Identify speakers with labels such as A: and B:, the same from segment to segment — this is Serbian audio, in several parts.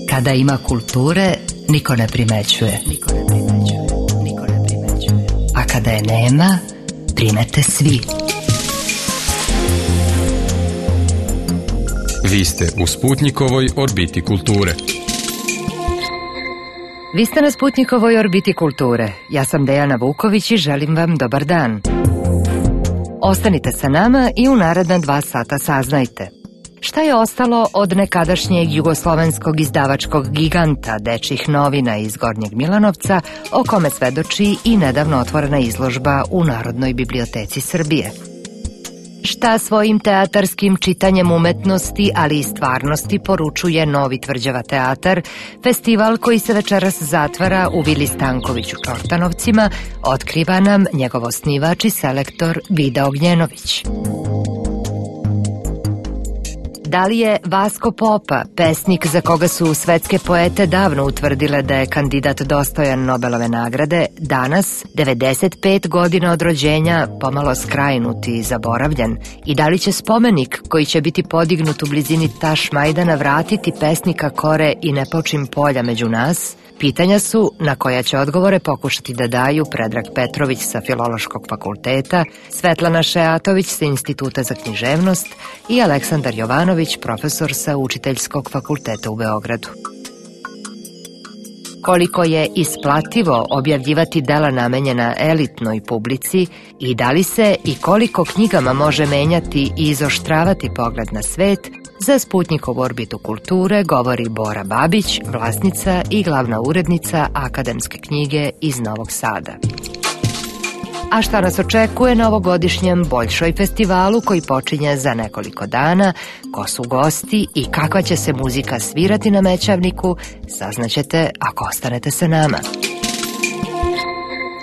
A: Kada ima kulture, niko ne primećuje. A kada je nema, primete svi.
B: Vi ste u Sputnjikovoj orbiti kulture.
A: Vi ste na Sputnjikovoj orbiti kulture. Ja sam Dejana Vuković i želim vam dobar dan. Ostanite sa nama i u naredna 2 sata saznajte šta je ostalo od nekadašnjeg jugoslovenskog izdavačkog giganta dečjih novina iz Gornjeg Milanovca, o kome svedoči i nedavno otvorena izložba u Narodnoj biblioteci Srbije. Šta svojim teatarskim čitanjem umetnosti, ali i stvarnosti poručuje Novi Tvrđava teatar, festival koji se večeras zatvara u Vili Stanković u Čortanovcima, otkriva nam njegov osnivač i selektor Vida Ognjenović. Da li je Vasko Popa, pesnik za koga su svetske poete davno utvrdile da je kandidat dostojan Nobelove nagrade, danas, 95 godina od rođenja, pomalo skrajnut i zaboravljen? I da li će spomenik koji će biti podignut u blizini Tašmajdana vratiti pesnika Kore i Nepočim polja među nas? Pitanja su na koja će odgovore pokušati da daju Predrag Petrović sa Filološkog fakulteta, Svetlana Šeatović sa Instituta za književnost i Aleksandar Jovanović, profesor sa Učiteljskog fakulteta u Beogradu. Koliko je isplativo objavljivati dela namenjena elitnoj publici i da li se i koliko knjigama može menjati i izoštravati pogled na svet, za Sputnjikovu orbitu kulture govori Bora Babić, vlasnica i glavna urednica akademske knjige iz Novog Sada. A šta nas očekuje na ovogodišnjem Boljšoj festivalu koji počinje za nekoliko dana, ko su gosti i kakva će se muzika svirati na Mećavniku, saznaćete ako ostanete sa nama.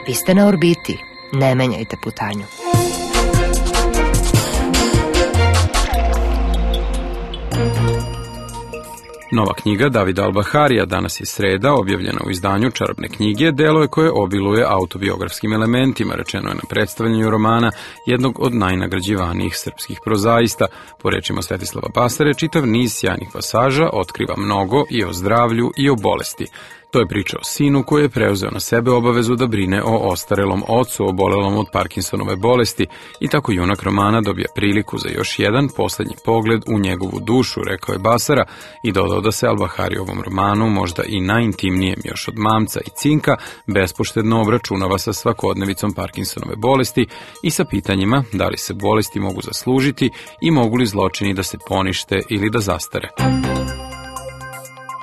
A: Vi ste na orbiti, ne menjajte putanju.
B: Nova knjiga Davida Albaharija, danas je sreda, objavljena u izdanju Čarobne knjige, delo je koje obiluje autobiografskim elementima, rečeno je na predstavljanju romana jednog od najnagrađivanijih srpskih prozaista. Po rečima Svetislava Basare, čitav niz sjajnih pasaža otkriva mnogo i o zdravlju i o bolesti. To je priča o sinu koji je preuzeo na sebe obavezu da brine o ostarelom ocu obolelom od Parkinsonove bolesti i tako junak romana dobija priliku za još jedan poslednji pogled u njegovu dušu, rekao je Basara i dodao da se Albahari ovom romanu, možda i najintimnijem još od Mamca i Cinka, bespoštedno obračunava sa svakodnevicom Parkinsonove bolesti i sa pitanjima da li se bolesti mogu zaslužiti i mogu li zločini da se ponište ili da zastare.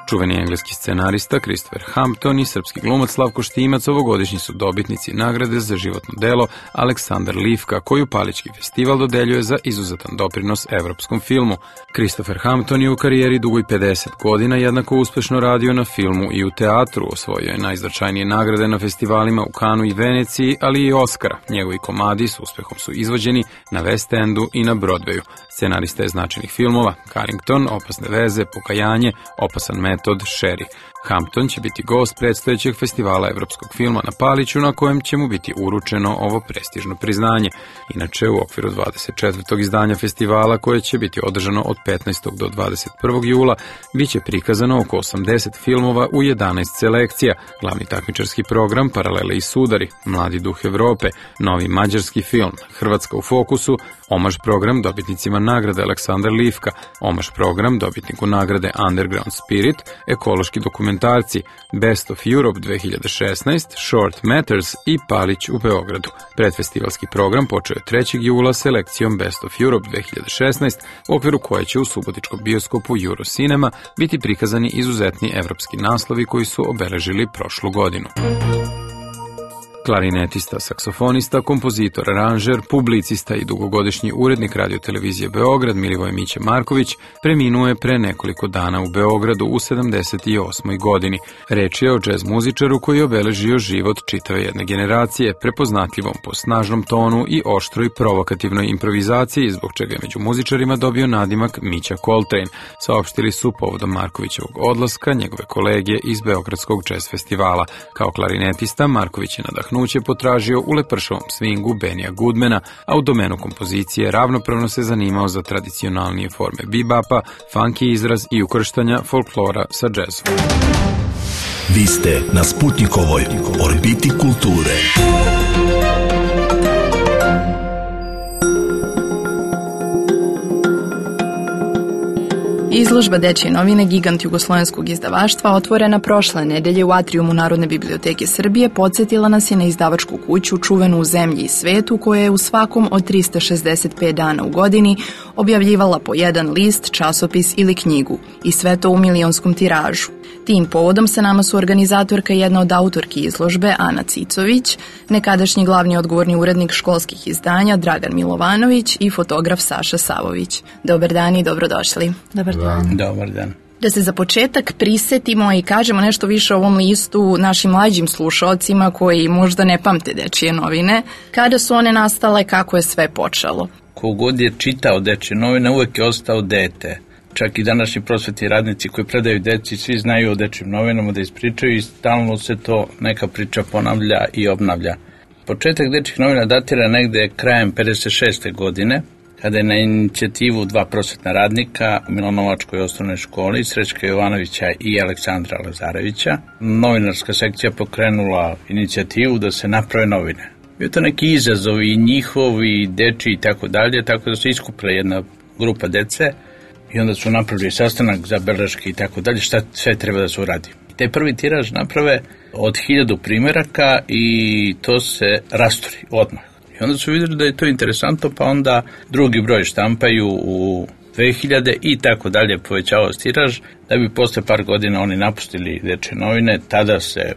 B: Čuveni engleski scenarista Christopher Hampton i srpski glumac Slavko Štimac ovogodišnji su dobitnici nagrade za životno delo Aleksandar Livka, koju Palički festival dodeljuje za izuzetan doprinos evropskom filmu. Christopher Hampton je u karijeri dugoj 50 godina jednako uspešno radio na filmu i u teatru, osvojio je najznačajnije nagrade na festivalima u Kanu i Veneciji, ali i Oskara. Njegovi komadi s uspehom su izvođeni na West Endu i na Broadwayu. Scenarista je značajnih filmova Carrington, Opasne veze, Pokajanje, Opasan metod, Sherry. Hampton će biti gost predstojećeg festivala evropskog filma na Paliću, na kojem će mu biti uručeno ovo prestižno priznanje. Inače, u okviru 24. izdanja festivala, koje će biti održano od 15. do 21. jula, biće prikazano oko 80 filmova u 11 selekcija, glavni takmičarski program, Paralele i sudari, Mladi duh Evrope, novi mađarski film, Hrvatska u fokusu, omaž program dobitnicima nagrade Aleksandar Livka, omaž program dobitniku nagrade Underground Spirit, ekološki dokumentarci, Best of Europe 2016, Short Matters i Palić u Beogradu. Predfestivalski program počeo je 3. jula selekcijom Best of Europe 2016, u okviru koje će u subotičkom bioskopu Eurocinema biti prikazani izuzetni evropski naslovi koji su obeležili prošlu godinu. Klarinetista, saksofonista, kompozitor, aranžer, publicista i dugogodišnji urednik radiotelevizije Beograd Milivoj Miće Marković preminuo je pre nekoliko dana u Beogradu u 78. godini. Reč je o džez muzičaru koji je obeležio život čitave jedne generacije, prepoznatljivom po snažnom tonu i oštroj provokativnoj improvizaciji, zbog čega je među muzičarima dobio nadimak Mića Coltrane, saopštili su povodom Markovićevog odlaska njegove kolege iz Beogradskog džez festivala. Kao klarinetista, Marković je nadahnuo nadahnuće potražio u lepršavom swingu Benija Goodmana, a u domenu kompozicije ravnopravno se zanimao za tradicionalnije forme bebapa, funky izraz i ukrštanja folklora sa džezom.
C: Vi ste na Sputnikovoj orbiti kulture.
D: Izložba Dečje novine Gigant jugoslovenskog izdavaštva, otvorena prošle nedelje u atrijumu Narodne biblioteke Srbije, podsjetila nas je na izdavačku kuću čuvenu u zemlji i svetu, koja je u svakom od 365 dana u godini objavljivala po jedan list, časopis ili knjigu, i sve to u milionskom tiražu. Tim povodom sa nama su organizatorka i jedna od autorki izložbe Ana Cicović, nekadašnji glavni odgovorni urednik školskih izdanja Dragan Milovanović i fotograf Saša Savović. Dobar dan i dobrodošli.
E: Dobar dan.
F: Dobar dan.
D: Da se za početak prisetimo i kažemo nešto više o ovom listu našim mlađim slušaocima koji možda ne pamte Dečije novine. Kada su one nastale, kako je sve počelo?
F: Kogod je čitao Dečje novine, uvek je ostao dete. Čak i današnji prosvetni radnici koji predaju deci, svi znaju o Dečjim novinama da ispričaju i stalno se to neka priča ponavlja i obnavlja. Početak Dečjih novina datira negde krajem 56. godine, kada je na inicijativu dva prosvetna radnika u Milanovačkoj osnovnoj školi, Srećka Jovanovića i Aleksandra Lazarevića, novinarska sekcija pokrenula inicijativu da se naprave novine. Bio to neki izazov i njihovi, i dečiji i tako dalje, tako da se iskupila jedna grupa dece i onda su napravili sastanak za beleške i tako dalje, šta sve treba da se uradi. Taj prvi tiraž naprave od 1000 primeraka i to se rasturi odmah. I onda su vidjeli da je to interesantno, pa onda drugi broj štampaju u 2000 i tako dalje, povećavao tiraž, da bi posle par godina oni napustili Dečje novine. Tada se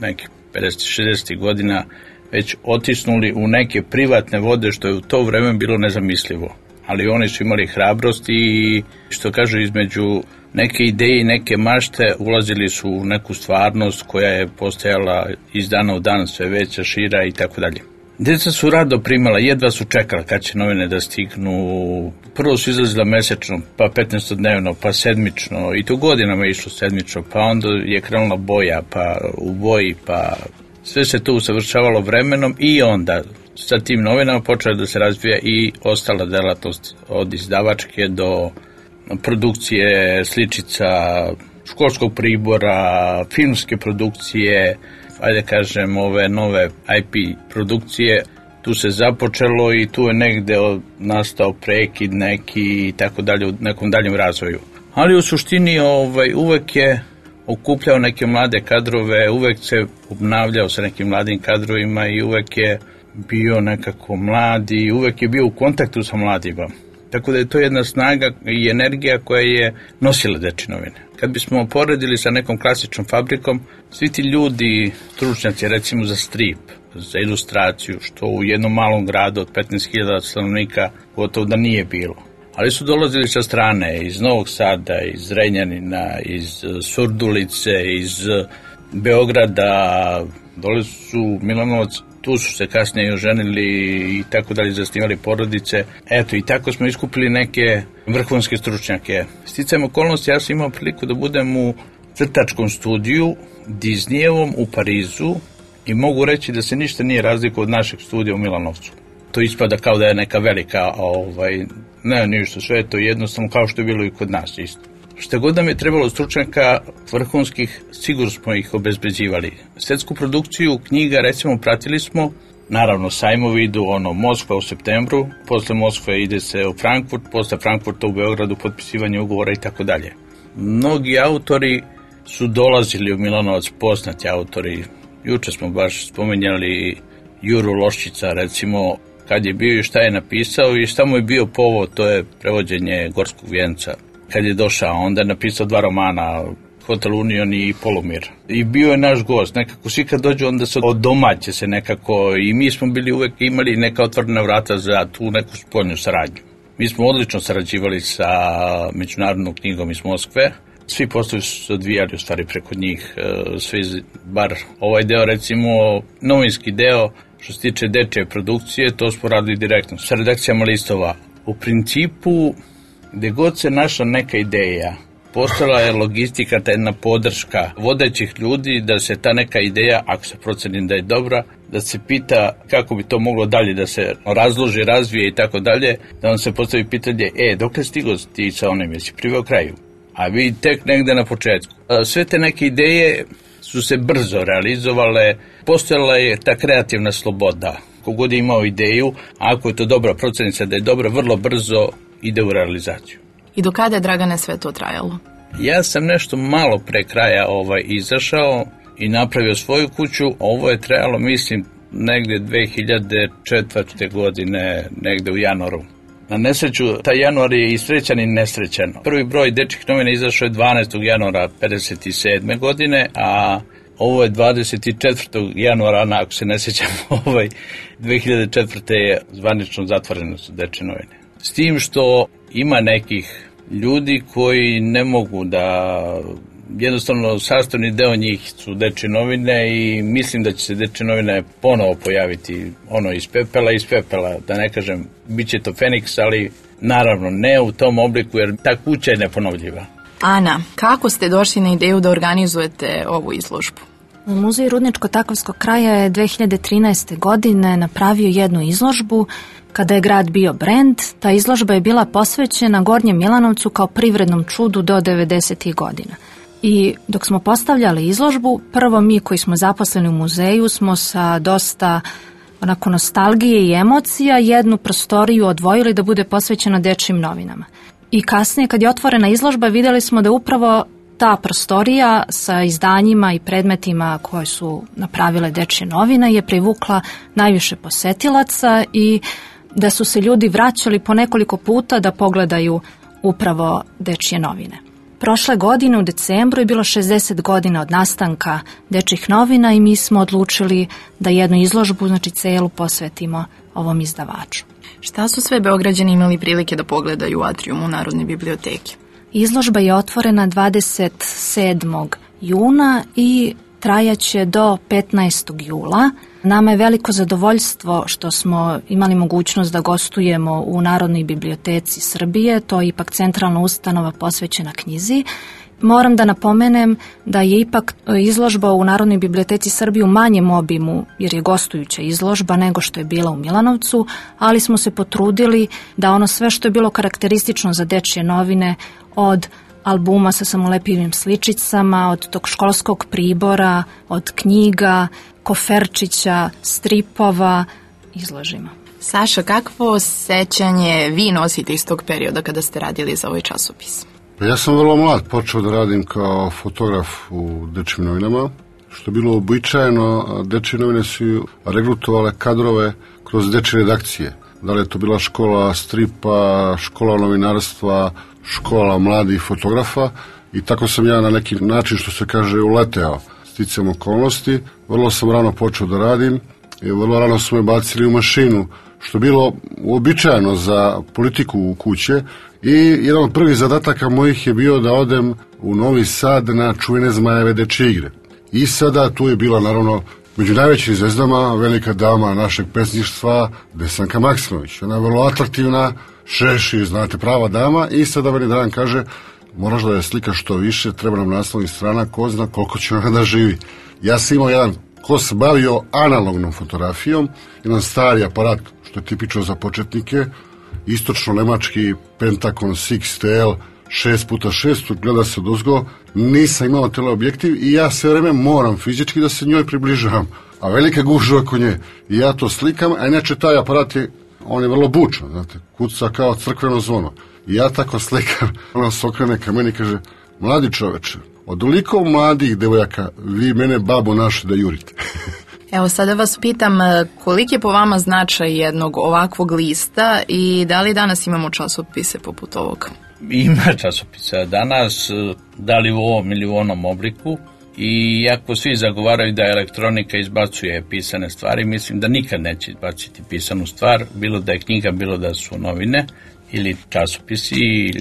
F: nekih 50-60 godina već otisnuli u neke privatne vode, što je u to vreme bilo nezamislivo. Ali oni su imali hrabrost i, što kažu, između neke ideje i neke mašte ulazili su u neku stvarnost koja je postajala iz dana u dan sve veća, šira i tako dalje. Djeca su rado primala, jedva su čekala kad će novine da stignu. Prvo su izlazila mesečno, pa 15-dnevno, pa sedmično, i to godinama je išlo sedmično, pa onda je krenula boja, pa u boji, pa sve se to usavršavalo vremenom i onda sa tim novinama počela da se razvija i ostala delatnost od izdavačke do produkcije sličica, školskog pribora, filmske produkcije, ajde kažem ove nove IP produkcije. Tu se započelo i tu je negde nastao prekid neki i tako dalje u nekom daljem razvoju. Ali u suštini uvek je okupljao neke mlade kadrove, uvek se obnavljao sa nekim mladim kadrovima i uvek je bio nekako mlad i uvek je bio u kontaktu sa mladima. Tako da je to jedna snaga i energija koja je nosila Dečje novine. Kad bismo poredili sa nekom klasičnom fabrikom, svi ti ljudi, stručnjaci recimo za strip, za ilustraciju, što u jednom malom gradu od 15.000 stanovnika gotovo da nije bilo. Ali su dolazili sa strane, iz Novog Sada, iz Renjanina, iz Surdulice, iz Beograda, dole su Milanovac, tu su se kasnije oženili i tako dalje, zasnivali porodice. Eto, i tako smo iskupili neke vrhunske stručnjake. Sticajem okolnosti, ja sam imao priliku da budem u crtačkom studiju Disneyevom u Parizu i mogu reći da se ništa nije razlikovalo od našeg studija u Milanovcu. To ispada kao da je neka velika, ne ništa, sve je to jednostavno kao što je bilo i kod nas isto. Šta god nam je trebalo stručnjaka vrhunskih, sigurno smo ih obezbeđivali. Svetsku produkciju knjiga, recimo, pratili smo, naravno sajmovi idu, Moskva u septembru, posle Moskve ide se u Frankfurt, posle Frankfurta u Beogradu, potpisivanje ugovora i tako dalje. Mnogi autori su dolazili u Milanovac, poznati autori. Juče smo baš spomenjali Juru Loščića, recimo, kad je bio i šta je napisao i šta mu je bio povod, to je prevođenje Gorskog vijenca. Kad je došao, onda je napisao 2 romana, Hotel Union i Polumir. I bio je naš gost, nekako svi kad dođu onda se odomaće se nekako i mi smo bili uvek imali neka otvorena vrata za tu neku spoljnu saradnju. Mi smo odlično sarađivali sa Međunarodnom knjigom iz Moskve, svi poslovi su se odvijali u stvari preko njih, svi, bar ovaj deo recimo, novinski deo što se tiče dečje produkcije, to smo radili direktno sa redakcijama listova. U principu, gde god se našla neka ideja, postala je logistika, ta jedna podrška vodećih ljudi da se ta neka ideja, ako se proceni da je dobra, da se pita kako bi to moglo dalje da se razloži, razvije i tako dalje, da vam se postavi pitanje, dok je stigo ti sa onim, jesi priveo kraju? A vi tek negde na početku. Sve te neke ideje su se brzo realizovale, postojala je ta kreativna sloboda. Kogod je imao ideju, a ako je to dobra procenica da je dobra, vrlo brzo ide u realizaciju.
D: I do kada je, Dragane, sve to trajalo?
F: Ja sam nešto malo pre kraja izašao i napravio svoju kuću. Ovo je trajalo, mislim, negde 2004. godine, negde u januaru. Na nesreću, taj januar je i srećan i nesrećan. Prvi broj dečjih novina izašao je 12. januara 1957. godine, a ovo je 24. januara, ako se ne sjećam, 2004. je zvanično zatvoreno su dečje novine. S tim što ima nekih ljudi koji ne mogu da, jednostavno sastavni deo njih su dečje novine i mislim da će se dečje novine ponovo pojaviti iz pepela, da ne kažem, bit će to Feniks, ali naravno ne u tom obliku jer ta kuća je neponovljiva.
D: Ana, kako ste došli na ideju da organizujete ovu izložbu?
E: Muzej Rudničko-Takovskog kraja je 2013. godine napravio jednu izložbu kada je grad bio brend. Ta izložba je bila posvećena Gornjem Milanovcu kao privrednom čudu do 90. godina. I dok smo postavljali izložbu, prvo mi koji smo zaposleni u muzeju smo sa dosta onako nostalgije i emocija jednu prostoriju odvojili da bude posvećena dečjim novinama. I kasnije kad je otvorena izložba vidjeli smo da upravo ta prostorija sa izdanjima i predmetima koje su napravile dečje novine je privukla najviše posetilaca i da su se ljudi vraćali po nekoliko puta da pogledaju upravo dečje novine. Prošle godine u decembru je bilo 60 godina od nastanka dečjih novina i mi smo odlučili da jednu izložbu, znači celu, posvetimo ovom izdavaču.
D: Šta su sve Beograđani imali prilike da pogledaju u atrijumu Narodne biblioteke?
E: Izložba je otvorena 27. juna i trajaće do 15. jula. Nama je veliko zadovoljstvo što smo imali mogućnost da gostujemo u Narodnoj biblioteci Srbije, to je ipak centralna ustanova posvećena knjizi. Moram da napomenem da je ipak izložba u Narodnoj biblioteci Srbije u manjem obimu, jer je gostujuća izložba nego što je bila u Milanovcu, ali smo se potrudili da ono sve što je bilo karakteristično za dečje novine, od albuma sa samolepivim sličicama, od tog školskog pribora, od knjiga, koferčića, stripova, izložimo.
D: Saša, kakvo sećanje vi nosite iz tog perioda kada ste radili za ovaj časopis?
G: Ja sam vrlo mlad počeo da radim kao fotograf u dečjim novinama, što je bilo uobičajeno. Dečje novine su regrutovale kadrove kroz dečje redakcije. Da li je to bila škola stripa, škola novinarstva, škola mladih fotografa i tako sam ja na neki način, što se kaže, uleteo sticam okolnosti. Vrlo sam rano počeo da radim i vrlo rano su me bacili u mašinu, što je bilo uobičajeno za politiku u kuće. I jedan od prvih zadataka mojih je bio da odem u Novi Sad na čuvene Zmajeve dečje igre. I sada tu je bila naravno među najvećim zvezdama velika dama našeg pesništva Desanka Maksimović. Ona je vrlo atraktivna, šeši, znate, prava dama i sada meni Dragan kaže moraš da je slikaš što više, treba nam naslovnih strana, ko zna koliko će ona da živi. Ja sam imao jedan ko se bavio analognom fotografijom, jedan stari aparat što je tipično za početnike, istočno-nemački Pentacon 6TL 6x6, gleda se odozgo, nisam imao teleobjektiv i ja sve vreme moram fizički da se njoj približavam, a velika gužva oko nje. I ja to slikam, a inače taj aparat on je vrlo bučan, znate, kuca kao crkveno zvono. I ja tako slikam, ona se okrene ka meni i kaže, mladi čoveče, od oliko mladih devojaka vi mene babo naše da jurite.
D: Evo sada vas pitam koliki je po vama značaj jednog ovakvog lista i da li danas imamo časopise poput ovog?
F: Ima časopisa danas, da li u ovom ili u onom obliku, i ako svi zagovaraju da elektronika izbacuje pisane stvari, mislim da nikad neće izbaciti pisanu stvar, bilo da je knjiga, bilo da su novine ili časopisi,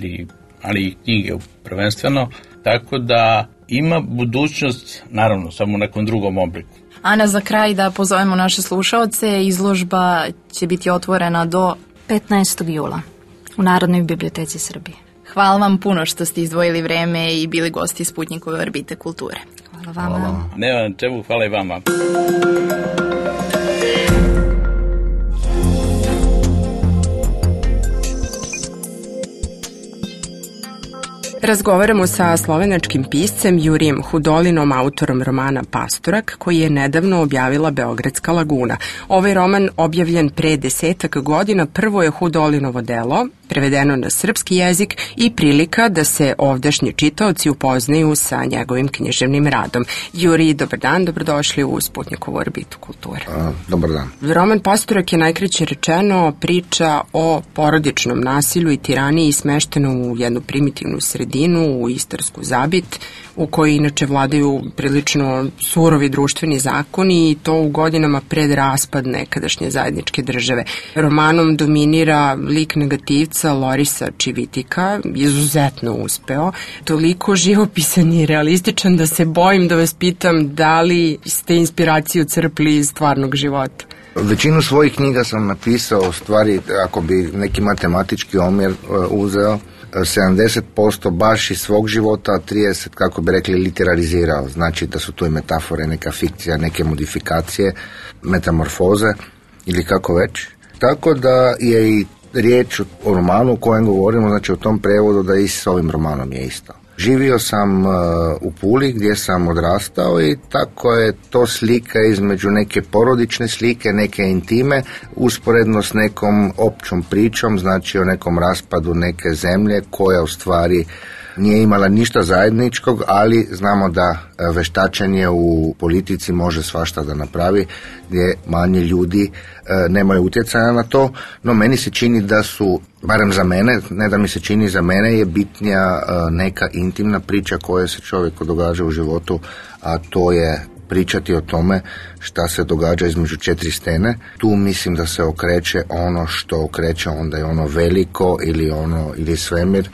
F: ali i knjige prvenstveno, tako da ima budućnost, naravno, samo u nekom drugom obliku.
D: Ana, za kraj da pozovemo naše slušaoce, izložba će biti otvorena do
E: 15. jula u Narodnoj biblioteci Srbije.
D: Hvala vam puno što ste izdvojili vreme i bili gosti Sputnikove orbite kulture.
E: Hvala vama.
F: Nema na čemu, hvala i vama.
H: Razgovaramo sa slovenačkim piscem Jurijem Hudolinom, autorom romana Pastorak, koji je nedavno objavila Beogradska laguna. Ovaj roman, objavljen pre 10 godina, prvo je Hudolinovo delo, prevedeno na srpski jezik i prilika da se ovdašnji čitaoci upoznaju sa njegovim književnim radom. Juri, dobar dan, dobrodošli u Sputnikovu orbitu kulture.
I: Dobar dan.
H: Roman Pastorak je najkraće rečeno priča o porodičnom nasilju i tiraniji smešteno u jednu primitivnu sredinu, u istarsku Zabit, u kojoj inače vladaju prilično surovi društveni zakoni i to u godinama pred raspad nekadašnje zajedničke države. Romanom dominira lik negativca Lorisa Čivitika, izuzetno uspeo, toliko živopisan i realističan da se bojim da vas pitam da li ste inspiraciju crpli iz stvarnog života.
I: Većinu svojih knjiga sam napisao, u stvari, ako bi neki matematički omjer uzeo, 70% baš iz svog života, a 30%, kako bi rekli, literarizirao. Znači da su to i metafore, neka fikcija, neke modifikacije, metamorfoze ili kako već. Tako da je i riječ o romanu o kojem govorimo, znači o tom prevodu, da i s ovim romanom je isto. Živio sam u Puli gdje sam odrastao i tako je to slika između neke porodične slike, neke intime, usporedno s nekom općom pričom, znači o nekom raspadu neke zemlje koja u stvari nije imala ništa zajedničkog, ali znamo da veštačenje u politici može svašta da napravi, gdje manje ljudi nemaju utjecaja na to, no meni se čini da su, barem za mene, ne da mi se čini, za mene je bitnija neka intimna priča koja se čovjeku događa u životu, a to je pričati o tome šta se događa između četiri stene. Tu mislim da se okreće ono što okreće, onda je ono veliko ili svemir,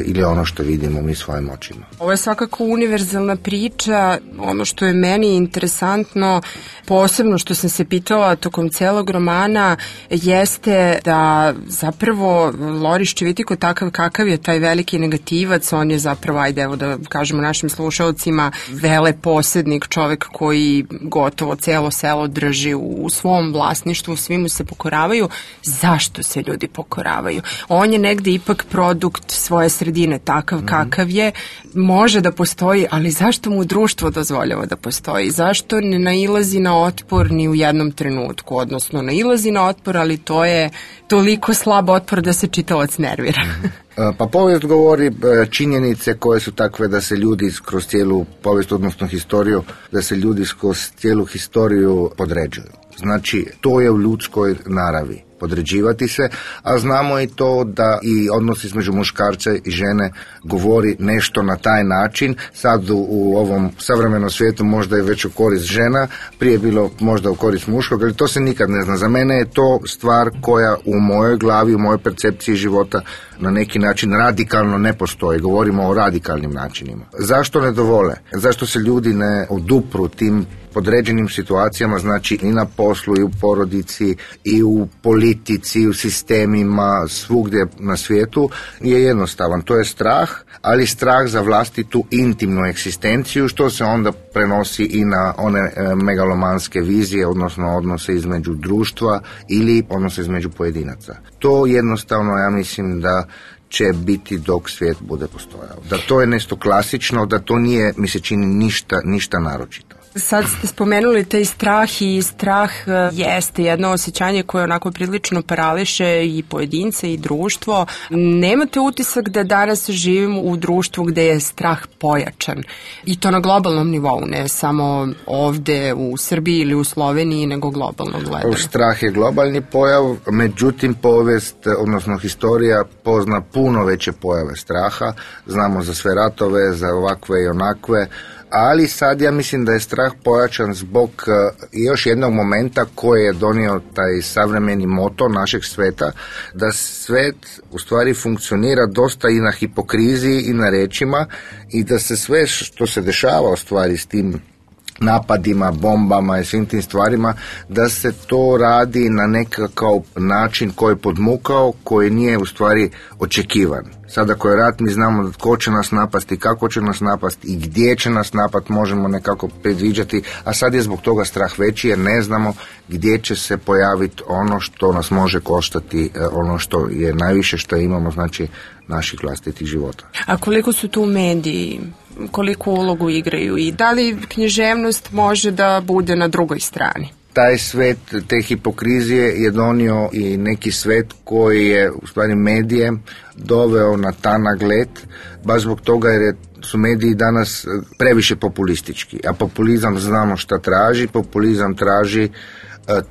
I: ili ono što vidimo mi svojim očima.
H: Ovo je svakako univerzalna priča. Ono što je meni interesantno, posebno što sam se pitala tokom celog romana, jeste da zapravo Loris Čivitiko, takav kakav je taj veliki negativac, on je zapravo, ajde evo da kažemo našim slušalcima, veleposednik, čovek koji gotovo celo selo drži u svom vlasništvu, svi mu se pokoravaju. Zašto se ljudi pokoravaju? On je negde ipak produkt svoje sredine, takav kakav je, može da postoji, ali zašto mu društvo dozvoljava da postoji? Zašto ne nailazi na otpor ni u jednom trenutku? Odnosno, nailazi na otpor, ali to je toliko slab otpor da se čitalac nervira.
I: Pa povijest govori činjenice koje su takve da se ljudi kroz cijelu povijest, odnosno historiju, da se ljudi kroz cijelu historiju podređuju. Znači, to je u ljudskoj naravi, podređivati se, a znamo i to da i odnos između muškarca i žene govori nešto na taj način. Sad u ovom savremenom svijetu možda je već u korist žena, prije bilo možda u korist muškog, ali to se nikad ne zna. Za mene je to stvar koja u mojoj glavi, u mojoj percepciji života na neki način radikalno ne postoji. Govorimo o radikalnim načinima. Zašto ne dovole? Zašto se ljudi ne odupru tim podređenim situacijama, znači i na poslu, i u porodici, i u politici, i u sistemima, svugdje na svijetu, je jednostavan. To je strah, ali strah za vlastitu intimnu egzistenciju, što se onda prenosi i na one megalomanske vizije, odnosno odnose između društva ili odnose između pojedinaca. To jednostavno, ja mislim da će biti dok svijet bude postojao. Da to je nešto klasično, da to nije, mi se čini, ništa naročito.
H: Sad ste spomenuli taj strah i strah jeste jedno osjećanje koje onako prilično parališe i pojedince i društvo. Nemate utisak da danas živimo u društvu gde je strah pojačan i to na globalnom nivou, ne samo ovde u Srbiji ili u Sloveniji, nego globalno gledano?
I: Strah je globalni pojav, međutim povijest, odnosno historija pozna puno veće pojave straha. Znamo za sve ratove, za ovakve i onakve, ali sad ja mislim da je strah pojačan zbog još jednog momenta koji je donio taj savremeni moto našeg sveta, da svet u stvari funkcionira dosta i na hipokriziji i na rečima i da se sve što se dešava u stvari s tim napadima, bombama i svim tim stvarima, da se to radi na nekakav način koji je podmukao, koji nije u stvari očekivan. Sada ako je rat, mi znamo tko će nas napasti, kako će nas napasti i gdje će nas napasti, možemo nekako predviđati, a sad je zbog toga strah veći jer ne znamo gdje će se pojaviti ono što nas može koštati, ono što je najviše što imamo, znači naših vlastitih života.
H: A koliko su tu mediji, koliko ulogu igraju i da li književnost može da bude na drugoj strani?
I: Taj svet te hipokrizije je donio i neki svet koji je u stvari medije doveo na tanak led, baš zbog toga jer su mediji danas previše populistički, a populizam znamo šta traži, populizam traži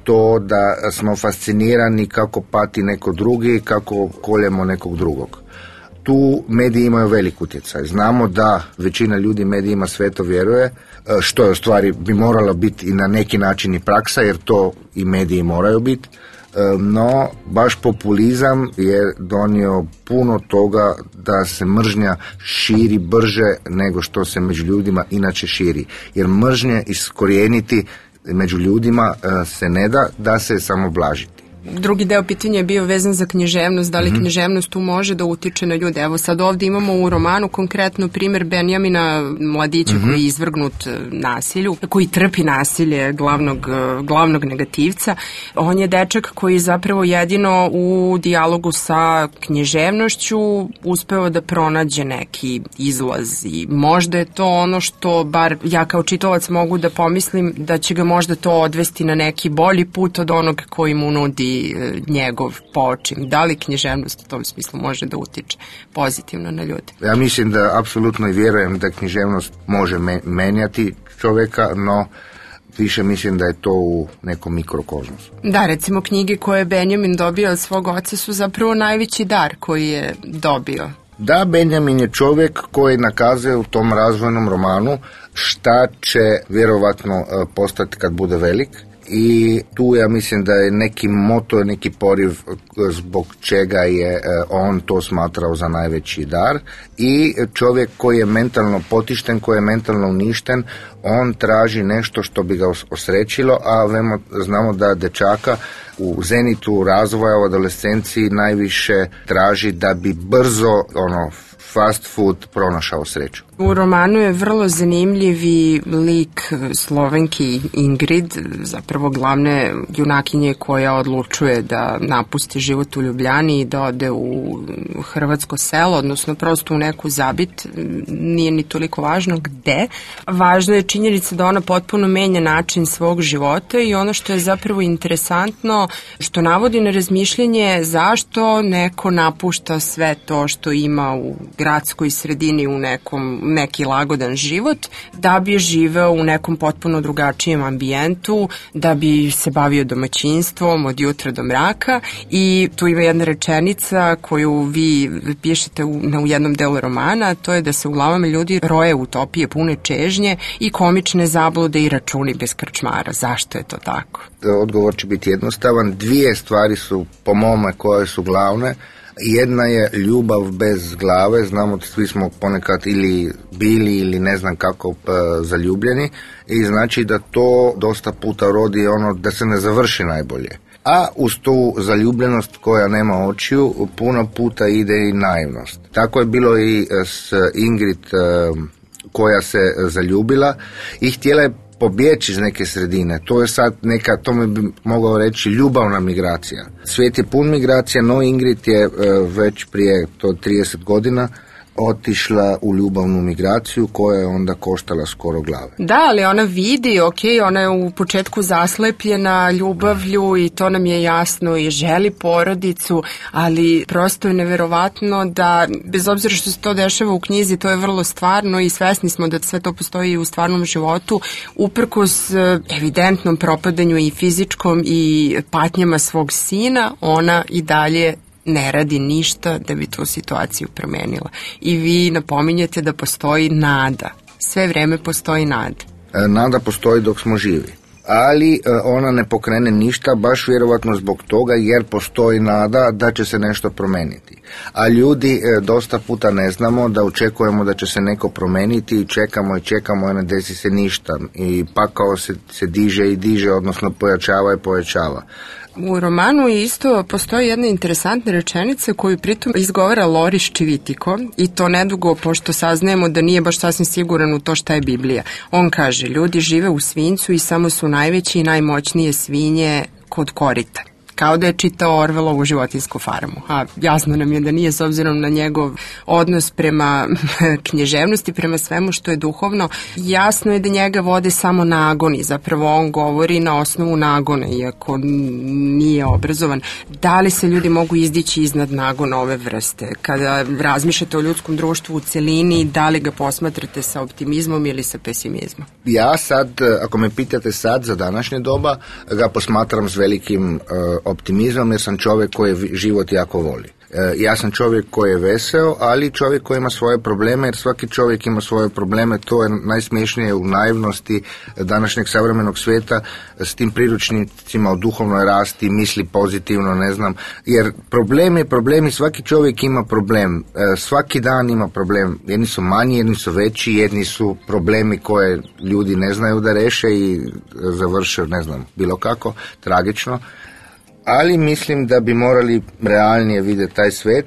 I: to da smo fascinirani kako pati neko drugi, kako koljemo nekog drugog. Tu mediji imaju velik utjecaj. Znamo da većina ljudi medijima sveto vjeruje, što je u stvari bi moralo biti i na neki način i praksa, jer to i mediji moraju biti. No, baš populizam je donio puno toga da se mržnja širi brže nego što se među ljudima inače širi. Jer mržnje iskorijeniti među ljudima se ne da se samo blažiti.
H: Drugi deo pitanja je bio vezan za književnost, da li književnost tu može da utiče na ljude. Evo sad ovdje imamo u romanu konkretno primjer Benjamina, mladića koji je izvrgnut nasilju, koji trpi nasilje glavnog negativca. On je dečak koji zapravo jedino u dijalogu sa književnošću uspeo da pronađe neki izlaz i možda je to ono što bar ja kao čitalac mogu da pomislim da će ga možda to odvesti na neki bolji put od onog koji mu nudi njegov počin. Da li književnost u tom smislu može da utiče pozitivno na ljude?
I: Ja mislim da apsolutno i vjerujem da književnost može menjati čovjeka, no više mislim da je to u nekom mikrokozmosu.
H: Da, recimo knjige koje je Benjamin dobio od svog oca su zapravo najveći dar koji je dobio.
I: Da, Benjamin je čovjek koji nakazuje u tom razvojnom romanu šta će vjerovatno postati kad bude velik. I tu ja mislim da je neki moto, neki poriv zbog čega je on to smatrao za najveći dar. I čovjek koji je mentalno potišten, koji je mentalno uništen, on traži nešto što bi ga osrećilo, a znamo da dečaka u zenitu razvoja, u adolescenciji najviše traži da bi brzo fast food pronašao sreću.
H: U romanu je vrlo zanimljivi lik Slovenki Ingrid, zapravo glavne junakinje koja odlučuje da napusti život u Ljubljani i da ode u hrvatsko selo, odnosno prosto u neku zabit, nije ni toliko važno gde. Važno je činjenica da ona potpuno menja način svog života i ono što je zapravo interesantno, što navodi na razmišljanje zašto neko napušta sve to što ima u gradskoj sredini u neki lagodan život, da bi živeo u nekom potpuno drugačijem ambijentu, da bi se bavio domaćinstvom od jutra do mraka. I tu ima jedna rečenica koju vi pišete u jednom delu romana, to je da se u glavama ljudi roje utopije pune čežnje i komične zablude i računi bez krčmara. Zašto je to tako?
I: Odgovor će biti jednostavan. Dvije stvari su po mome koje su glavne. Jedna je ljubav bez glave, znamo da svi smo ponekad ili bili ili ne znam kako zaljubljeni i znači da to dosta puta rodi da se ne završi najbolje. A uz tu zaljubljenost koja nema očiju puno puta ide i naivnost. Tako je bilo i s Ingrid koja se zaljubila i htjela je pobjeći iz neke sredine. To je sad neka, to mi bi mogao reći, ljubavna migracija. Svijet je pun migracija, no Ingrid je već prije 30 godina otišla u ljubavnu migraciju koja je onda koštala skoro glave.
H: Da, ali ona vidi, ona je u početku zaslepljena ljubavlju i to nam je jasno i želi porodicu, ali prosto je neverovatno da, bez obzira što se to dešava u knjizi, to je vrlo stvarno i svesni smo da sve to postoji i u stvarnom životu, uprkos evidentnom propadanju i fizičkom i patnjama svog sina, ona i dalje ne radi ništa da bi tu situaciju promenila. I vi napominjete da postoji nada. Sve vreme postoji nada.
I: Nada postoji dok smo živi. Ali ona ne pokrene ništa, baš vjerovatno zbog toga jer postoji nada da će se nešto promeniti. A ljudi dosta puta ne znamo da očekujemo da će se neko promeniti i čekamo i ne desi se ništa. I pakao se diže i diže, odnosno pojačava i pojačava.
H: U romanu isto postoji jedna interesantna rečenica koju pritom izgovara Loris Civitico i to nedugo pošto saznajemo da nije baš sasvim siguran u to šta je Biblija. On kaže, ljudi žive u svinjcu i samo su najveći i najmoćnije svinje kod korita. Kao da je čitao Orvelovu Životinjsku farmu. A jasno nam je da nije, s obzirom na njegov odnos prema književnosti, prema svemu što je duhovno. Jasno je da njega vode samo nagoni. Zapravo on govori na osnovu nagona, iako nije obrazovan. Da li se ljudi mogu izdići iznad nagona ove vrste? Kada razmišljate o ljudskom društvu u celini, da li ga posmatrate sa optimizmom ili sa pesimizmom?
I: Ja sad, ako me pitate sad za današnje doba, ga posmatram s velikim optimizmom, jer sam čovjek koji život jako voli. Ja sam čovjek koji je veseo, ali čovjek koji ima svoje probleme, jer svaki čovjek ima svoje probleme. To je najsmiješnije u naivnosti današnjeg savremenog svijeta s tim priručnicima o duhovnoj rasti, misli pozitivno, ne znam, jer problemi, svaki čovjek ima problem, svaki dan ima problem, jedni su manji, jedni su veći, jedni su problemi koje ljudi ne znaju da reše i završe, ne znam, bilo kako, tragično. Ali mislim da bi morali realnije vidjeti taj svijet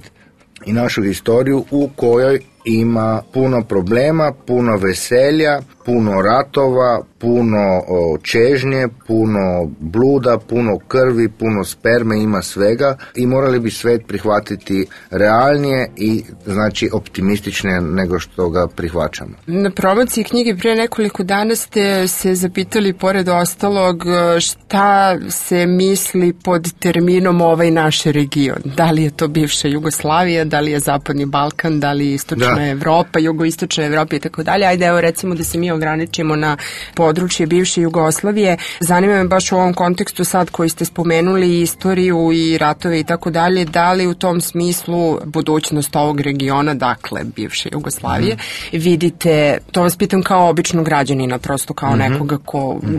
I: i našu historiju u kojoj ima puno problema, puno veselja, puno ratova, puno čežnje, puno bluda, puno krvi, puno sperme, ima svega i morali bi svijet prihvatiti realnije i znači optimističnije nego što ga prihvaćamo.
H: Na promociji knjige prije nekoliko dana ste se zapitali pored ostalog šta se misli pod terminom ovaj naš region. Da li je to bivša Jugoslavija, da li je Zapadni Balkan, da li je Istočna Evropa, Jugoistočna Evropa i tako dalje. Ajde, evo recimo da se mi ograničimo na područje bivše Jugoslavije. Zanima me baš u ovom kontekstu sad koji ste spomenuli istoriju i ratove i tako dalje, da li u tom smislu budućnost ovog regiona, dakle bivše Jugoslavije, vidite, to vas pitam kao običnog građanina, prosto kao nekoga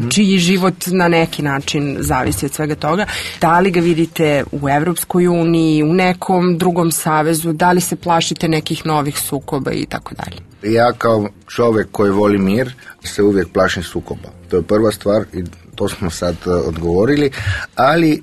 H: čiji život na neki način zavisi od svega toga, da li ga vidite u Evropskoj uniji, u nekom drugom savezu, da li se plašite nekih novih sukoba i tako dalje?
I: Ja kao čovjek koji voli mir se uvijek plašim sukoba. To je prva stvar i to smo sad odgovorili, ali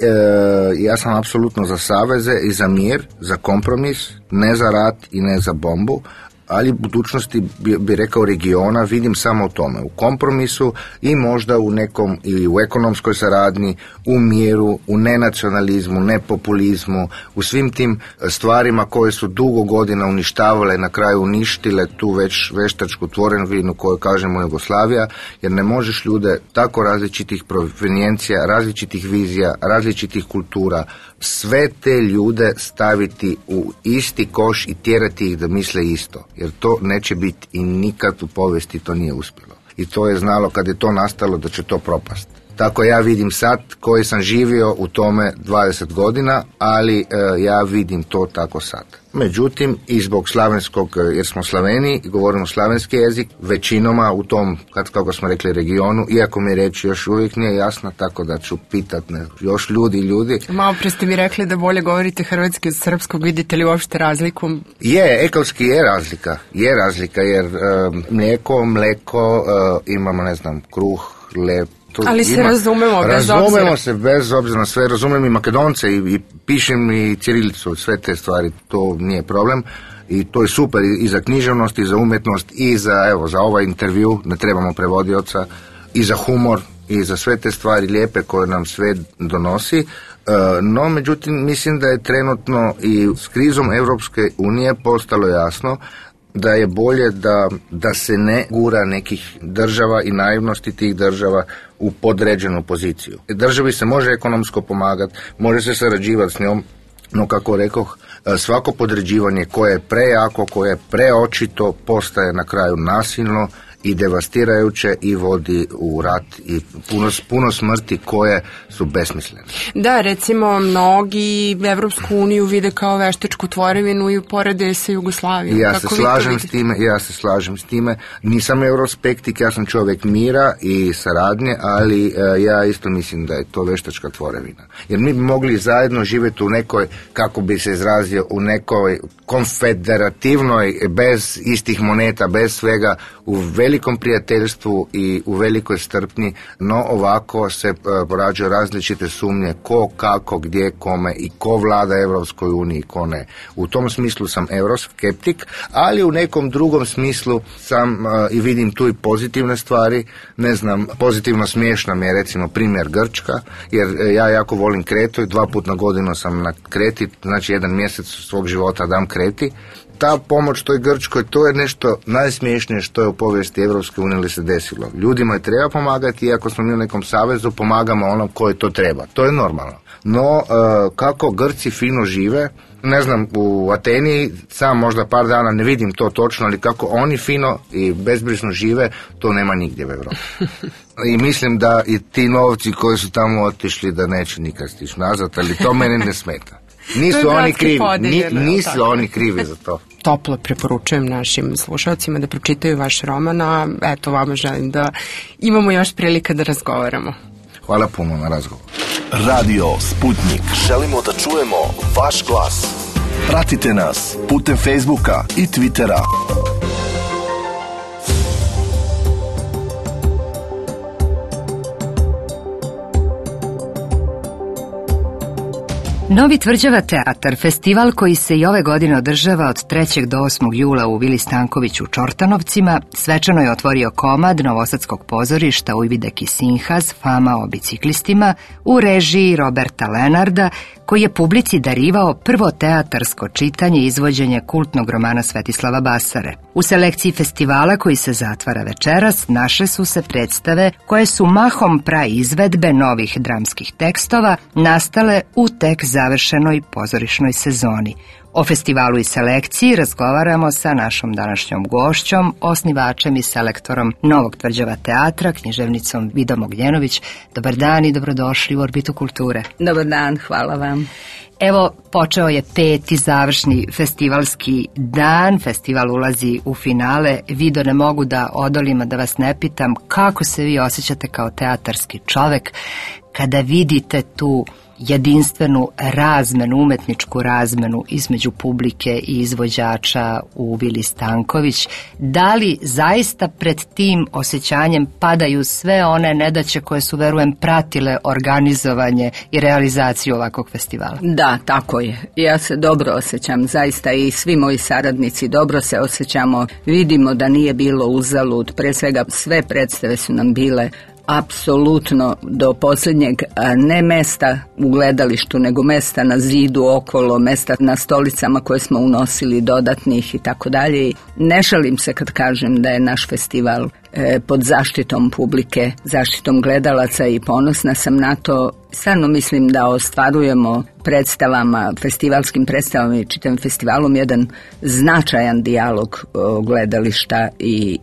I: ja sam apsolutno za saveze i za mir, za kompromis, ne za rat i ne za bombu, ali budućnosti bi rekao regiona vidim samo u tome, u kompromisu i možda u nekom ili u ekonomskoj saradnji, u miru, u nenacionalizmu, nepopulizmu, u svim tim stvarima koje su dugo godina uništavale, na kraju uništile tu već veštačku tvorevinu koju kažemo Jugoslavija, jer ne možeš ljude tako različitih provenijencija, različitih vizija, različitih kultura, sve te ljude staviti u isti koš i tjerati ih da misle isto. Jer to neće biti i nikad u povijesti to nije uspjelo. I to je znalo kad je to nastalo da će to propast. Tako ja vidim sad koji sam živio u tome 20 godina, ali ja vidim to tako sad. Međutim, i zbog slavenskog, jer smo Slaveni i govorimo slavenski jezik, većinoma u tom, kako smo rekli, regionu, iako mi reći još uvijek nije jasno, tako da ću pitat još ljudi.
H: Malo pre ste mi rekli da bolje govorite hrvatski od srpskog, vidite li uopšte razliku?
I: Ekolski je razlika, jer mleko, imamo, ne znam, kruh, lep,
H: ali se razumemo
I: bez obzira na sve, razumijem i Makedonce i pišem i cirilicu, sve te stvari, to nije problem i to je super i za književnost i za umjetnost i za ovaj intervju, ne trebamo prevodioca, i za humor i za sve te stvari lijepe koje nam sve donosi. No, međutim, mislim da je trenutno i s krizom Europske unije postalo jasno da je bolje da se ne gura nekih država i naivnosti tih država u podređenu poziciju. Državi se može ekonomsko pomagati, može se sarađivati s njom, no kako rekoh, svako podređivanje koje je prejako, koje je preočito, postaje na kraju nasilno i devastirajuće i vodi u rat i puno smrti koje su besmislene.
H: Da, recimo mnogi Evropsku uniju vide kao veštačku tvorevinu i uporede sa Jugoslavijom.
I: Ja se slažem s time. Nisam euroskeptik, ja sam čovjek mira i saradnje, ali ja isto mislim da je to veštačka tvorevina. Jer mi bi mogli zajedno živjeti u nekoj, kako bi se izrazio, u nekoj konfederativnoj, bez istih moneta, bez svega, u velikom prijateljstvu i u velikoj strpnji, no ovako se porađaju različite sumnje ko, kako, gdje, kome i ko vlada Evropskoj uniji, ko ne. U tom smislu sam euroskeptik, ali u nekom drugom smislu sam i vidim tu i pozitivne stvari. Ne znam, pozitivno smiješno mi je recimo primjer Grčka, jer ja jako volim Kretu i 2 puta na godinu sam na Kreti, znači 1 mjesec svog života dam Kreti. Ta pomoć toj Grčkoj, to je nešto najsmiješnije što je u povijesti Evropske unije ili se desilo. Ljudima je treba pomagati, iako smo mi u nekom savezu, pomagamo onom koje to treba. To je normalno. No, kako Grci fino žive, ne znam, u Ateni sam možda par dana ne vidim to točno, ali kako oni fino i bezbrižno žive, to nema nigdje u Evropi. I mislim da i ti novci koji su tamo otišli da neće nikad stići nazad, ali to mene ne smeta. Nisu oni krivi, nisu oni krivi za to.
H: Toplo preporučujem našim slušalcima da pročitaju vaš roman, a eto vama želim da imamo još prilika da razgovaramo.
I: Hvala puno na razgovor.
C: Radio Sputnik. Želimo da čujemo vaš glas. Pratite nas putem Facebooka i Twittera.
A: Novi Tvrđava teatar, festival koji se i ove godine održava od 3. do 8. jula u Vili Stankoviću u Čortanovcima, svečano je otvorio komad Novosadskog pozorišta Ujvidek i Sinhaz, fama o biciklistima, u režiji Roberta Lenarda, koji je publici darivao prvo teatarsko čitanje i izvođenje kultnog romana Svetislava Basare. U selekciji festivala koji se zatvara večeras našle su se predstave koje su mahom praizvedbe novih dramskih tekstova nastale u tek završenoj pozorišnoj sezoni. O festivalu i selekciji razgovaramo sa našom današnjom gošćom, osnivačem i selektorom Novog Tvrđava teatra, književnicom Vidom Ognjenović. Dobar dan i dobrodošli u Orbitu kulture.
J: Dobar dan, hvala vam.
A: Evo, počeo je 5. završni festivalski dan, festival ulazi u finale. Vido, ne mogu da odolim, a da vas ne pitam kako se vi osjećate kao teatarski čovek kada vidite tu jedinstvenu razmenu, umetničku razmenu između publike i izvođača u Vili Stanković. Da li zaista pred tim osjećanjem padaju sve one nedaće koje su, verujem, pratile organizovanje i realizaciju ovakvog festivala?
J: Da, tako je. Ja se dobro osjećam, zaista i svi moji saradnici dobro se osjećamo. Vidimo da nije bilo uzalud, pre svega sve predstave su nam bile apsolutno do posljednjeg, ne mesta u gledalištu, nego mesta na zidu okolo, mesta na stolicama koje smo unosili dodatnih i tako dalje. Ne šalim se kad kažem da je naš festival pod zaštitom publike, zaštitom gledalaca i ponosna sam na to. Stvarno mislim da ostvarujemo predstavama, festivalskim predstavama i čitavim festivalom jedan značajan dijalog gledališta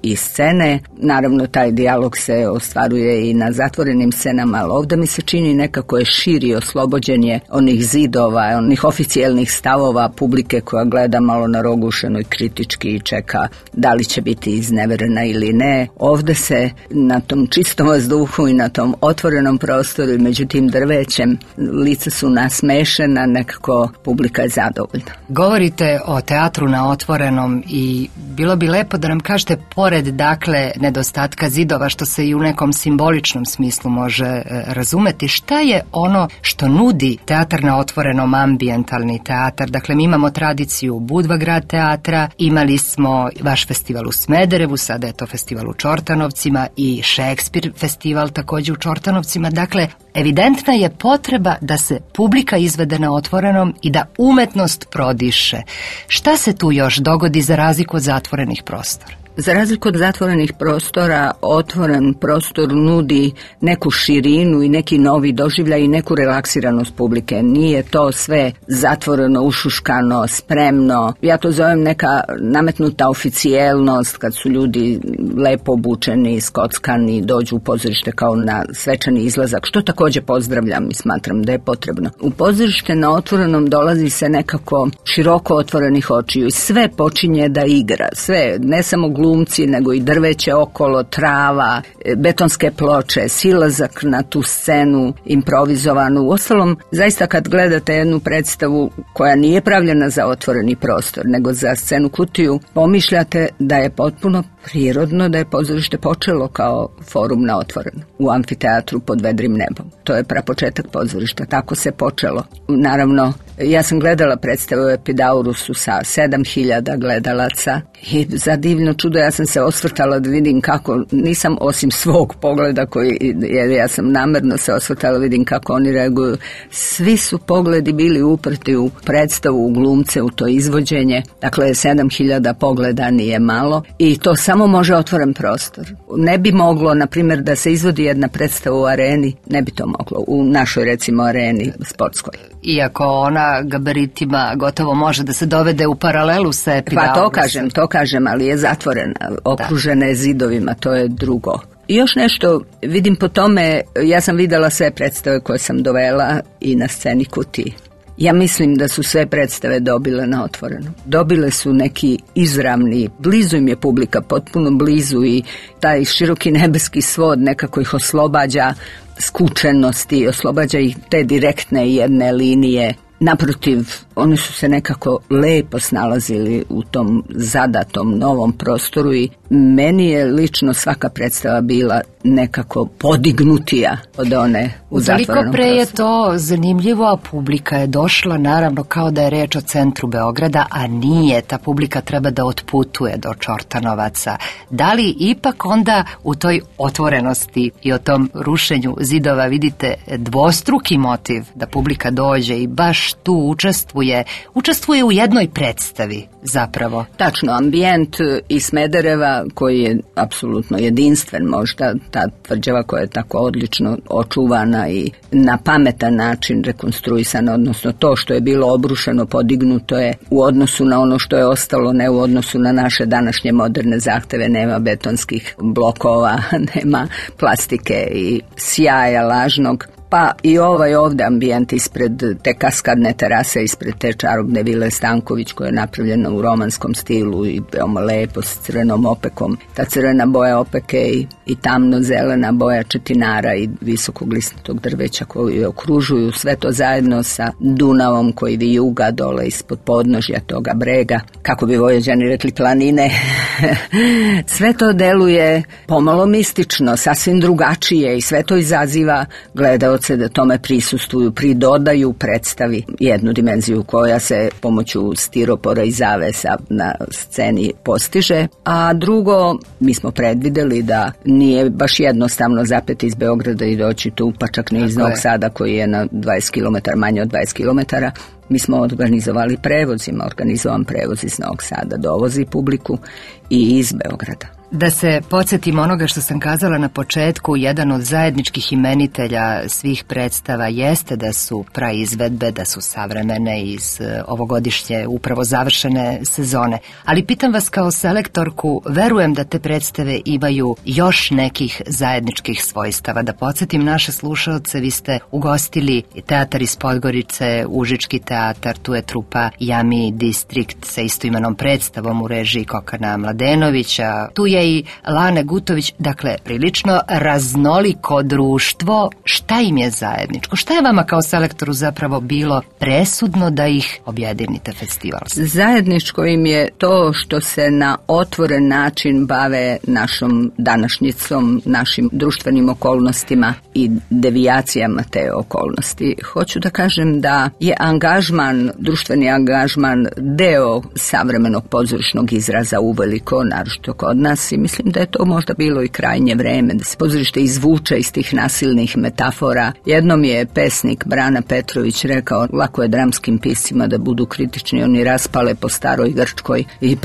J: i scene. Naravno, taj dijalog se ostvaruje i na zatvorenim scenama, ali ovdje mi se čini nekako je širi, oslobođen je onih zidova, onih oficijelnih stavova publike koja gleda malo narogušeno i kritički i čeka da li će biti izneverena ili ne. Ovdje se na tom čistom vazduhu i na tom otvorenom prostoru i među tim drvećem lica su nasmešena, nekako publika je zadovoljna.
A: Govorite o teatru na otvorenom i bilo bi lepo da nam kažete, pored dakle nedostatka zidova, što se i u nekom simboličnom smislu može razumeti, šta je ono što nudi teatar na otvorenom, ambijentalni teatar? Dakle, mi imamo tradiciju Budva grad teatra, imali smo vaš festival u Smederevu, sada je to festival u Čortanovcima i Šekspir festival također u Čortanovcima. Dakle, evidentna je potreba da se publika izvede na otvorenom i da umetnost prodiše. Šta se tu još dogodi za razliku od zatvorenih prostora?
J: Za razliku od zatvorenih prostora, otvoren prostor nudi neku širinu i neki novi doživljaj i neku relaksiranost publike. Nije to sve zatvoreno, ušuškano, spremno. Ja to zovem neka nametnuta oficijelnost, kad su ljudi lepo obučeni, skockani, dođu u pozorište kao na svečani izlazak, što također pozdravljam i smatram da je potrebno. U pozorište na otvorenom dolazi se nekako široko otvorenih očiju i sve počinje da igra. Sve, ne samo glumci, nego i drveće okolo, trava, betonske ploče, silazak na tu scenu improvizovanu. Uostalom, zaista kad gledate jednu predstavu koja nije pravljena za otvoreni prostor, nego za scenu kutiju, pomišljate da je potpuno prirodno da je pozorište počelo kao forum na otvoreno, u amfiteatru pod vedrim nebom. To je prapočetak pozorišta, tako se počelo. Naravno, ja sam gledala predstavu u Epidaurusu sa 7000 gledalaca i za divno čudo ja sam se osvrtala da vidim kako, nisam osim svog pogleda jer ja sam namerno se osvrtala, vidim kako oni reaguju. Svi su pogledi bili uprti u predstavu, u glumce, u to izvođenje. Dakle, 7000 pogleda nije malo i to samo može otvoren prostor. Ne bi moglo, na primjer, da se izvodi jedna predstava u areni, ne bi to moglo, u našoj recimo areni sportskoj.
A: Iako ona gabaritima gotovo može da se dovede u paralelu sa Epidaurusom.
J: Pa to kažem, ali je zatvorena, okružena je zidovima, to je drugo. I još nešto, vidim po tome, ja sam vidjela sve predstave koje sam dovela i na sceni kutiji. Ja mislim da su sve predstave dobile na otvoreno. Dobile su neki izravni, blizu im je publika, potpuno blizu i taj široki nebeski svod nekako ih oslobađa skučenosti, oslobađa ih te direktne jedne linije. Naprotiv, oni su se nekako lepo snalazili u tom zadatom novom prostoru i meni je lično svaka predstava bila nekako podignutija od one u zatvorenom prostoru.
A: Utoliko pre je to zanimljivo, a publika je došla, naravno, kao da je reč o centru Beograda, a nije, ta publika treba da otputuje do Čortanovaca. Da li ipak onda u toj otvorenosti i o tom rušenju zidova vidite dvostruki motiv da publika dođe i baš tu učestvuje u jednoj predstavi zapravo?
J: Tačno, ambijent iz Smedereva koji je apsolutno jedinstven, možda ta tvrđava koja je tako odlično očuvana i na pametan način rekonstruisana, odnosno to što je bilo obrušeno, podignuto je u odnosu na ono što je ostalo, ne u odnosu na naše današnje moderne zahteve, nema betonskih blokova, nema plastike i sjaja lažnog. Pa i ovaj ovdje ambijent ispred te kaskadne terase, ispred te čarobne vile Stanković koja je napravljena u romanskom stilu i veoma lepo s crvenom opekom. Ta crvena boja opeke i tamno zelena boja četinara i visokog listnatog drveća koji je okružuju, sve to zajedno sa Dunavom koji vijuga dole ispod podnožja toga brega, kako bi Vojvođani rekli planine. Sve to deluje pomalo mistično, sasvim drugačije i sve to izaziva gledaoce da tome prisustvuju, pridodaju predstavi jednu dimenziju koja se pomoću stiropora i zavesa na sceni postiže, a drugo, mi smo predvideli da nije baš jednostavno zapeti iz Beograda i doći tu, pa čak ne iz Novog Sada koji je na 20 km, manje od 20 km. Mi smo organizovali prevozima, organizovan prevoz iz Novog Sada, dovozi publiku i iz Beograda.
A: Da se podsjetim onoga što sam kazala na početku, jedan od zajedničkih imenitelja svih predstava jeste da su praizvedbe, da su savremene iz ovogodišnje upravo završene sezone. Ali pitam vas kao selektorku, verujem da te predstave imaju još nekih zajedničkih svojstava. Da podsjetim naše slušalce, vi ste ugostili i teatar iz Podgorice, Užički teatar, tu je trupa Jami Distrikt sa istoimenom predstavom u režiji Kokana Mladenovića, tu je i Lane Gutović, dakle prilično raznoliko društvo. Šta im je zajedničko? Šta je vama kao selektoru zapravo bilo presudno da ih objedinite festival?
J: Zajedničko im je to što se na otvoren način bave našom današnjicom, našim društvenim okolnostima i devijacijama te okolnosti. Hoću da kažem da je angažman, društveni angažman deo savremenog pozorišnog izraza uveliko, naročito kod nas, pozornici. Mislim da je to možda bilo i krajnje vreme, da se pozorište izvuče iz tih nasilnih metafora. Jednom je pesnik Brana Petrović rekao, lako je dramskim piscima da budu kritični, oni raspale po staroj Grčkoj i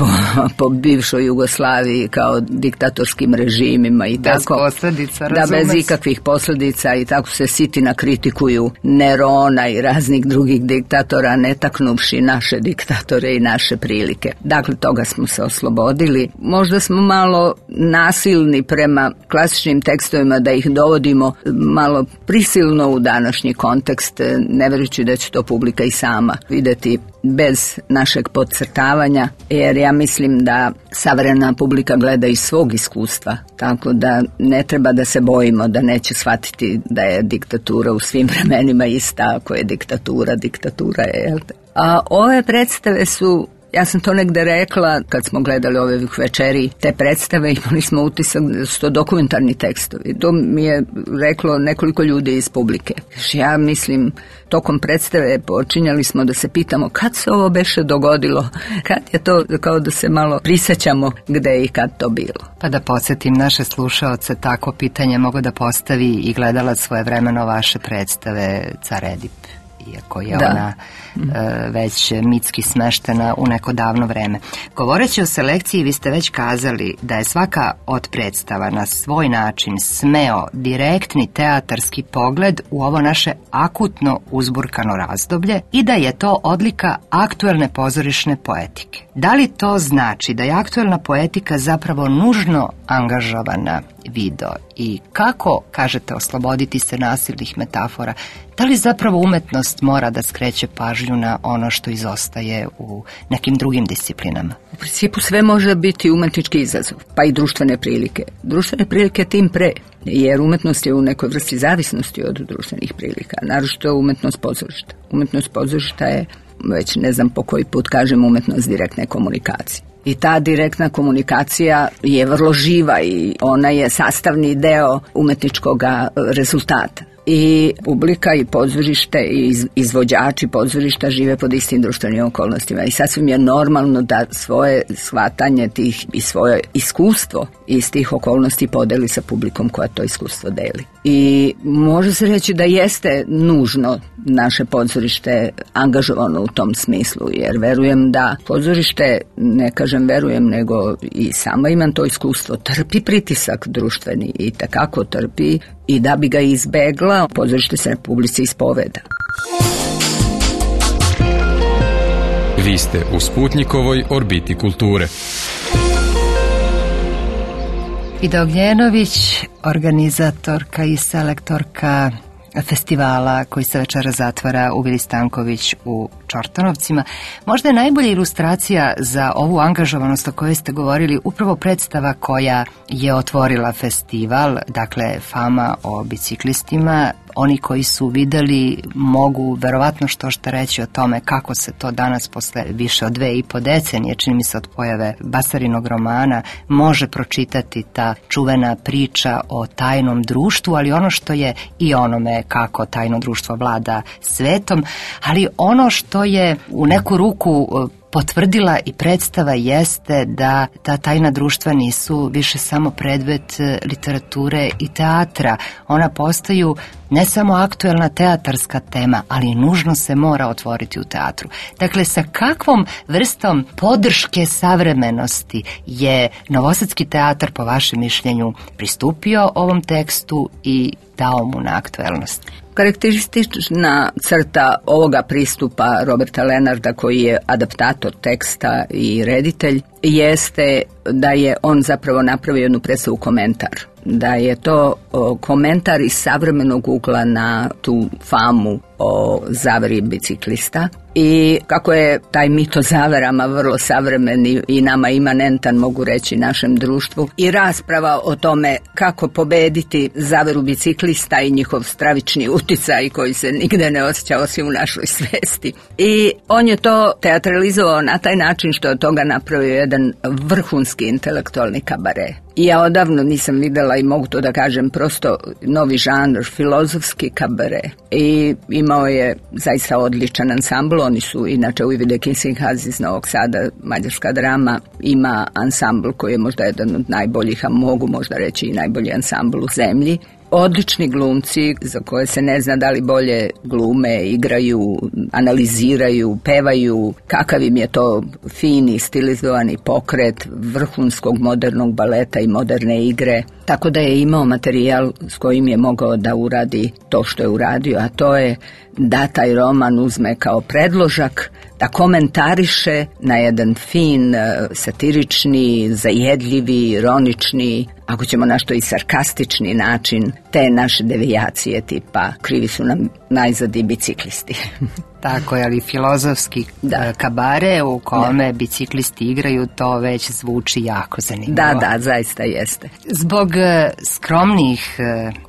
J: po bivšoj Jugoslaviji kao diktatorskim režimima i
A: bez
J: tako.
A: Posljedica,
J: da, bez ikakvih posljedica i tako se sitina kritikuju Nerona i raznih drugih diktatora, ne taknuvši naše diktatore i naše prilike. Dakle, toga smo se oslobodili. Možda smo malo nasilni prema klasičnim tekstovima, da ih dovodimo malo prisilno u današnji kontekst, ne verujući da će to publika i sama vidjeti bez našeg podcrtavanja, jer ja mislim da savremena publika gleda iz svog iskustva, tako da ne treba da se bojimo da neće shvatiti da je diktatura u svim vremenima ista, ako je diktatura je, jel te? A ove predstave su, ja sam to negde rekla kad smo gledali ove večeri, te predstave, imali smo utisak da su to dokumentarni tekstovi. To mi je reklo nekoliko ljudi iz publike. Ja mislim, tokom predstave počinjali smo da se pitamo kad se ovo beše dogodilo, kad je to, kao da se malo prisjećamo gde i kad to bilo.
A: Pa da podsjetim naše slušaoce, tako pitanje mogu da postavi i gledalac svojevremeno vaše predstave Car Edip, iako je ona već mitski smeštena u neko davno vreme. Govoreći o selekciji, vi ste već kazali da je svaka od predstava na svoj način smeo direktni teatarski pogled u ovo naše akutno uzburkano razdoblje i da je to odlika aktuelne pozorišne poetike. Da li to znači da je aktuelna poetika zapravo nužno angažovana video i kako, kažete, osloboditi se nasilnih metafora? Da li zapravo umetnost mora da skreće pažnju na ono što izostaje u nekim drugim disciplinama?
J: U principu sve može biti umetnički izazov, pa i društvene prilike. Društvene prilike tim pre, jer umetnost je u nekoj vrsti zavisnosti od društvenih prilika, naročito umetnost pozorišta. Umetnost pozorišta je, već ne znam po koji put kažem, umetnost direktne komunikacije. I ta direktna komunikacija je vrlo živa i ona je sastavni deo umetničkog rezultata. I publika i pozorište i izvođači pozorišta žive pod istim društvenim okolnostima i sasvim je normalno da svoje shvatanje tih i svoje iskustvo iz tih okolnosti podeli sa publikom koja to iskustvo deli. I može se reći da jeste nužno naše pozorište angažovano u tom smislu, jer verujem da pozorište, ne kažem verujem, nego i sama imam to iskustvo, trpi pritisak društveni i takako trpi i da bi ga izbegla, pozorište se na publici ispoveda.
B: Vi ste u Sputnjikovoj orbiti kulture.
A: Ida Ognjenović, organizatorka i selektorka festivala koji se večera zatvara u Vili Stanković u Čortanovcima. Možda je najbolja ilustracija za ovu angažovanost o kojoj ste govorili upravo predstava koja je otvorila festival, dakle Fama o biciklistima. Oni koji su videli mogu verovatno što reći o tome kako se to danas posle više od 2,5 decenije, čini mi se od pojave Basarinog romana, može pročitati ta čuvena priča o tajnom društvu, ali ono što je i onome kako tajno društvo vlada svetom, ali ono što je u neku ruku potvrdila i predstava jeste da ta tajna društva nisu više samo predmet literature i teatra. Ona postaju ne samo aktuelna teatarska tema, ali nužno se mora otvoriti u teatru. Dakle, sa kakvom vrstom podrške savremenosti je Novosadski teatar, po vašem mišljenju, pristupio ovom tekstu i dao mu na aktuelnost?
J: Karakteristična crta ovoga pristupa Roberta Lenarda, koji je adaptator teksta i reditelj, jeste da je on zapravo napravio jednu predstavu komentar. Da je to komentar iz savremenog ugla na tu famu o zaveri biciklista i kako je taj mit o zaverama vrlo savremen i nama imanentan, mogu reći, našem društvu, i rasprava o tome kako pobediti zaveru biciklista i njihov stravični uticaj koji se nigde ne osjeća osim u našoj svesti. I on je to teatralizovao na taj način što je od toga napravio jedan vrhunski intelektualni kabare. I ja odavno nisam videla, i mogu to da kažem, prosto novi žanr, filozofski kabare. I imao je zaista odličan ansambl, oni su inače u Ivide Kissinghaz iz Novog Sada, mađarska drama, ima ansambl koji je možda jedan od najboljih, a mogu možda reći i najbolji ansambl u zemlji. Odlični glumci za koje se ne zna da li bolje glume, igraju, analiziraju, pevaju, kakav im je to fini, stilizovani pokret vrhunskog modernog baleta i moderne igre. Tako da je imao materijal s kojim je mogao da uradi to što je uradio, a to je da taj roman uzme kao predložak, da komentariše na jedan fin, satirični, zajedljivi, ironični, ako ćemo našto i sarkastični način, te naše devijacije tipa krivi su nam najzad i biciklisti.
A: Tako je, ali filozofski kabare u kome biciklisti igraju, to već zvuči jako zanimljivo.
J: Da, zaista jeste.
A: Zbog skromnih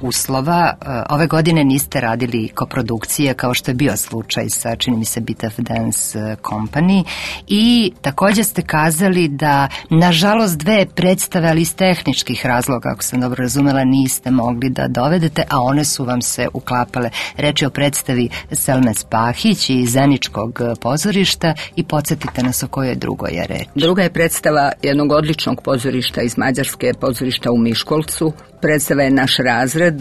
A: uslova, ove godine niste radili koprodukcije kao što je bio slučaj sa, čini mi se, Bit of Dance Company, i također ste kazali da, nažalost, 2 predstave, ali iz tehničkih razloga, ako sam dobro razumela, niste mogli da dovedete, a one su vam se uklapale. Reč je o predstavi Selme Spahić i Zeničkog pozorišta, i podsjetite nas o kojoj drugoj je reč.
J: Druga je predstava jednog odličnog pozorišta iz Mađarske, pozorišta u Miškolcu. Predstava je Naš razred,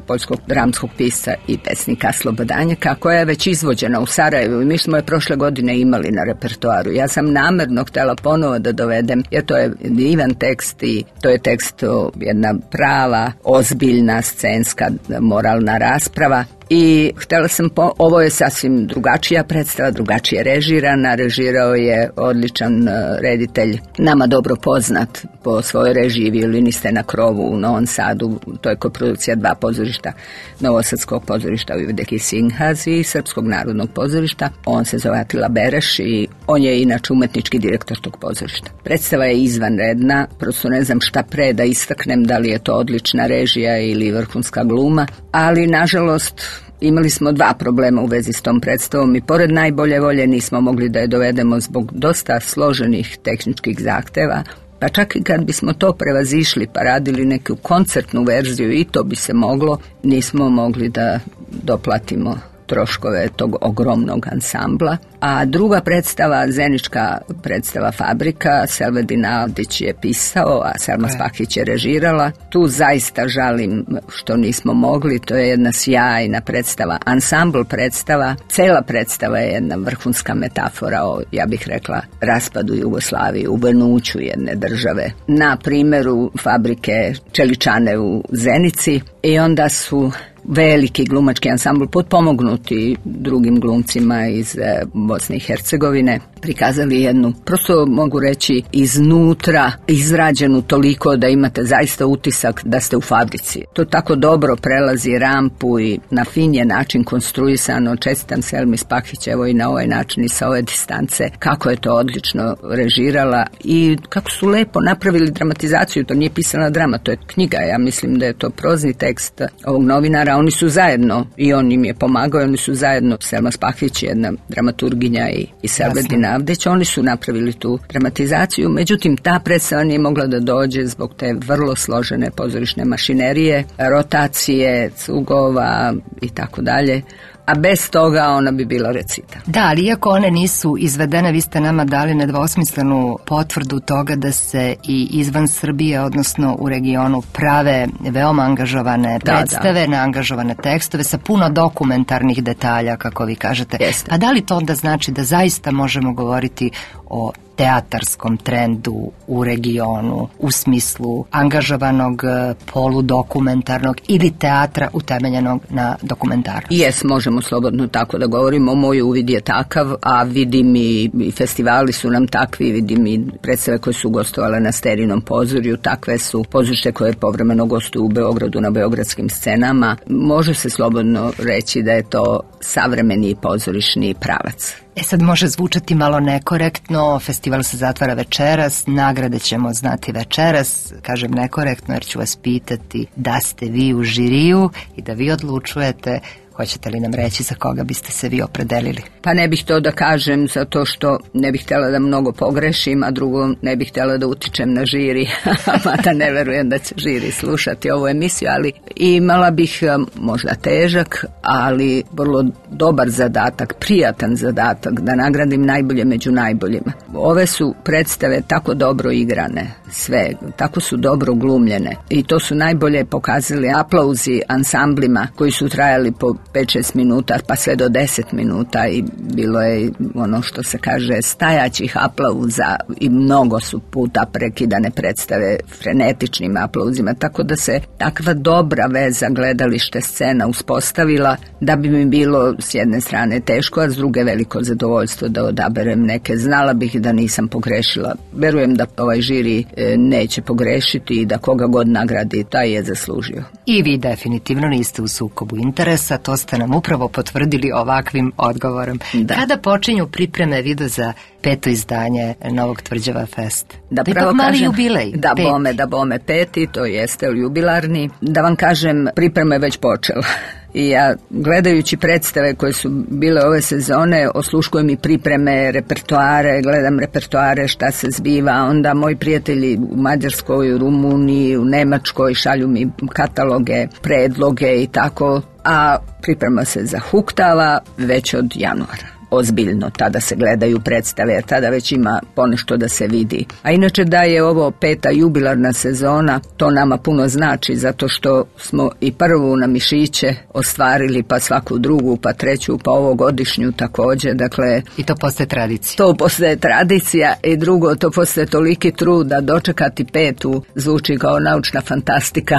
J: poljskog dramskog pisca i pesnika Slobodanjaka, koja je već izvođena u Sarajevu i mi smo je prošle godine imali na repertoaru. Ja sam namerno htjela ponovo da dovedem, jer to je divan tekst i to je tekst, jedna prava, ozbiljna, scenska, moralna rasprava. I htjela sam, ovo je sasvim drugačija predstava, drugačije režirana, režirao je odličan reditelj, nama dobro poznat po svojoj režiji, Violiniste na krovu u Novom Sadu, to je koprodukcija 2 pozorišta, Novosadskog pozorišta u Ivide Kissinghaz i Srpskog narodnog pozorišta. On se zove Atila Bereš i on je inače umetnički direktor tog pozorišta. Predstava je izvanredna, prosto ne znam šta pre da istaknem, da li je to odlična režija ili vrhunska gluma, ali nažalost imali smo 2 problema u vezi s tom predstavom i pored najbolje volje nismo mogli da je dovedemo zbog dosta složenih tehničkih zahteva, pa čak i kad bismo to prevazišli pa radili neku koncertnu verziju i to bi se moglo, nismo mogli da doplatimo troškove tog ogromnog ansambla. A druga predstava, Zenička predstava Fabrika, Selvedin Avdić je pisao, a Selma Spahić je režirala. Tu zaista žalim što nismo mogli, to je jedna sjajna predstava, ansambl predstava, cela predstava je jedna vrhunska metafora o, ja bih rekla, raspadu Jugoslavije, uvenuću jedne države. Na primjeru Fabrike Čeličane u Zenici, i onda su veliki glumački ansambl potpomognuti drugim glumcima iz Bosne i Hercegovine prikazali jednu, prosto mogu reći, iznutra izrađenu toliko da imate zaista utisak da ste u fabrici. To tako dobro prelazi rampu i na fin je način konstruisano. Čestitam Selmi Spahić, evo i na ovaj način i sa ove distance, kako je to odlično režirala i kako su lepo napravili dramatizaciju. To nije pisana drama, to je knjiga. Ja mislim da je to prozni tekst ovog novinara. Oni su zajedno, i on im je pomagao, oni su zajedno, Selma Spahić, jedna dramaturginja i Selvedin Avdić, oni su napravili tu dramatizaciju. Međutim, ta predstava nije mogla da dođe zbog te vrlo složene pozorišne mašinerije, rotacije, cugova i tako dalje. A bez toga ona bi bila recita.
A: Da, ali iako one nisu izvedene, vi ste nama dali nedvosmislenu potvrdu toga da se i izvan Srbije, odnosno u regionu, prave veoma angažovane predstave, neangažovane tekstove sa puno dokumentarnih detalja, kako vi kažete.
J: Jeste.
A: A da li to onda znači da zaista možemo govoriti o teatarskom trendu u regionu u smislu angažovanog poludokumentarnog ili teatra utemeljenog na dokumentarnosti?
J: Jes, možemo slobodno tako da govorimo. Moj uvid je takav, a vidim i festivali su nam takvi, vidim i predstave koje su gostovale na Sterinom pozorju, takve su pozorište koje povremeno gostuju u Beogradu na beogradskim scenama. Može se slobodno reći da je to savremeni pozorišni pravac.
A: Sad može zvučati malo nekorektno, festival se zatvara večeras, nagrade ćemo znati večeras, kažem nekorektno jer ću vas pitati da ste vi u žiriju i da vi odlučujete Hoćete li nam reći za koga biste se vi opredelili?
J: Pa ne bih to da kažem zato što ne bih htjela da mnogo pogrešim, a drugo ne bih htjela da utičem na žiri, mada ne verujem da će žiri slušati ovu emisiju, ali imala bih možda težak, ali vrlo dobar zadatak, prijatan zadatak da nagradim najbolje među najboljima. Ove su predstave tako dobro igrane, sve, tako su dobro glumljene i to su najbolje pokazali aplauzi ansamblima koji su trajali po 5-6 minuta pa sve do 10 minuta i bilo je ono što se kaže stajaćih aplauza i mnogo su puta prekidane predstave frenetičnim aplauzima, tako da se takva dobra veza gledalište scena uspostavila da bi mi bilo s jedne strane teško, a s druge veliko zadovoljstvo da odaberem neke. Znala bih da nisam pogrešila. Verujem da ovaj žiri neće pogrešiti i da koga god nagradi, taj je zaslužio.
A: I vi definitivno niste u sukobu interesa, to ste nam upravo potvrdili ovakvim odgovorom. Da. Kada počinju pripreme video za 5. izdanje Novog Tvrđava Fest?
J: Da,
A: pravo mali kažem, jubilej.
J: Da bome 5. to jeste jubilarni. Da vam kažem, priprema je već počela. I ja, gledajući predstave koje su bile ove sezone, osluškujem i pripreme, repertoare, gledam repertoare, šta se zbiva, onda moji prijatelji u Mađarskoj, u Rumuniji, u Nemačkoj šalju mi kataloge, predloge i tako, a priprema se zahuktava već od januara. Ozbiljno, tada se gledaju predstave, jer tada već ima ponešto da se vidi. A inače da je ovo 5. jubilarna sezona, to nama puno znači, zato što smo i prvu na Mišiće ostvarili, pa svaku drugu, pa treću, pa ovogodišnju također, dakle...
A: I to postaje tradicija.
J: To postaje tradicija i drugo, to postaje toliki trud da dočekati 5. zvuči kao naučna fantastika.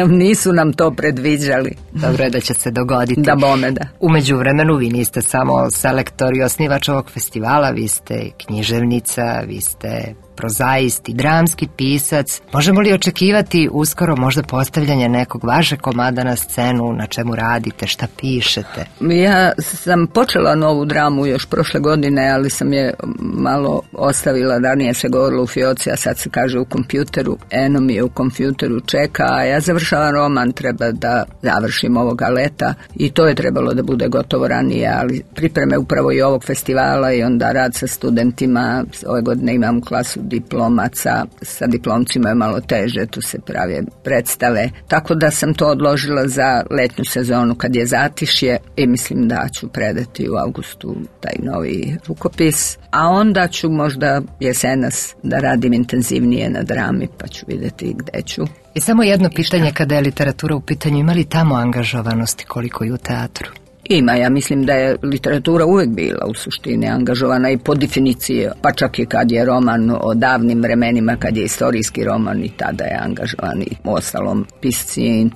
J: Nisu nam to predviđali.
A: Dobro je da će se dogoditi.
J: Da bome, da.
A: U međuvremenu vi niste samo selektor i osnivač ovog festivala, vi ste književnica, vi ste prozaist i dramski pisac. Možemo li očekivati uskoro možda postavljanje nekog vašeg komada na scenu, na čemu radite, šta pišete?
J: Ja sam počela novu dramu još prošle godine, ali sam je malo ostavila, ranije se govorilo u fioci, a sad se kaže u kompjuteru. Eno mi je u kompjuteru čeka, a ja završavam roman, treba da završim ovoga leta i to je trebalo da bude gotovo ranije, ali pripreme upravo i ovog festivala i onda rad sa studentima. Ove godine imam klasu diplomaca, sa diplomcima je malo teže, tu se prave predstave, tako da sam to odložila za letnju sezonu kad je zatišje i mislim da ću predati u avgustu taj novi rukopis, a onda ću možda jesenas da radim intenzivnije na drami, pa ću vidjeti gde ću.
A: I samo jedno pitanje kada je literatura u pitanju, ima li tamo angažovanosti koliko i u teatru?
J: Ima, ja mislim da je literatura uvijek bila u suštini angažovana i po definiciji, pa čak i kad je roman o davnim vremenima, kad je istorijski roman i tada je angažovan i ostalom pisci je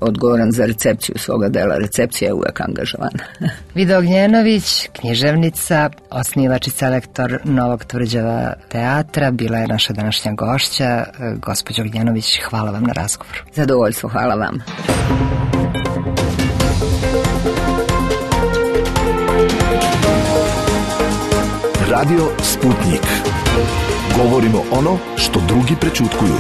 J: odgovoran za recepciju svoga dela, recepcija je uvijek angažovana.
A: Vida Ognjenović, književnica, osnivač i selektor Novog Tvrđava teatra, bila je naša današnja gošća. Gospođo Ognjenović, hvala vam na razgovoru.
J: Zadovoljstvo, hvala vam.
C: Radio Sputnik. Govorimo ono što drugi prećutkuju.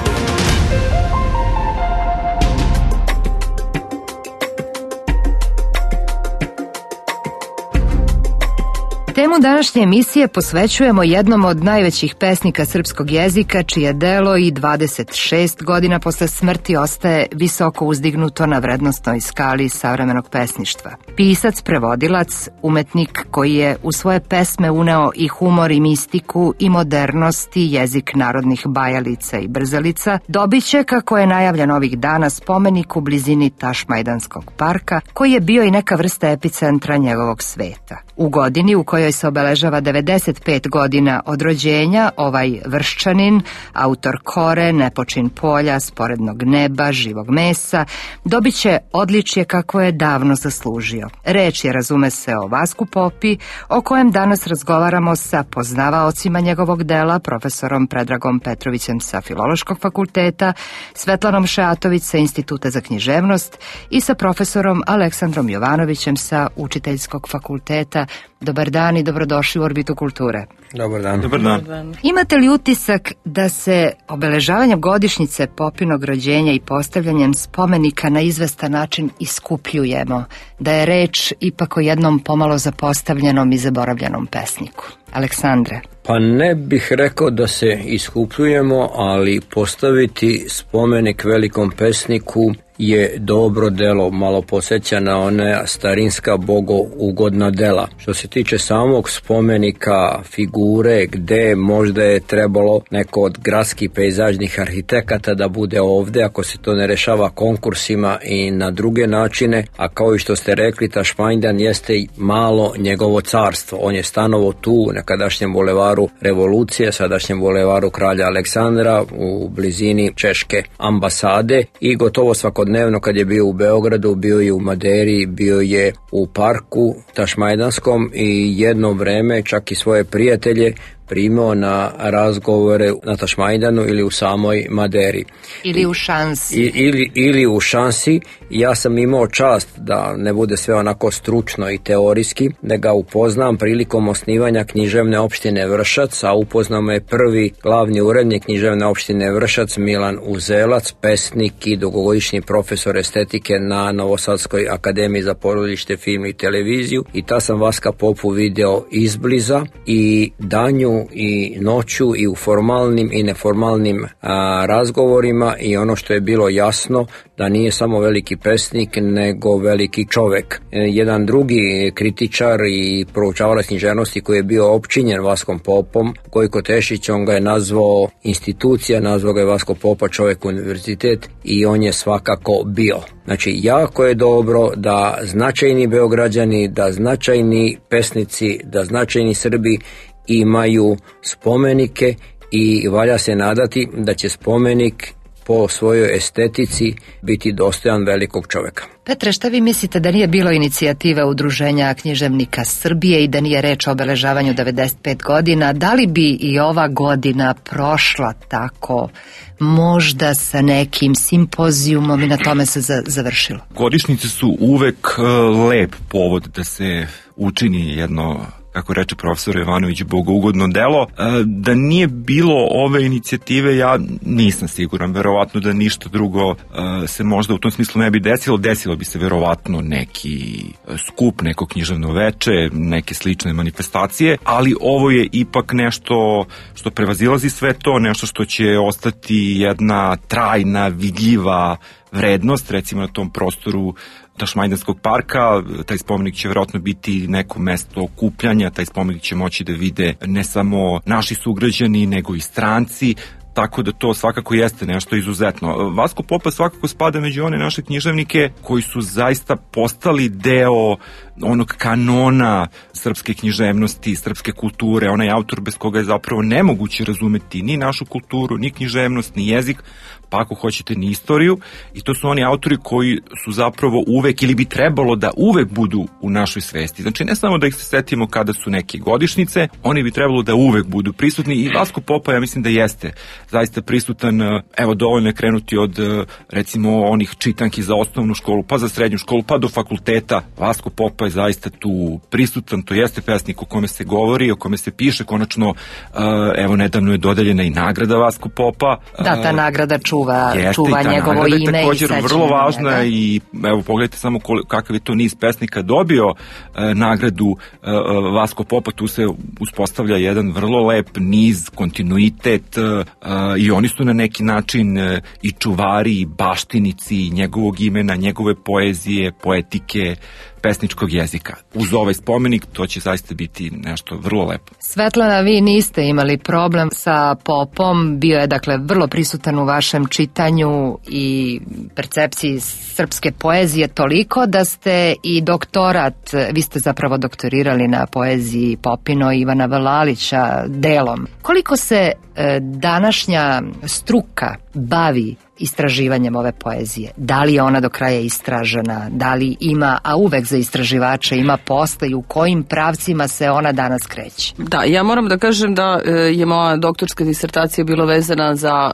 A: Temu današnje emisije posvećujemo jednom od najvećih pesnika srpskog jezika, čije delo i 26 godina posle smrti ostaje visoko uzdignuto na vrednosnoj skali savremenog pesništva. Pisac, prevodilac, umetnik koji je u svoje pesme uneo i humor i mistiku i modernost i jezik narodnih bajalica i brzalica, dobit će, kako je najavljen ovih dana, spomenik u blizini Tašmajdanskog parka, koji je bio i neka vrsta epicentra njegovog sveta. U godini u kojoj se obeležava 95 godina od rođenja, ovaj Vrščanin, autor Kore, Nepočin polja, Sporednog neba, Živog mesa, dobit će odličje kako je davno zaslužio. Reč je, razume se, o Vasku Popi, o kojem danas razgovaramo sa poznavaocima njegovog dela, profesorom Predragom Petrovićem sa Filološkog fakulteta, Svetlanom Šeatović sa Instituta za književnost i sa profesorom Aleksandrom Jovanovićem sa Učiteljskog fakulteta. dobar dan i dobrodošli u Orbitu kulture.
K: Dobar dan.
F: Dobar dan.
A: Imate li utisak da se obeležavanjem godišnjice Popinog rođenja i postavljanjem spomenika na izvestan način iskupljujemo, da je reč ipak o jednom pomalo zapostavljenom i zaboravljenom pesniku? Aleksandre?
K: Pa ne bih rekao da se iskupljujemo, ali postaviti spomenik velikom pesniku je dobro delo, malo podsjeća na one starinska bogougodna dela. Što se tiče samog spomenika, figure, gde možda je trebalo neko od gradskih pejzažnih arhitekata da bude ovde, ako se to ne rešava konkursima i na druge načine, a kao i što ste rekli, Tašmajdan jeste malo njegovo carstvo. On je stanovo tu, u nekadašnjem bulevaru Revolucije, sadašnjem bulevaru Kralja Aleksandra, u blizini Češke ambasade, i gotovo svakodnevno kad je bio u Beogradu, bio je u Maderi, bio je u parku Tašmajdanskom i jedno vreme čak i svoje prijatelje primao na razgovore na Tašmajdanu ili u samoj Maderi.
A: Ili u šansi.
K: Ili u šansi. Ja sam imao čast da ne bude sve onako stručno i teorijski, da ga upoznam prilikom osnivanja književne opštine Vršac, a upoznao me prvi glavni urednik književne opštine Vršac, Milan Uzelac, pesnik i dugogodišnji profesor estetike na Novosadskoj akademiji za porodište, film i televiziju, i ta sam Vaska Popu video izbliza i danju i noću i u formalnim i neformalnim razgovorima, i ono što je bilo jasno, da nije samo veliki pesnik nego veliki čovek. Jedan drugi kritičar i proučavalac književnosti koji je bio opčinjen Vaskom Popom, Gojko Tešić, on ga je nazvao institucija, nazvao ga je Vasko Popa čovek univerzitet, i on je svakako bio. Znači, jako je dobro da značajni Beograđani, da značajni pesnici, da značajni Srbi imaju spomenike, i valja se nadati da će spomenik po svojoj estetici biti dostojan velikog čoveka.
A: Petre, šta vi mislite da nije bilo inicijative Udruženja književnika Srbije i da nije reč o obeležavanju 95 godina, da li bi i ova godina prošla tako, možda sa nekim simpozijumom, i na tome se završilo?
L: Godišnjice su uvek lep povod da se učini jedno, kako reče profesor Jovanović, bogougodno delo. Da nije bilo ove inicijative, ja nisam siguran, verovatno da ništa drugo se možda u tom smislu ne bi desilo. Desilo bi se verovatno neki skup, neko književno veče, neke slične manifestacije, ali ovo je ipak nešto što prevazilazi sve to, nešto što će ostati jedna trajna, vidljiva vrednost, recimo na tom prostoru Tašmajdanskog parka. Taj spomenik će verovatno biti neko mesto okupljanja, taj spomenik će moći da vide ne samo naši sugrađani, nego i stranci, tako da to svakako jeste nešto izuzetno. Vasko Popa svakako spada među one naše književnike koji su zaista postali deo onog kanona srpske književnosti, srpske kulture, onaj autor bez koga je zapravo nemoguće razumeti ni našu kulturu, ni književnost, ni jezik, pa ako hoćete ni istoriju, i to su oni autori koji su zapravo uvek, ili bi trebalo da uvek budu u našoj svesti. Znači, ne samo da ih se setimo kada su neke godišnjice, oni bi trebalo da uvek budu prisutni, i Vasko Popa, ja mislim da jeste zaista prisutan. Evo, dovoljno je krenuti od recimo onih čitanki za osnovnu školu, pa za srednju školu, pa do fakulteta. Vasko Popa je zaista tu prisutan, to jeste pesnik o kome se govori, o kome se piše. Konačno, evo, nedavno je dodeljena i nagrada Vasko Popa.
A: Da, ta nagrada čuva njegovo
L: nagrada
A: ime
L: i također vrlo važna, i evo, pogledajte samo kakav je to niz pesnika dobio nagradu Vasko Popa. Tu se uspostavlja jedan vrlo lep niz, kontinuitet, i oni su na neki način i čuvari, i baštinici njegovog imena, njegove poezije, poetike, pesničkog jezika. Uz ovaj spomenik to će zaista biti nešto vrlo lepo.
A: Svetlana, vi niste imali problem sa Popom, bio je dakle vrlo prisutan u vašem čitanju i percepciji srpske poezije toliko da ste i doktorat, vi ste zapravo doktorirali na poeziji Popino i Ivana Vlalića delom. Koliko se današnja struka bavi istraživanjem ove poezije? Da li je ona do kraja istražena? Da li ima, a uvek za istraživače ima posla i u kojim pravcima se ona danas kreće?
M: Da, ja moram da kažem da je moja doktorska disertacija bila vezana za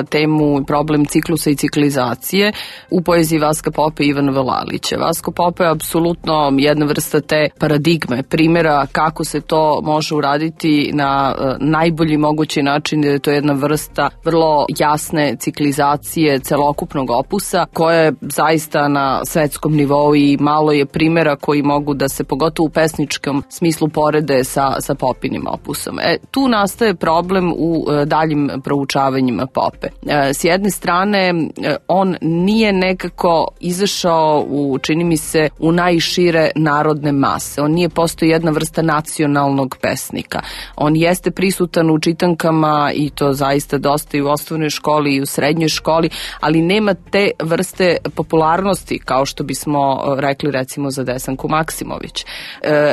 M: temu problem ciklusa i ciklizacije u poeziji Vaska Pope i Ivana Vlalića. Vasko Pope je apsolutno jedna vrsta te paradigme, primjera kako se to može uraditi na najbolji mogući način, jer je to jedna vrsta vrlo jasne ciklizacije celokupnog opusa koja je zaista na svetskom nivou i malo je primjera koji mogu da se pogotovo u pesničkom smislu porede sa Popinim opusom. Tu nastaje problem u daljim proučavanjima Pope. S jedne strane, on nije nekako izašao čini mi se, u najšire narodne mase. On nije postao jedna vrsta nacionalnog pesnika. On jeste prisutan u čitankama i to zaista dosta i u osnovnoj školi i u srednjoj školi, ali nema te vrste popularnosti kao što bismo rekli recimo za Desanku Maksimović.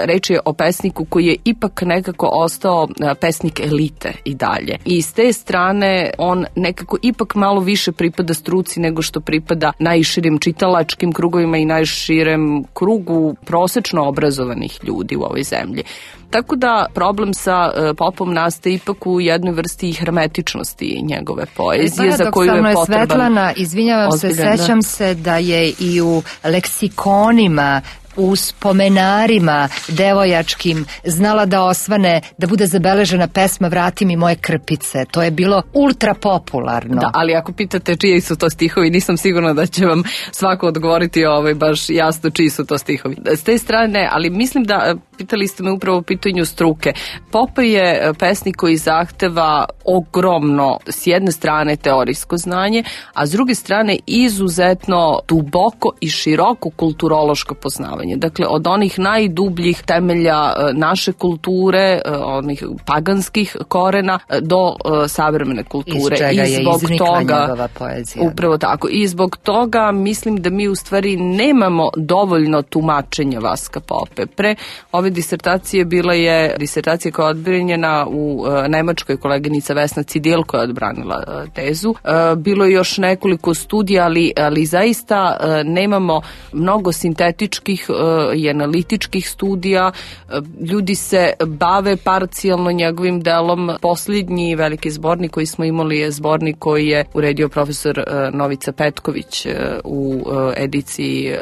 M: Reč je o pesniku koji je ipak nekako ostao pesnik elite i dalje. I s te strane on nekako ipak malo više pripada struci nego što pripada najširim čitalačkim krugovima i najširem krugu prosečno obrazovanih ljudi u ovoj zemlji. Tako da problem sa Popom nastaje ipak u jednoj vrsti hermetičnosti njegove poezije za koju je potreban.
A: Svetlana, izvinjavam se, sećam se da je i u leksikonima, u spomenarima devojačkim znala da osvane, da bude zabeležena pesma Vrati mi moje krpice. To je bilo ultra popularno.
M: Da, ali ako pitate čiji su to stihovi, nisam sigurna da će vam svako odgovoriti baš jasno čiji su to stihovi. S te strane, ali mislim da pitali ste me upravo o pitanju struke. Pope je pesnik koji zahteva ogromno, s jedne strane teorijsko znanje, a s druge strane izuzetno duboko i široko kulturološko poznavanje. Dakle, od onih najdubljih temelja naše kulture, onih paganskih korena, do savremene kulture.
A: Iz čega je iznikla njegova poezija.
M: Upravo tako. I zbog toga mislim da mi u stvari nemamo dovoljno tumačenja Vaska Pope. Pre ove disertacije bila je disertacija koja je odbranjena u Nemačkoj, koleginica Vesna Cidil koja je odbranila tezu. Bilo je još nekoliko studija, ali zaista nemamo mnogo sintetičkih i analitičkih studija. Ljudi se bave parcijalno njegovim delom. Posljednji veliki zbornik koji smo imali je zbornik koji je uredio profesor Novica Petković u ediciji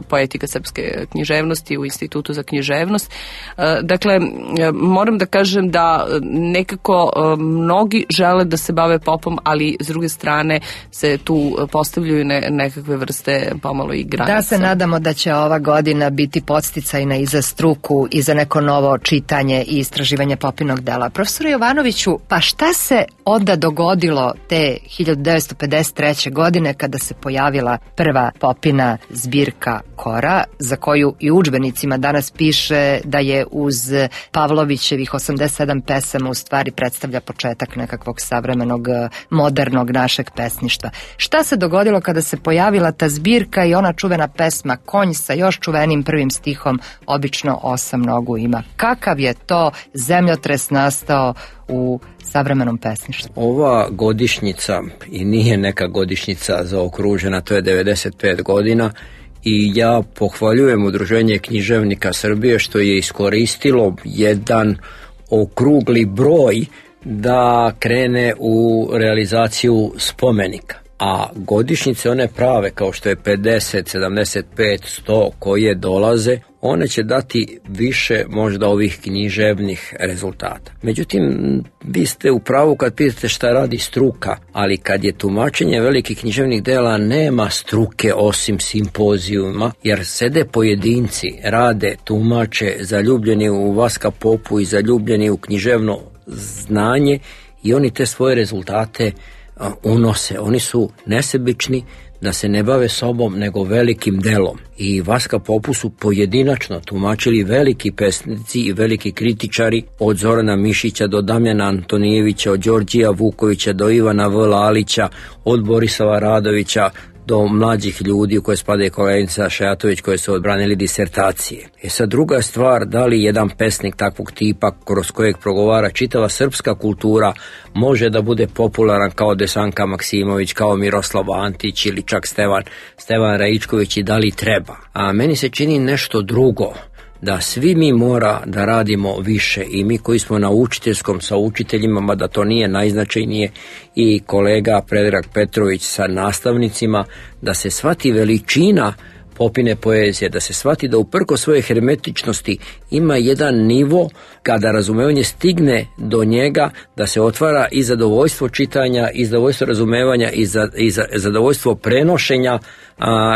M: Poetika srpske književnosti u Institutu za književnost. Dakle, moram da kažem da nekako mnogi žele da se bave Popom, ali s druge strane se tu postavljaju nekakve vrste pomalo i granica.
A: Da se nadamo da će ova godina biti podsticajna i za struku i za neko novo čitanje i istraživanje Popinog dela. Profesore Jovanoviću, pa šta se onda dogodilo te 1953. godine kada se pojavila prva Popina zbirka Kora, za koju i u udžbenicima danas piše da je uz Pavlovićevih 87 pesama u stvari predstavlja početak nekakvog savremenog, modernog našeg pesništva. Šta se dogodilo kada se pojavila ta zbirka i ona čuvena pesma Konj sa još čuvenim prvim stihom obično 8 nogu ima? Kakav je to zemljotres nastao u savremenom pesništvu?
K: Ova godišnjica i nije neka godišnjica zaokružena, to je 95 godina i ja pohvaljujem Udruženje književnika Srbije što je iskoristilo jedan okrugli broj da krene u realizaciju spomenika. A godišnjice one prave kao što je 50, 75, 100 koje dolaze, one će dati više možda ovih književnih rezultata. Međutim, vi ste u pravu kad pitate šta radi struka, ali kad je tumačenje velikih književnih dela nema struke osim simpozijuma, jer sede pojedinci, rade, tumače, zaljubljeni u Vaska Popu i zaljubljeni u književno znanje i oni te svoje rezultate unose. Oni su nesebični da se ne bave sobom nego velikim delom. I Vaska Popu su pojedinačno tumačili veliki pesnici i veliki kritičari, od Zorana Mišića do Damjana Antonijevića, od Đorđija Vukovića do Ivana V. Lalića, od Borisova Radovića do mlađih ljudi u koje spadaju koleginica Šajatović koje su odbranili disertacije. Sad druga stvar, da li jedan pesnik takvog tipa kroz kojeg progovara čitava srpska kultura može da bude popularan kao Desanka Maksimović, kao Miroslav Antić ili čak Stevan Raičković i da li treba. A meni se čini nešto drugo, da svi mi mora da radimo više i mi koji smo na učiteljskom sa učiteljima, mada to nije najznačajnije, i kolega Predrag Petrović sa nastavnicima, da se shvati veličina Popine poezije, da se shvati da uprko svoje hermetičnosti ima jedan nivo kada razumevanje stigne do njega, da se otvara i zadovoljstvo čitanja, i zadovoljstvo razumevanja, i zadovoljstvo prenošenja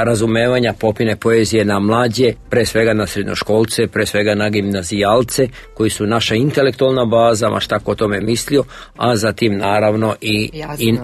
K: razumevanja Popine poezije na mlađe, pre svega na srednjoškolce, pre svega na gimnazijalce, koji su naša intelektualna baza, ma šta ko o tome mislio, a zatim naravno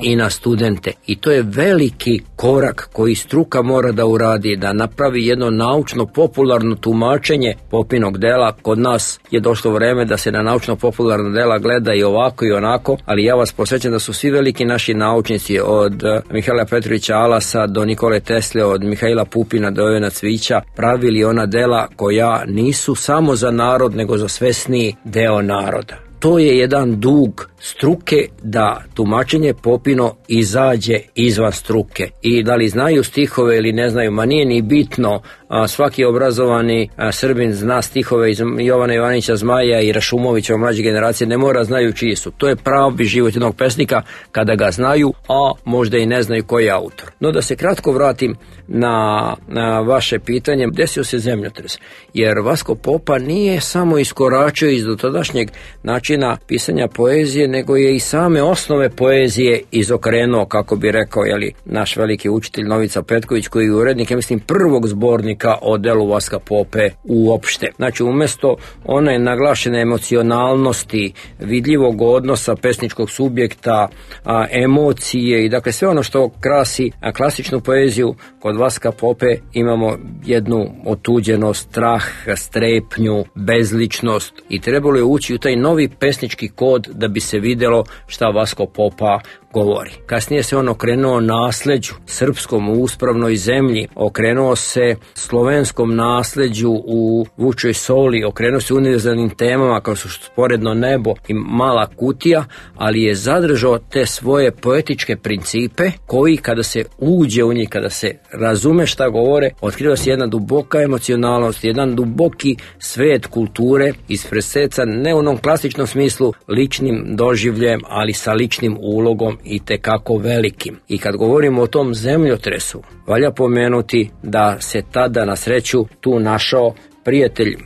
K: i na studente. I to je veliki korak koji struka mora da uradi, da napravi jedno naučno-popularno tumačenje Popinog dela. Kod nas je došlo vreme da se na naučno-popularna dela gleda i ovako i onako, ali ja vas posvećam da su svi veliki naši naučnici, od Mihajla Petrovića Alasa do Nikole Tesle, od Mihajla Pupina do Jovana Cvića, pravili ona dela koja nisu samo za narod, nego za svesniji deo naroda. To je jedan dug struke da tumačenje Popino izađe izvan struke. I da li znaju stihove ili ne znaju, ma nije ni bitno. Svaki obrazovani Srbin zna stihove iz Jovana Jovanića Zmaja i Rašumovića, mlađe generacije, ne mora znaju čiji su. To je pravi život jednog pesnika kada ga znaju, a možda i ne znaju koji je autor. No da se kratko vratim na vaše pitanje, desio se zemljotres, jer Vasko Popa nije samo iskoračio iz dotadašnjeg načina pisanja poezije, nego je i same osnove poezije izokrenuo, kako bi rekao naš veliki učitelj Novica Petković, koji je urednik, ja mislim, prvog zbornika o delu Vaska Pope uopšte. Znači, umesto one naglašene emocionalnosti, vidljivog odnosa pesničkog subjekta, emocije i dakle sve ono što krasi klasičnu poeziju, kod Vaska Pope imamo jednu otuđenost, strah, strepnju, bezličnost i trebalo je ući u taj novi pesnički kod da bi se videlo šta Vasko Popa govori. Kasnije se on okrenuo nasleđu srpskom u uspravnoj zemlji, okrenuo se slovenskom nasleđu u Vučoj Soli, okrenuo se univerzalnim temama kao su Sporedno nebo i Mala kutija, ali je zadržao te svoje poetičke principe koji kada se uđe u njih, kada se razume šta govore, otkriva se jedna duboka emocionalnost, jedan duboki svet kulture ispresecan ne u onom klasičnom smislu ličnim doživljem, ali sa ličnim ulogom i tekako velikim. I kad govorimo o tom zemljotresu, valja pomenuti da se tada na sreću tu našao prijatelj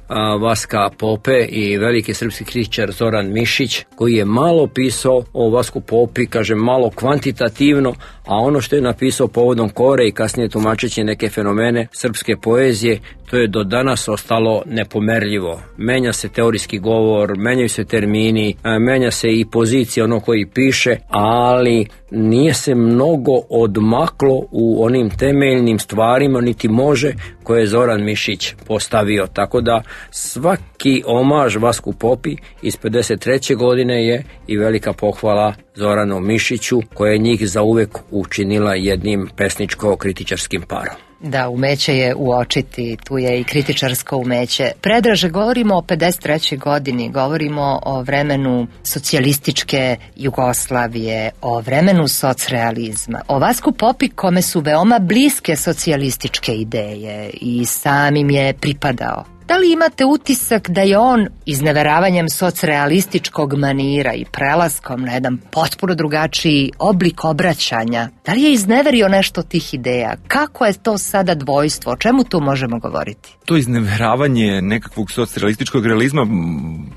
K: Vaska Pope i veliki srpski kritičar Zoran Mišić, koji je malo pisao o Vasku Popi, kažem malo kvantitativno, a ono što je napisao povodom Kore i kasnije tumačeći neke fenomene srpske poezije, to je do danas ostalo nepomerljivo. Menja se teorijski govor, menjaju se termini, menja se i pozicija ono koji piše, ali nije se mnogo odmaklo u onim temeljnim stvarima, niti može, koje je Zoran Mišić postavio. Tako da svaki omaž Vasku Popi iz 53. godine je i velika pohvala Zoranu Mišiću, koja je njih zauvek učinila jednim pesničko-kritičarskim parom.
A: Da, umeće je uočiti, tu je i kritičarsko umeće. Predraže, govorimo o 53. godini, govorimo o vremenu socijalističke Jugoslavije, o vremenu socrealizma, o Vasku Popi kome su veoma bliske socijalističke ideje i samim je pripadao. Da li imate utisak da je on izneveravanjem socrealističkog manira i prelaskom na jedan potpuno drugačiji oblik obraćanja, da li je izneverio nešto tih ideja? Kako je to sada dvojstvo? O čemu tu možemo govoriti?
L: To izneveravanje nekakvog socrealističkog realizma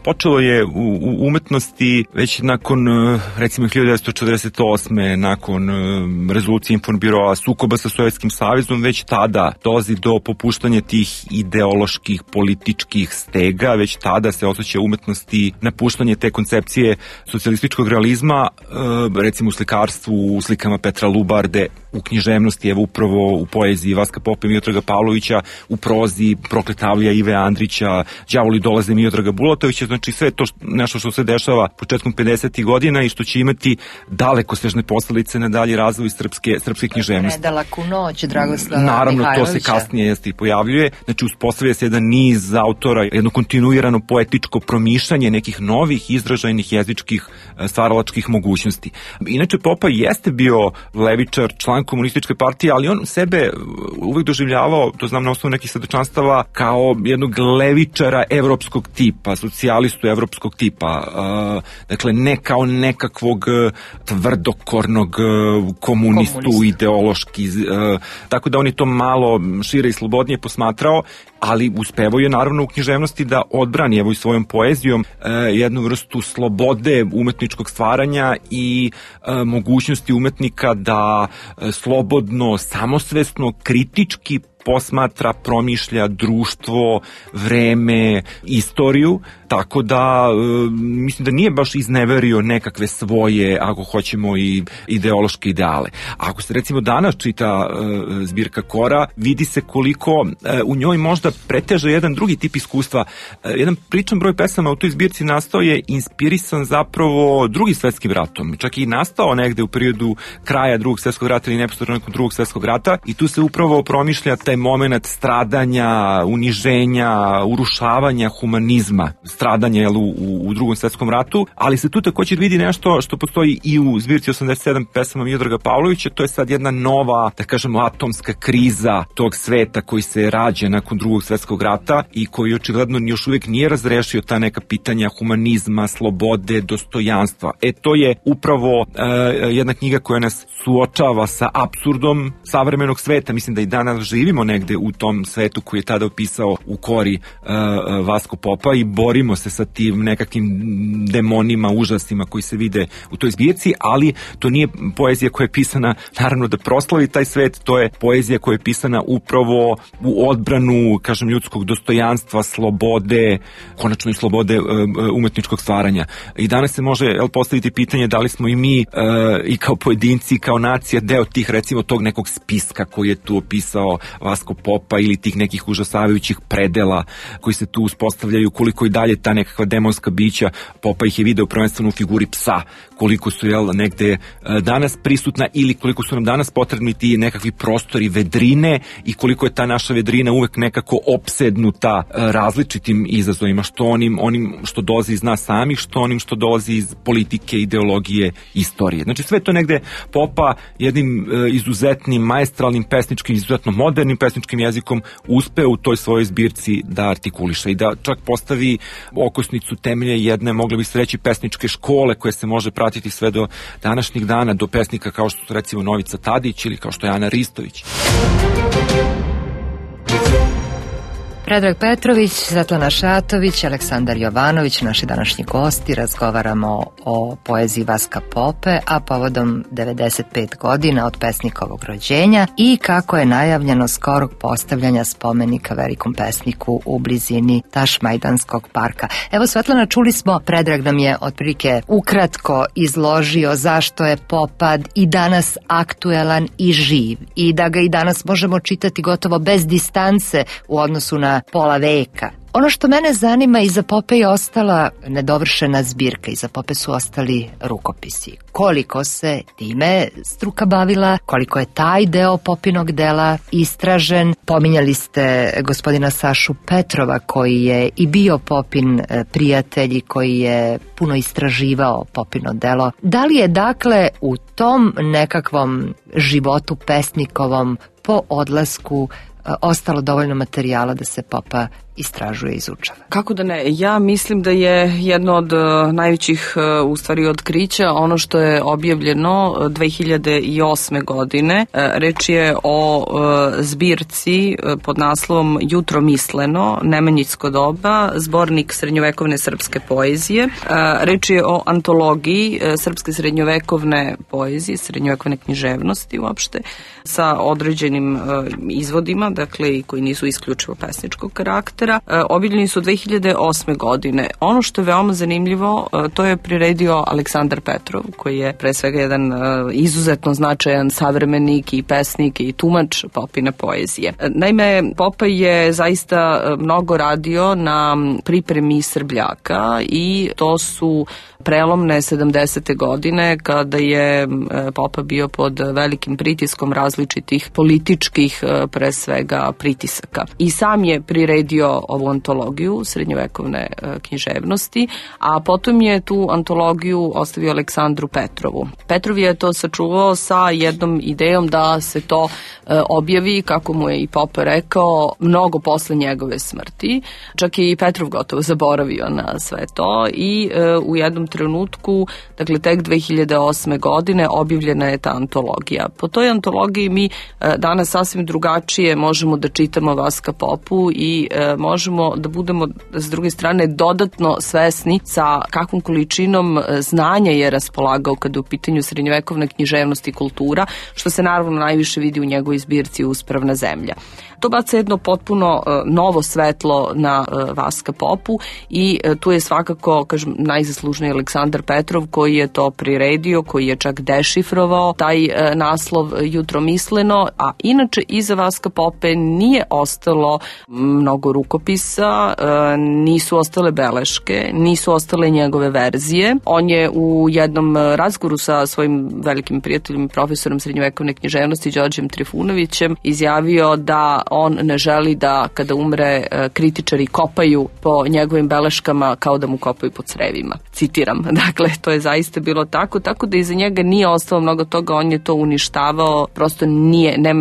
L: počelo je u umetnosti već nakon, recimo, 1948. nakon rezolucije Informbiroa, sukoba sa Sovjetskim savezom, već tada dolazi do popuštanja tih ideoloških političkih stega, već tada se osjeća umetnosti napuštanje te koncepcije socijalističkog realizma, recimo u slikarstvu, u slikama Petra Lubarde u književnosti, evo upravo u poeziji Vaska Popa i Miodraga Pavlovića, u prozi Prokletavlja Ive Andrića, Đavoli dolaze Miodraga Bulatovića, znači sve to nešto što se dešava početkom 50. godina i što će imati dalekosežne posledice na dalji razvoj srpske književnosti.
A: Predalaku noć, Dragoslava
L: Naravno,
A: Mihajlovića.
L: to se kasnije i pojavljuje, znači uspostavlja se jedan niz autora, jedno kontinuirano poetičko promišljanje nekih novih izražajnih jezičkih stvaralačkih mogućnosti. Inače, Popa jeste bio levičar, član komunističke partije, ali on sebe uvek doživljavao, to znam na osnovu nekih svedočanstava, kao jednog levičara evropskog tipa, socijalistu evropskog tipa. Dakle, ne kao nekakvog tvrdokornog komunistu ideološki. Tako da on je to malo šire i slobodnije posmatrao, ali uspevao je naravno u književnosti da odbrani evo i svojom poezijom jednu vrstu slobode umetničkog stvaranja i mogućnosti umetnika da slobodno, samosvesno, kritički posmatra, promišlja društvo, vreme, istoriju, tako da mislim da nije baš izneverio nekakve svoje, ako hoćemo, i ideološke ideale. Ako se recimo danas čita zbirka Kora, vidi se koliko u njoj možda preteže jedan drugi tip iskustva. Jedan pričan broj pesama u toj zbirci nastao je inspirisan zapravo Drugim svetskim ratom. Čak i nastao negde u periodu kraja Drugog svetskog rata ili neposredno nakon Drugog svetskog rata i tu se upravo promišlja taj moment stradanja, uniženja, urušavanja humanizma, stradanja u Drugom svetskom ratu, ali se tu također vidi nešto što postoji i u zbirci 87 pesama Miodraga Pavlovića, to je sad jedna nova, da kažemo, atomska kriza tog sveta koji se rađa nakon Drugog svetskog rata i koji očigledno još uvijek nije razrešio ta neka pitanja humanizma, slobode, dostojanstva. To je upravo jedna knjiga koja nas suočava sa apsurdom savremenog sveta. Mislim da i danas živimo negde u tom svetu koji je tada opisao u Kori Vasko Popa i borimo se sa tim nekakvim demonima, užasima koji se vide u toj zbirci, ali to nije poezija koja je pisana naravno da proslavi taj svet, to je poezija koja je pisana upravo u odbranu, kažem, ljudskog dostojanstva, slobode, konačno i slobode umetničkog stvaranja. I danas se može postaviti pitanje da li smo i mi i kao pojedinci, kao nacija deo tih, recimo, tog nekog spiska koji je tu opisao Vasko Popa ili tih nekih užasavajućih predela koji se tu uspostavljaju, koliko i dalje ta nekakva demonska bića, Popa ih je video prvenstveno u figuri psa, koliko su negde danas prisutna ili koliko su nam danas potrebni ti nekakvi prostori vedrine i koliko je ta naša vedrina uvek nekako opsednuta različitim izazovima, što onim što dolazi iz nas samih, što onim što dolazi iz politike, ideologije, istorije. Znači sve to negde Popa jednim izuzetnim, maestralnim pesničkim, izuzetno modernim pesničkim jezikom uspeo u toj svojoj zbirci da artikuliše i da čak postavi okosnicu temelje jedne, mogli bi se reći, pesničke škole koje se može pratiti sve do današnjih dana, do pesnika kao što su recimo Novica Tadić ili kao što je Ana Ristović.
A: Predrag Petrović, Svetlana Šatović, Aleksandar Jovanović, naši današnji gosti. Razgovaramo o poeziji Vaska Pope, a povodom 95 godina od pesnikovog rođenja i kako je najavljeno skorog postavljanja spomenika velikom pesniku u blizini Tašmajdanskog parka. Evo, Svetlana, čuli smo, Predrag nam je otprilike ukratko izložio zašto je Popa i danas aktuelan i živ i da ga i danas možemo čitati gotovo bez distance u odnosu na pola veka. Ono što mene zanima, iza Pope je ostala nedovršena zbirka, iza Pope su ostali rukopisi. Koliko se time struka bavila, koliko je taj deo Popinog dela istražen. Pominjali ste gospodina Sašu Petrova koji je i bio Popin prijatelj i koji je puno istraživao Popino delo. Da li je dakle u tom nekakvom životu pesnikovom po odlasku ostalo dovoljno materijala da se Popa istražuje i izučava? Kako da ne?
M: Ja mislim da je jedno od najvećih u stvari otkrića ono što je objavljeno 2008. godine. Reč je o zbirci pod naslovom Jutro misleno, Nemanjićsko doba, zbornik srednjovekovne srpske poezije. Reč je o antologiji srpske srednjovekovne poezije, srednjovekovne književnosti uopšte, sa određenim izvodima, dakle, koji nisu isključivo pesničkog karaktera. Petra, obiljeni su 2008. godine. Ono što je veoma zanimljivo, to je priredio Aleksandar Petrov, koji je pre svega jedan izuzetno značajan savremenik i pesnik i tumač popine poezije. Naime, Popaj je zaista mnogo radio na pripremi Srbljaka i to su prelomne 70. godine kada je Popa bio pod velikim pritiskom različitih političkih pre svega pritisaka. I sam je priredio ovu antologiju srednjovekovne književnosti, a potom je tu antologiju ostavio Aleksandru Petrovu. Petrov je to sačuvao sa jednom idejom da se to objavi, kako mu je i Popa rekao, mnogo posle njegove smrti. Čak je i Petrov gotovo zaboravio na sve to i u jednom trenutku, dakle tek 2008. godine objavljena je ta antologija. Po toj antologiji mi danas sasvim drugačije možemo da čitamo Vaska Popu i možemo da budemo s druge strane dodatno svesni sa kakvom količinom znanja je raspolagao kada je u pitanju srednjovekovna književnost i kultura, što se naravno najviše vidi u njegovoj zbirci Uspravna zemlja. To baca jedno potpuno novo svetlo na Vaska Popu i tu je svakako, kažem, najzaslužniji Aleksandar Petrov koji je to priredio, koji je čak dešifrovao taj naslov jutromisleno, a inače iza Vaska Pope nije ostalo mnogo rukopisa, nisu ostale beleške, nisu ostale njegove verzije. On je u jednom razgovoru sa svojim velikim prijateljem, profesorom srednjovekovne književnosti Đorđem Trifunovićem, izjavio da on ne želi da kada umre kritičari kopaju po njegovim beleškama kao da mu kopaju po crevima. Citiram. Dakle, to je zaista bilo tako da iza njega nije ostalo mnogo toga, on je to uništavao, prosto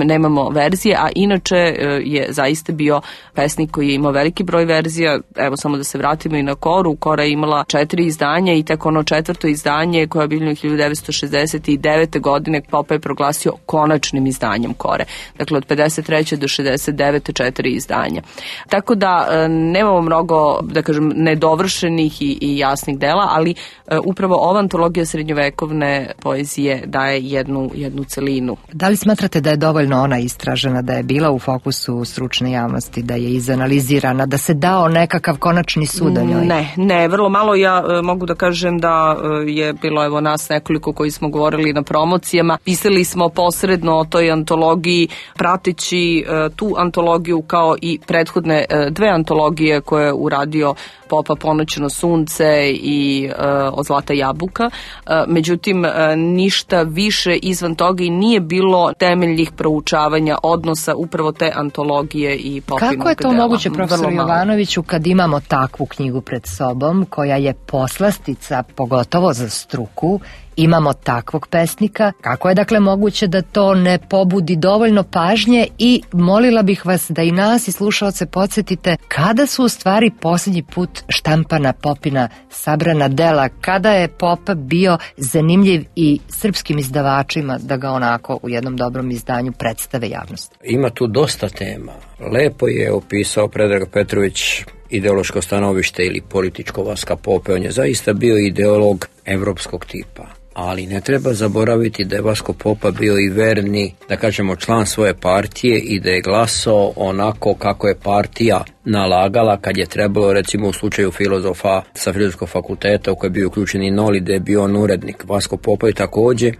M: nemamo verzije, a inače je zaista bio pesnik koji je imao veliki broj verzija. Evo samo da se vratimo i na Koru. Kora je imala 4 izdanja i tek ono 4. izdanje koje je objavljeno 1969. godine Popa je proglasio konačnim izdanjem Kore. Dakle, od 53. do 69. 4 izdanja. Tako da nemamo mnogo, da kažem, nedovršenih i jasnih dela, ali upravo ova antologija srednjovekovne poezije daje jednu celinu.
A: Da li smatrate da je dovoljno ona istražena, da je bila u fokusu stručne javnosti, da je izanalizirana, da se dao nekakav konačni sud o njoj?
M: Ne, vrlo malo. Ja mogu da kažem da je bilo evo nas nekoliko koji smo govorili na promocijama. Pisali smo posredno o toj antologiji, prateći tu antologiju kao i prethodne 2 antologije koje je uradio Popa, Ponoćno sunce i Od zlata jabuka. Međutim, ništa više izvan toga i nije bilo temeljnih proučavanja odnosa upravo te antologije i Popinog dela.
A: Kako je to moguće, profesor Jovanoviću, kad imamo takvu knjigu pred sobom, koja je poslastica, pogotovo za struku, imamo takvog pesnika? Kako je dakle moguće da to ne pobudi dovoljno pažnje i molila bih vas da i nas i slušaoce podsjetite kada su u stvari posljednji put štampana Popina sabrana dela, kada je Popa bio zanimljiv i srpskim izdavačima da ga onako u jednom dobrom izdanju predstave javnosti?
K: Ima tu dosta tema. Lepo je opisao Predrag Petrović ideološko stanovište ili političko Vaska Pope. On je zaista bio ideolog evropskog tipa. Ali ne treba zaboraviti da je Vasko Popa bio i verni, da kažemo, član svoje partije i da je glasao onako kako je partija nalagala kad je trebalo, recimo u slučaju filozofa sa Filozofskog fakulteta u koji je bio uključen i Noli, da je bio on urednik. Vasko Popa je također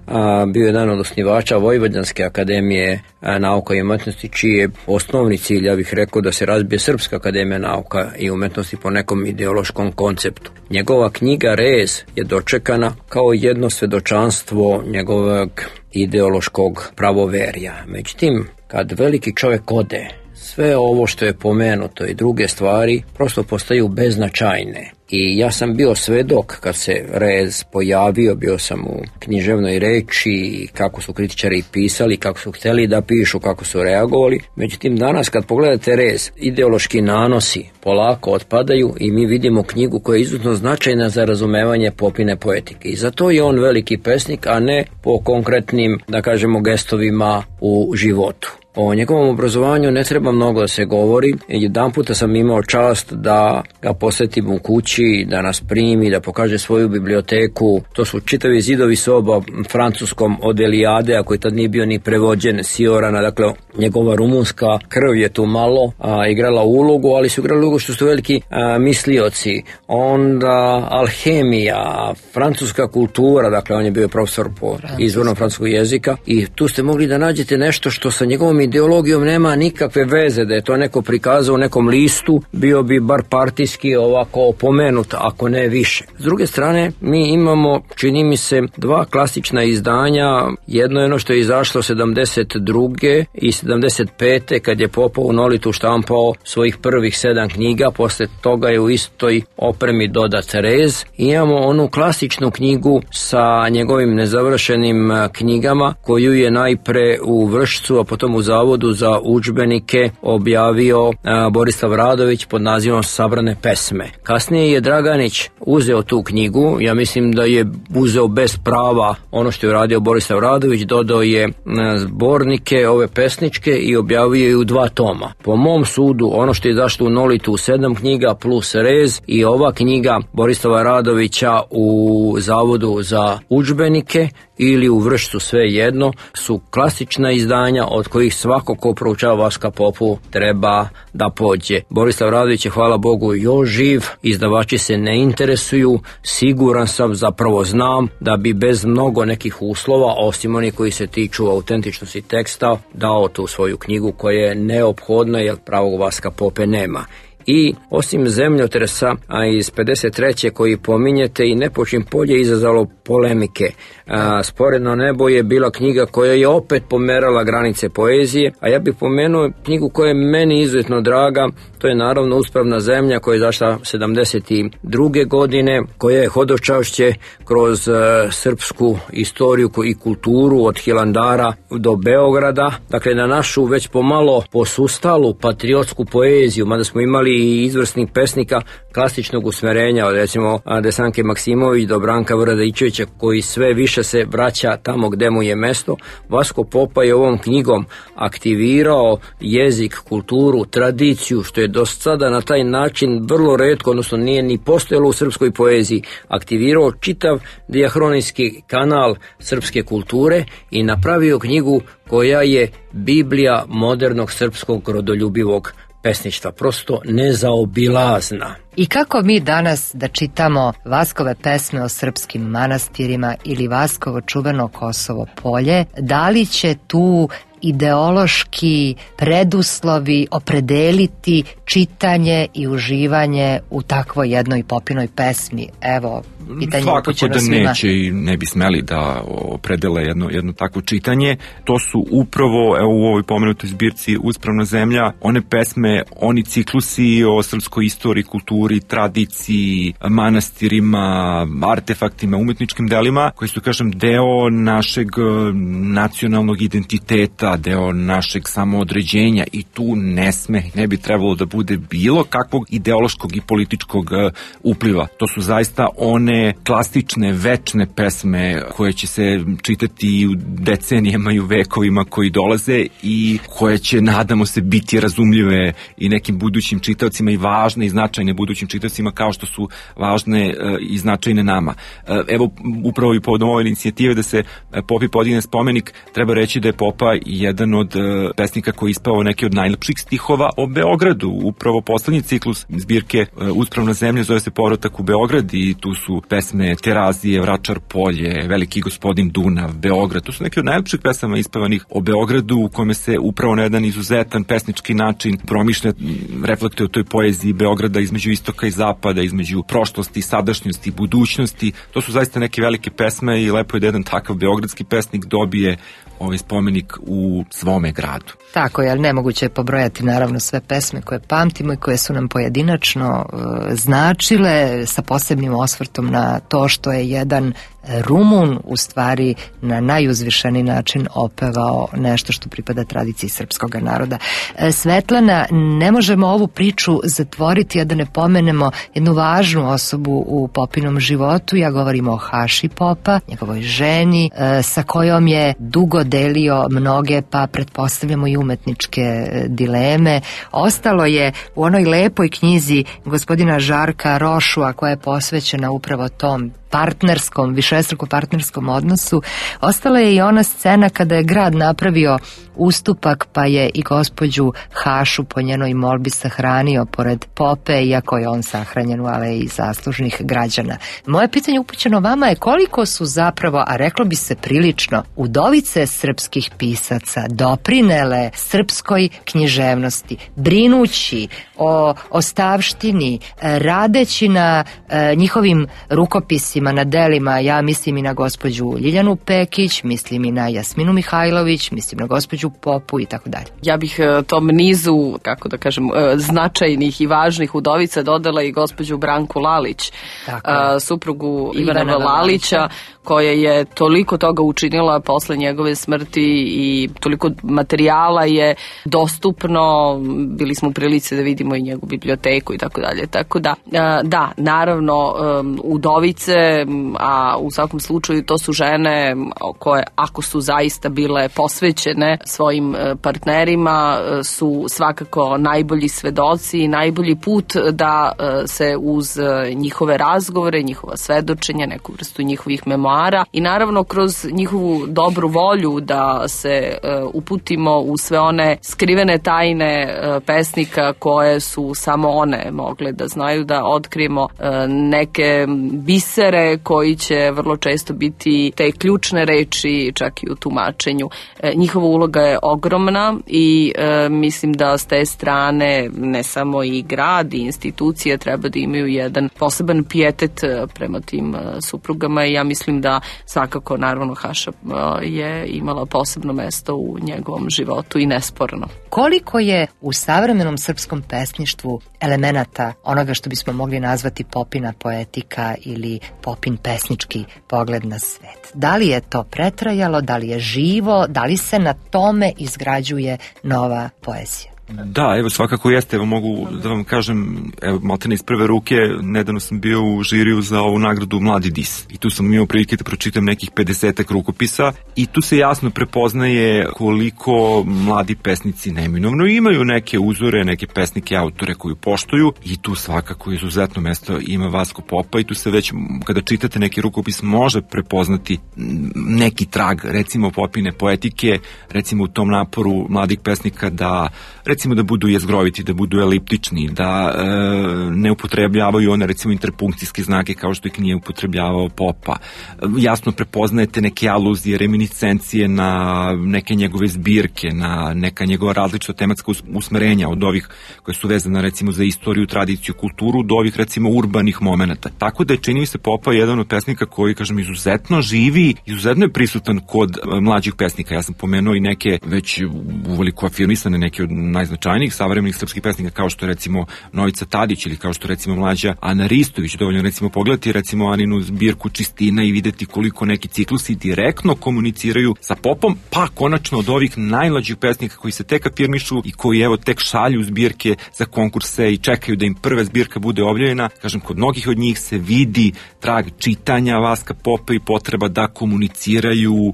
K: bio jedan od osnivača Vojvođanske akademije nauka i umetnosti, čiji je osnovni cilj, ja bih rekao, da se razbije Srpska akademija nauka i umetnosti po nekom ideološkom konceptu. Njegova knjiga Rez je dočekana kao jedno svedočanstvo njegovog ideološkog pravoverja. Međutim, kad veliki čovjek ode, sve ovo što je pomenuto i druge stvari prosto postaju beznačajne. I ja sam bio svedok kad se Rez pojavio, bio sam u književnoj reči, kako su kritičari pisali, kako su htjeli da pišu, kako su reagovali. Međutim, danas kad pogledate Rez, ideološki nanosi polako otpadaju i mi vidimo knjigu koja je izuzetno značajna za razumevanje Popine poetike. I zato je on veliki pesnik, a ne po konkretnim, da kažemo, gestovima u životu. O njegovom obrazovanju ne treba mnogo da se govori. Jedan puta sam imao čast da ga posjetim u kući, da nas primi, da pokaže svoju biblioteku. To su čitavi zidovi soba francuskom od Elijade, a koji tad nije bio ni prevođen, Siorana. Dakle, njegova rumunska krv je tu malo igrala ulogu, ali su igrali ulogu što su veliki mislioci. Onda alhemija, francuska kultura, dakle on je bio profesor po izvornom francuskog jezika i tu ste mogli da nađete nešto što sa njegovom ideologijom nema nikakve veze, da je to neko prikazao u nekom listu, bio bi bar partijski ovako opomenut, ako ne više. S druge strane, mi imamo, čini mi se, dva klasična izdanja. Jedno je ono što je izašlo 72. i 75. kad je Popa u Nolitu štampao svojih prvih 7 knjiga, posle toga je u istoj opremi dodat rez. Imamo onu klasičnu knjigu sa njegovim nezavršenim knjigama, koju je najpre u Vršcu, a potom u Zavodu za udžbenike objavio Borislav Radović pod nazivom Sabrane pesme. Kasnije je Draganić uzeo tu knjigu, ja mislim da je uzeo bez prava ono što je uradio Borislav Radović, dodao je zbornike ove pesničke i objavio je u 2 toma. Po mom sudu, ono što je izašlo u Nolitu u 7 knjiga plus rez i ova knjiga Borislava Radovića u Zavodu za udžbenike ili u Vršcu, sve jedno, su klasična izdanja od kojih svako ko proučava Vaska Popu treba da pođe. Borislav Radović je, hvala Bogu, još živ, izdavači se ne interesuju, siguran sam, zapravo znam da bi bez mnogo nekih uslova, osim onih koji se tiču autentičnosti teksta, dao tu svoju knjigu koja je neophodna jer pravog Vaska Pope nema. I osim zemljotresa, a iz 53. koji pominjete, i Nepočin polje izazvalo polemike. Sporedno nebo je bila knjiga koja je opet pomerala granice poezije, a ja bih pomenuo knjigu koja je meni izuzetno draga, to je naravno Uspravna zemlja koja je izašla 72. godine, koja je hodočašće kroz srpsku istoriju i kulturu od Hilandara do Beograda, dakle na našu već pomalo posustalu patriotsku poeziju, mada smo imali i izvrsnih pesnika klasičnog usmerenja, od recimo Desanke Maksimović do Branka Vradićevića, koji sve više se vraća tamo gde mu je mesto. Vasko Popa je ovom knjigom aktivirao jezik, kulturu, tradiciju, što je do sada na taj način vrlo retko, odnosno nije ni postojalo u srpskoj poeziji, aktivirao čitav dijahronijski kanal srpske kulture i napravio knjigu koja je Biblija modernog srpskog rodoljubivog pesništva, prosto nezaobilazna.
A: I kako mi danas da čitamo Vaskove pesme o srpskim manastirima ili Vaskovo čuveno Kosovo polje, da li će tu ideološki preduslovi opredeliti čitanje i uživanje u takvoj jednoj Popinoj pesmi? Evo, pitanje upućeno svima.
L: Svakako da neće i ne bi smeli da opredele jedno takvo čitanje. To su upravo, evo, u ovoj pomenutoj zbirci Uspravna zemlja, one pesme, oni ciklusi o srpskoj istoriji, kulturi, tradiciji, manastirima, artefaktima, umetničkim delima, koji su, kažem, deo našeg nacionalnog identiteta, deo našeg samoodređenja, i tu ne bi trebalo da bude bilo kakvog ideološkog i političkog upliva. To su zaista one klasične, večne pesme koje će se čitati u decenijama i u vekovima koji dolaze i koje će, nadamo se, biti razumljive i nekim budućim čitaocima i važne i značajne budućim čitaocima kao što su važne i značajne nama. Evo, upravo i povodom ove inicijative da se Popi podigne spomenik, treba reći da je Popa jedan od pesnika koji je ispao neki od najlepših stihova o Beogradu. Upravo poslednji ciklus zbirke Uspravna zemlja zove se Povratak u Beograd i tu su pesme Terazije, Vračar polje, Veliki gospodin Dunav, Beograd. To su neki od najlepših pesama ispevanih o Beogradu, u kome se upravo na jedan izuzetan pesnički način promišlja, reflektuje o toj poeziji Beograda između istoka i zapada, između prošlosti, sadašnjosti, budućnosti. To su zaista neke velike pesme i lepo je da jedan takav beogradski pesnik dobije ovaj spomenik u svome gradu.
A: Tako je, ali nemoguće je pobrojati naravno sve pesme koje pamtimo i koje su nam pojedinačno značile, sa posebnim osvrtom na to što je jedan Rumun u stvari na najuzvišeni način opevao nešto što pripada tradiciji srpskog naroda. Svetlana, ne možemo ovu priču zatvoriti a da ne pomenemo jednu važnu osobu u Popinom životu. Ja govorim o Haši Popa, njegovoj ženi, sa kojom je dugo delio mnoge, pa pretpostavljamo i umetničke dileme. Ostalo je u onoj lepoj knjizi gospodina Žarka Rošua koja je posvećena upravo tom partnerskom, višestruko partnerskom odnosu, ostala je i ona scena kada je grad napravio ustupak pa je i gospođu Hašu po njenoj molbi sahranio pored Pope, iako je on sahranjen u aleji zaslužnih građana. Moje pitanje upućeno vama je koliko su zapravo, a reklo bi se prilično, udovice srpskih pisaca doprinele srpskoj književnosti, brinući o ostavštini, radeći na njihovim rukopisima, na delima. Ja mislim i na gospođu Ljiljanu Pekić, mislim i na Jasminu Mihajlović, mislim na gospođu Popu i tako dalje.
M: Ja bih tom nizu, kako da kažem, značajnih i važnih udovica dodala i gospođu Branku Lalić, suprugu Ivana Lalića, koja je toliko toga učinila posle njegove smrti i toliko materijala je dostupno, bili smo u prilici da vidimo i njegovu biblioteku i tako dalje. Tako da, da, naravno, udovice, a u svakom slučaju to su žene koje, ako su zaista bile posvećene svojim partnerima, su svakako najbolji svedoci i najbolji put da se uz njihove razgovore, njihova svedočenja, neku vrstu njihovih memoara i naravno kroz njihovu dobru volju da se uputimo u sve one skrivene tajne pesnika koje su samo one mogle da znaju, da otkrijemo neke bisere koji će vrlo često biti te ključne reči čak i u tumačenju. Njihova uloga je ogromna i mislim da s te strane ne samo i grad i institucije treba da imaju jedan poseban pijetet prema tim suprugama i ja mislim da svakako naravno Haša je imala posebno mesto u njegovom životu i nesporno.
A: Koliko je u savremenom srpskom pesništvu elemenata onoga što bismo mogli nazvati Popina poetika ili Popin pesnički pogled na svet? Da li je to pretrajalo, da li je živo, da li se na tome izgrađuje nova poezija?
L: Da, evo svakako jeste, evo mogu da vam kažem, evo maltene iz prve ruke, nedavno sam bio u žiriju za ovu nagradu Mladi dis i tu sam imao prilike da pročitam nekih 50 rukopisa i tu se jasno prepoznaje koliko mladi pesnici neminovno imaju neke uzore, neke pesnike, autore koju poštuju i tu svakako izuzetno mesto ima Vasko Popa i tu se već kada čitate neki rukopis može prepoznati neki trag, recimo Popine poetike, recimo u tom naporu mladih pesnika da recimo da budu jezgroviti, da budu eliptični, da ne upotrebljavaju one recimo interpunkcijske znake kao što ih nije upotrebljavao Popa. Jasno prepoznajete neke aluzije, reminiscencije na neke njegove zbirke, na neka njegova različita tematska usmerenja od ovih koje su vezane recimo za istoriju, tradiciju, kulturu, do ovih recimo urbanih momenata. Tako da je čini mi se Popa jedan od pesnika koji, kažem, izuzetno živi, izuzetno je prisutan kod mlađih pesnika. Ja sam pomenuo i neke već uveliko afirmisane, neke od najznačajnijih savremenih srpskih pesnika kao što je recimo Novica Tadić ili kao što je recimo mlađa Ana Ristović. Dovoljno recimo pogledati recimo Aninu zbirku Čistina i videti koliko neki ciklusi direktno komuniciraju sa Popom, pa konačno od ovih najmlađih pesnika koji se tek afirmišu i koji evo tek šalju zbirke za konkurse i čekaju da im prva zbirka bude objavljena. Kažem, kod mnogih od njih se vidi trag čitanja Vaska Popa i potreba da komuniciraju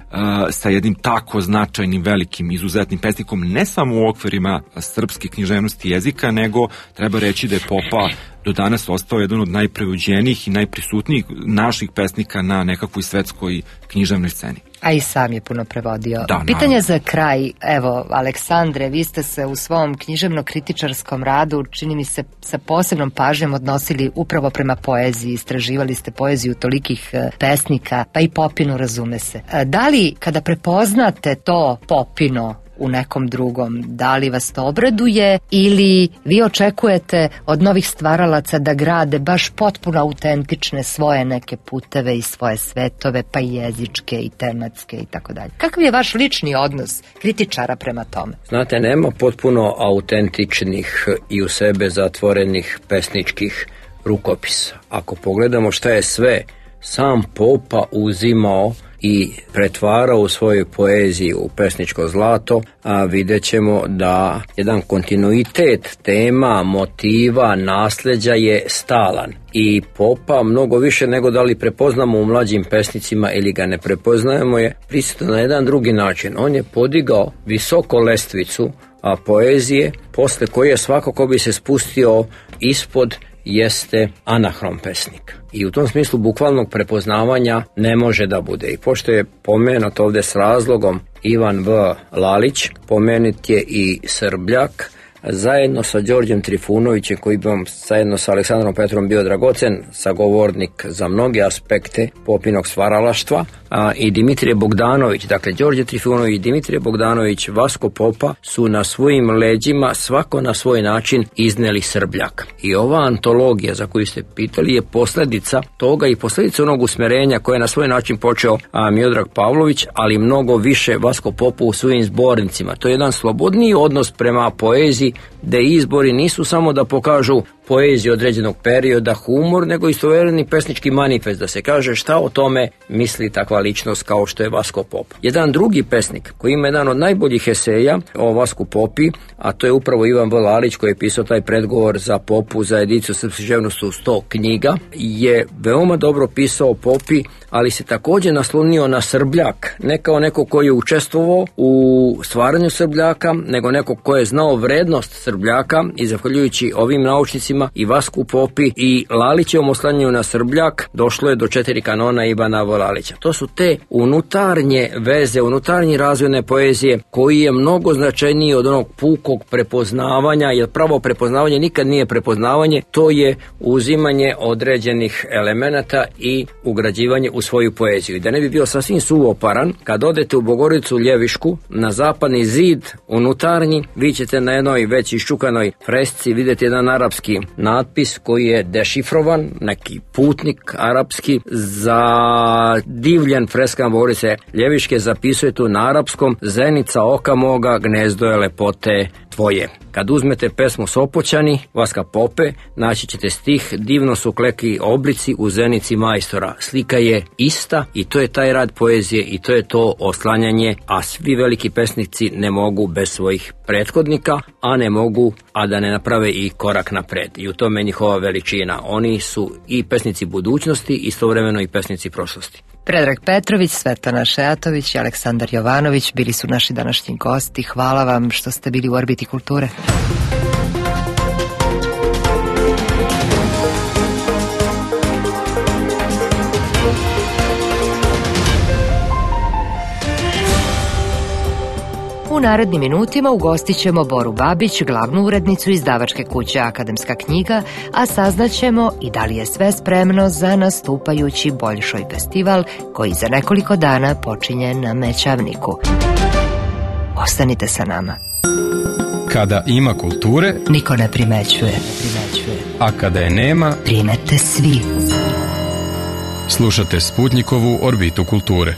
L: sa jednim tako značajnim, velikim, izuzetnim pesnikom, ne samo u okvirima srpske književnosti jezika, nego treba reći da je Popa do danas ostao jedan od najprevođenijih i najprisutnijih naših pesnika na nekakvoj svetskoj književnoj sceni.
A: A i sam je puno prevodio.
L: Da,
A: pitanje za kraj, evo, Aleksandre, vi ste se u svom književno-kritičarskom radu, čini mi se, sa posebnom pažnjom odnosili upravo prema poeziji, istraživali ste poeziju tolikih pesnika, pa i Popinu, razume se. Da li, kada prepoznate to Popino u nekom drugom, da li vas to obraduje ili vi očekujete od novih stvaralaca da grade baš potpuno autentične svoje neke puteve i svoje svetove, pa i jezičke i tematske i tako dalje? Kakav je vaš lični odnos kritičara prema tome?
K: Znate, nema potpuno autentičnih i u sebe zatvorenih pesničkih rukopisa. Ako pogledamo šta je sve sam Popa uzimao i pretvarao u svojoj poeziji u pesničko zlato, a vidjet ćemo da jedan kontinuitet tema, motiva, nasljeđa je stalan. I Popa mnogo više nego da li prepoznamo u mlađim pesnicima ili ga ne prepoznajemo je prisutan na jedan drugi način. On je podigao visoko lestvicu poezije, posle koje svakako bi se spustio ispod jeste anahron pesnik. I u tom smislu bukvalnog prepoznavanja ne može da bude. I pošto je pomenut ovde s razlogom Ivan V. Lalić, pomenut je i Srbljak, zajedno sa Đorđem Trifunovićem, koji bi vam zajedno sa Aleksandrom Petrom bio dragocen sagovornik za mnoge aspekte popinog stvaralaštva, i Dimitrije Bogdanović. Dakle, Đorđe Trifunović, Dimitrije Bogdanović, Vasko Popa su na svojim leđima svako na svoj način izneli Srbljak. I ova antologija za koju ste pitali je posledica toga i posledica onog usmerenja koje je na svoj način počeo Miodrag Pavlović, ali mnogo više Vasko Popa u svojim zbornicima. To je jedan slobodniji odnos prema poeziji, gde izbori nisu samo da pokažu poeziju određenog perioda, humor, nego istovremeni pesnički manifest, da se kaže šta o tome misli takva ličnost kao što je Vasko Popa. Jedan drugi pesnik koji ima jedan od najboljih eseja o Vasku Popi, a to je upravo Ivan V. Lalić, koji je pisao taj predgovor za Popu za ediciju Srpske književnosti u 100 knjiga, je veoma dobro pisao o Popi, ali se takođe naslonio na Srbljak, ne kao neko koji je učestvovao u stvaranju Srbljaka, nego neko ko je znao vrednost Srbljaka, i zahvaljujući ovim naučnicima i Vasku Popi i Lalićevom oslanjanju na Srbljak došlo je do 4 kanona Ivana V. Lalića. To su te unutarnje veze, unutarnje razvojne poezije koji je mnogo značajniji od onog pukog prepoznavanja, jer pravo prepoznavanje nikad nije prepoznavanje, to je uzimanje određenih elemenata i ugrađivanje u svoju poeziju. I da ne bi bio sasvim suvoparan, kad odete u Bogorodicu Ljevišku, na zapadni zid unutarnji, vi ćete na jednoj već iščukanoj fresci vidjeti jedan arapski natpis koji je dešifrovan, neki putnik arapski zadivljen freskama Bogorodice Ljeviške zapisuje tu na arapskom: zenica oka moga, gnezdo je lepote tvoje. Kad uzmete pesmu Sopoćani Vaska Pope, naći ćete stih: divno su kleki oblici u zenici majstora. Slika je ista i to je taj rad poezije i to je to oslanjanje, a svi veliki pesnici ne mogu bez svojih prethodnika, a ne mogu a da ne naprave i korak napred. I u tome je njihova veličina. Oni su i pesnici budućnosti, istovremeno i pesnici prošlosti.
A: Predrag Petrović, Svetlana Šejatović i Aleksandar Jovanović bili su naši današnji gosti. Hvala vam što ste bili u Orbiti kulture. U narednim minutima ugostit ćemo Boru Babić, glavnu urednicu izdavačke kuće Akademska knjiga, a saznaćemo i da li je sve spremno za nastupajući Boljšoj festival koji za nekoliko dana počinje na Mećavniku. Ostanite sa nama.
B: Kada ima kulture,
A: niko ne primećuje.
B: A kada je nema,
A: primete svi.
B: Slušate Sputnikovu Orbitu kulture.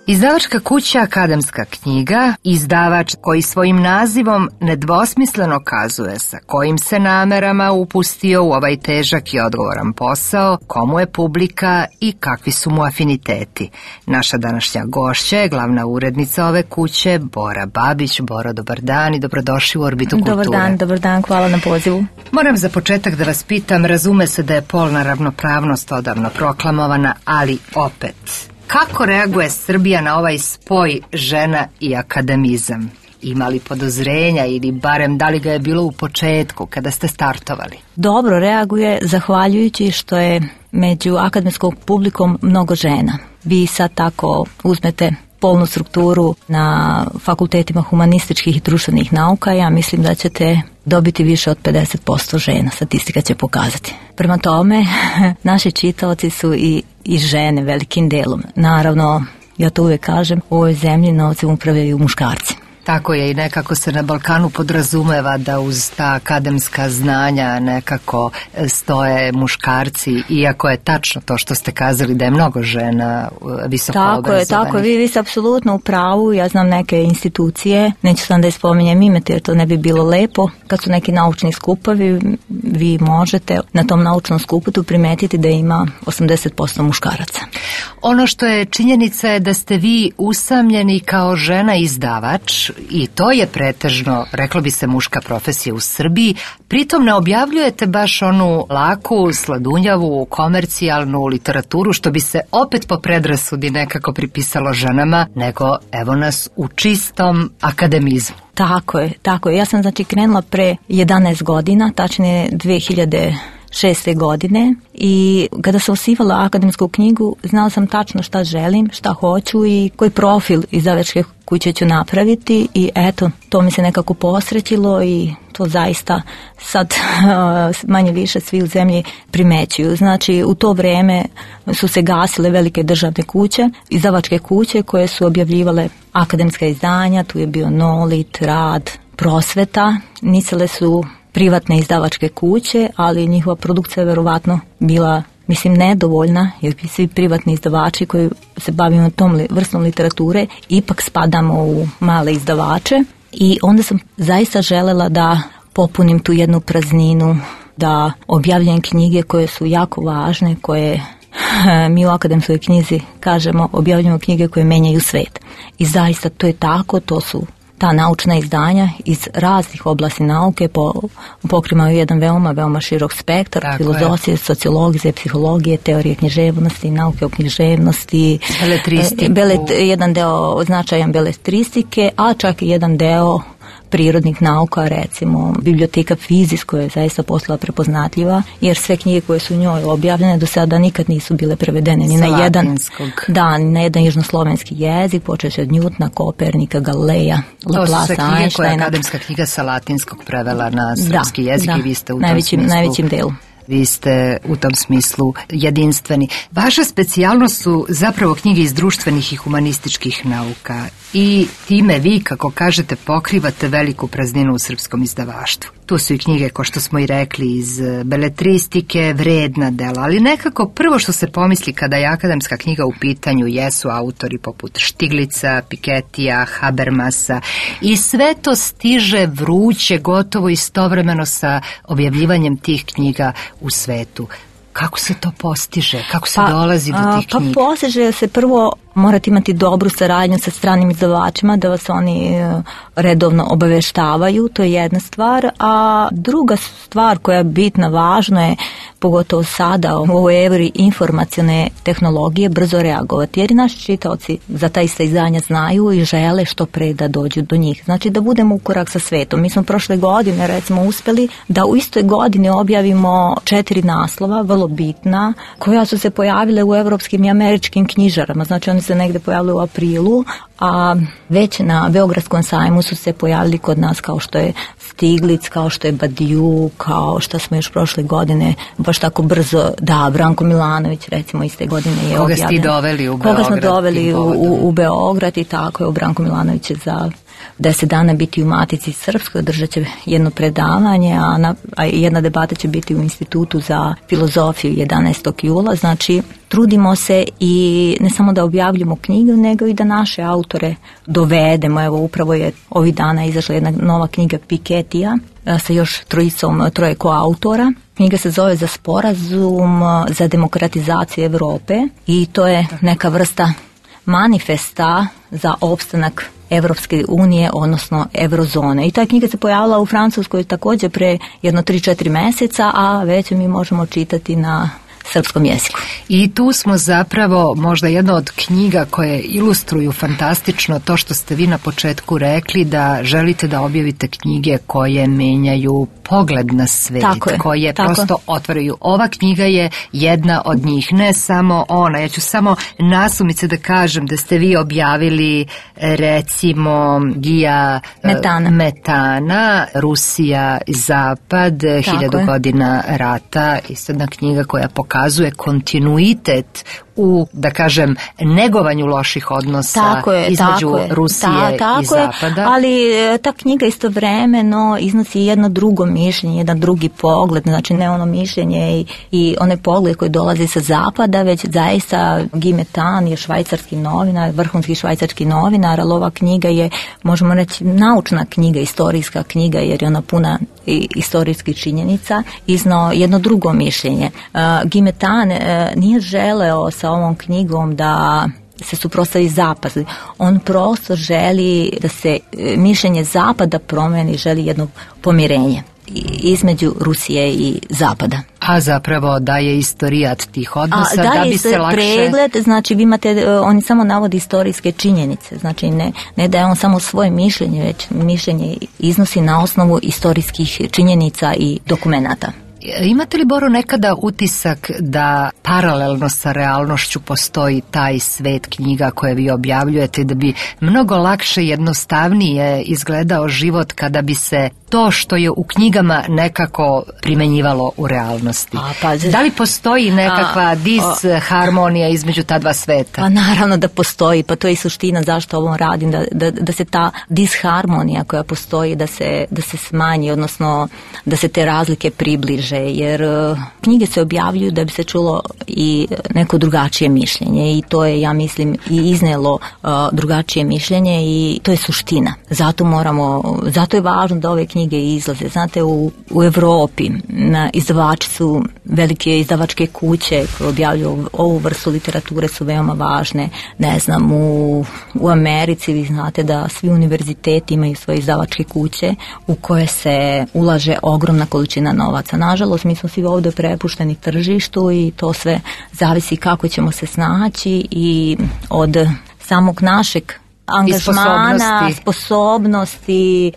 A: Izdavačka kuća Akademska knjiga, izdavač koji svojim nazivom nedvosmisleno kazuje sa kojim se namerama upustio u ovaj težak i odgovoran posao, komu je publika i kakvi su mu afiniteti. Naša današnja gošća je glavna urednica ove kuće, Bora Babić. Boro, dobar dan i dobrodošli u Orbitu kulture.
E: Dobar dan, hvala na pozivu.
A: Moram za početak da vas pitam, razume se da je polna ravnopravnost odavno proklamovana, ali opet, kako reaguje Srbija na ovaj spoj žena i akademizam? Ima li podozrenja ili barem da li ga je bilo u početku kada ste startovali?
E: Dobro reaguje zahvaljujući što je među akademskom publikom mnogo žena. Vi sad tako uzmete polnu strukturu na fakultetima humanističkih i društvenih nauka, ja mislim da ćete dobiti više od 50% žena, statistika će pokazati. Prema tome, naši čitaoci su i žene velikim delom. Naravno, ja to uvek kažem, u ovoj zemlji novcem upravljaju muškarci.
A: Tako je, i nekako se na Balkanu podrazumeva da uz ta akademska znanja nekako stoje muškarci, iako je tačno to što ste kazali da je mnogo žena visoko obrazovanih.
E: Tako je, vi ste apsolutno u pravu. Ja znam neke institucije, neću sam da ispominjem ime, jer to ne bi bilo lepo. Kad su neki naučni skupovi, vi možete na tom naučnom skupu primetiti da ima 80% muškaraca.
A: Ono što je činjenica je da ste vi usamljeni kao žena izdavač i to je pretežno, reklo bi se, muška profesija u Srbiji. Pritom ne objavljujete baš onu laku, sladunjavu, komercijalnu literaturu, što bi se opet po predrasudi nekako pripisalo ženama, nego evo nas u čistom akademizmu.
N: Tako je. Ja sam krenula pre 11 godina, tačnije 2006. godine, i kada sam osivala akademsku knjigu, znala sam tačno šta želim, šta hoću i koji profil izdavačke kuće ću napraviti, i eto, to mi se nekako posrećilo i to zaista sad manje više svi u zemlji primećuju. Znači, u to vreme su se gasile velike državne kuće, izdavačke kuće koje su objavljivale akademska izdanja, tu je bio Nolit, Rad, Prosveta, nicale su privatne izdavačke kuće, ali njihova produkcija je verovatno bila, nedovoljna, jer svi privatni izdavači koji se bavimo tom vrstom literature ipak spadamo u male izdavače, i onda sam zaista želela da popunim tu jednu prazninu, da objavljam knjige koje su jako važne, koje mi u akademskoj knjizi kažemo objavljamo knjige koje menjaju svet. I zaista to je tako, to su ta naučna izdanja iz raznih oblasti nauke, pokrimaju jedan veoma širok spektar, filozofije, sociologije, psihologije, teorije književnosti, nauke o književnosti, jedan deo značajan beletristike, a čak i jedan deo prirodnih nauka, recimo biblioteka Fizis, koja je zaista postala prepoznatljiva, jer sve knjige koje su u njoj objavljene do sada nikad nisu bile prevedene ni na jedan južnoslovenski jezik, počeći od Newtona, Kopernika, Galileja, Laplace, Einsteina. To su sve knjige koje je akademska knjiga sa latinskog prevela na srpski jezik i vi ste u tom smislu najvećim delu.
A: Vi ste u tom smislu jedinstveni. Vaša specijalnost su zapravo knjige iz društvenih i humanističkih nauka i time vi, kako kažete, pokrivate veliku prazninu u srpskom izdavaštvu. Tu su i knjige, ko što smo i rekli, iz beletristike, vredna dela, ali nekako prvo što se pomisli kada je akademska knjiga u pitanju jesu autori poput Štiglica, Piketija, Habermasa, i sve to stiže vruće, gotovo istovremeno sa objavljivanjem tih knjiga u svetu. Kako se to postiže? Kako se dolazi do tih knjiga?
N: Postiže se prvo, morate imati dobru saradnju sa stranim izdavačima, da vas oni redovno obaveštavaju, to je jedna stvar, a druga stvar koja je bitna, važno je, pogotovo sada u ovoj eri informacione tehnologije, brzo reagovati, jer i naši čitaoci za ta ista izdanja znaju i žele što pre da dođu do njih. Znači da budemo u korak sa svetom. Mi smo prošle godine recimo uspeli da u istoj godini objavimo 4 naslova, vrlo bitna, koja su se pojavile u evropskim i američkim knjižarama. Znači oni se negde pojavili u aprilu, a već na Beogradskom sajmu su se pojavili kod nas, kao što je Stiglic, kao što je Badiou, kao što smo još prošle godine baš tako brzo, Branko Milanović recimo iste godine je objavljen.
A: Koga ste doveli u Beograd?
N: Koga smo doveli u Beograd, i tako je, Branko Milanović je za 10 dana biti u Matici Srpskoj, držat će jedno predavanje, a jedna debata će biti u Institutu za filozofiju 11. jula. Znači, trudimo se i ne samo da objavljamo knjige, nego i da naše autore dovedemo. Evo, upravo je ovih dana izašla jedna nova knjiga Piketija sa još troje koautora. Knjiga se zove Za sporazum za demokratizaciju Evrope, i to je neka vrsta manifesta za opstanak Evropske unije, odnosno Eurozone. I ta knjiga se pojavila u Francuskoj također pre 3-4 meseca, a već mi možemo čitati na srpskom jeziku.
A: I tu smo zapravo možda jedna od knjiga koje ilustruju fantastično to što ste vi na početku rekli, da želite da objavite knjige koje menjaju pogled na svet, koje prosto otvaraju. Ova knjiga je jedna od njih, ne samo ona. Ja ću samo nasumice da kažem da ste vi objavili recimo Gija Metana, Rusija i Zapad, 1000 godina rata, isto jedna knjiga koja pokazuje kontinuitet u, da kažem, negovanju loših odnosa između Rusije i Zapada.
N: Ali ta knjiga istovremeno iznosi jedno drugo mišljenje, jedan drugi pogled, znači ne ono mišljenje i onaj pogled koji dolazi sa Zapada, već zaista Guy Metan je švajcarski novinar, vrhunski švajcarski novinar, ali ova knjiga je, možemo reći, naučna knjiga, istorijska knjiga, jer je ona puna istorijskih činjenica, iznao jedno drugo mišljenje. Guy Metan nije želeo sa ovom knjigom da se suprotstavi zapadu. On prosto želi da se mišljenje zapada promeni, želi jedno pomirenje između Rusije i zapada.
A: A zapravo daje istorijat tih odnosa da bi se lakše...
N: pregled, znači vi imate, oni samo navodi istorijske činjenice, znači ne daje on samo svoje mišljenje, već mišljenje iznosi na osnovu istorijskih činjenica i dokumenata.
A: Imate li, Boro, nekada utisak da paralelno sa realnošću postoji taj svet knjiga koje vi objavljujete, da bi mnogo lakše, jednostavnije izgledao život kada bi se to što je u knjigama nekako primenjivalo u realnosti? Da li postoji nekakva disharmonija između ta dva sveta?
N: Pa naravno da postoji, pa to je i suština zašto ovo radim, da se ta disharmonija koja postoji, da se smanji, odnosno da se te razlike približe, jer knjige se objavljuju da bi se čulo i neko drugačije mišljenje i to je, ja mislim, i iznelo drugačije mišljenje i to je suština. Zato je važno da ove knjige izlaze. Znate, u Evropi izdavači su, velike izdavačke kuće koje objavljuju ovu vrstu literature su veoma važne. Ne znam, u Americi vi znate da svi univerziteti imaju svoje izdavačke kuće u koje se ulaže ogromna količina novaca. Nažalost, mi smo svi ovdje prepušteni tržištu i to sve zavisi kako ćemo se snaći i od samog našeg angažmana, sposobnosti,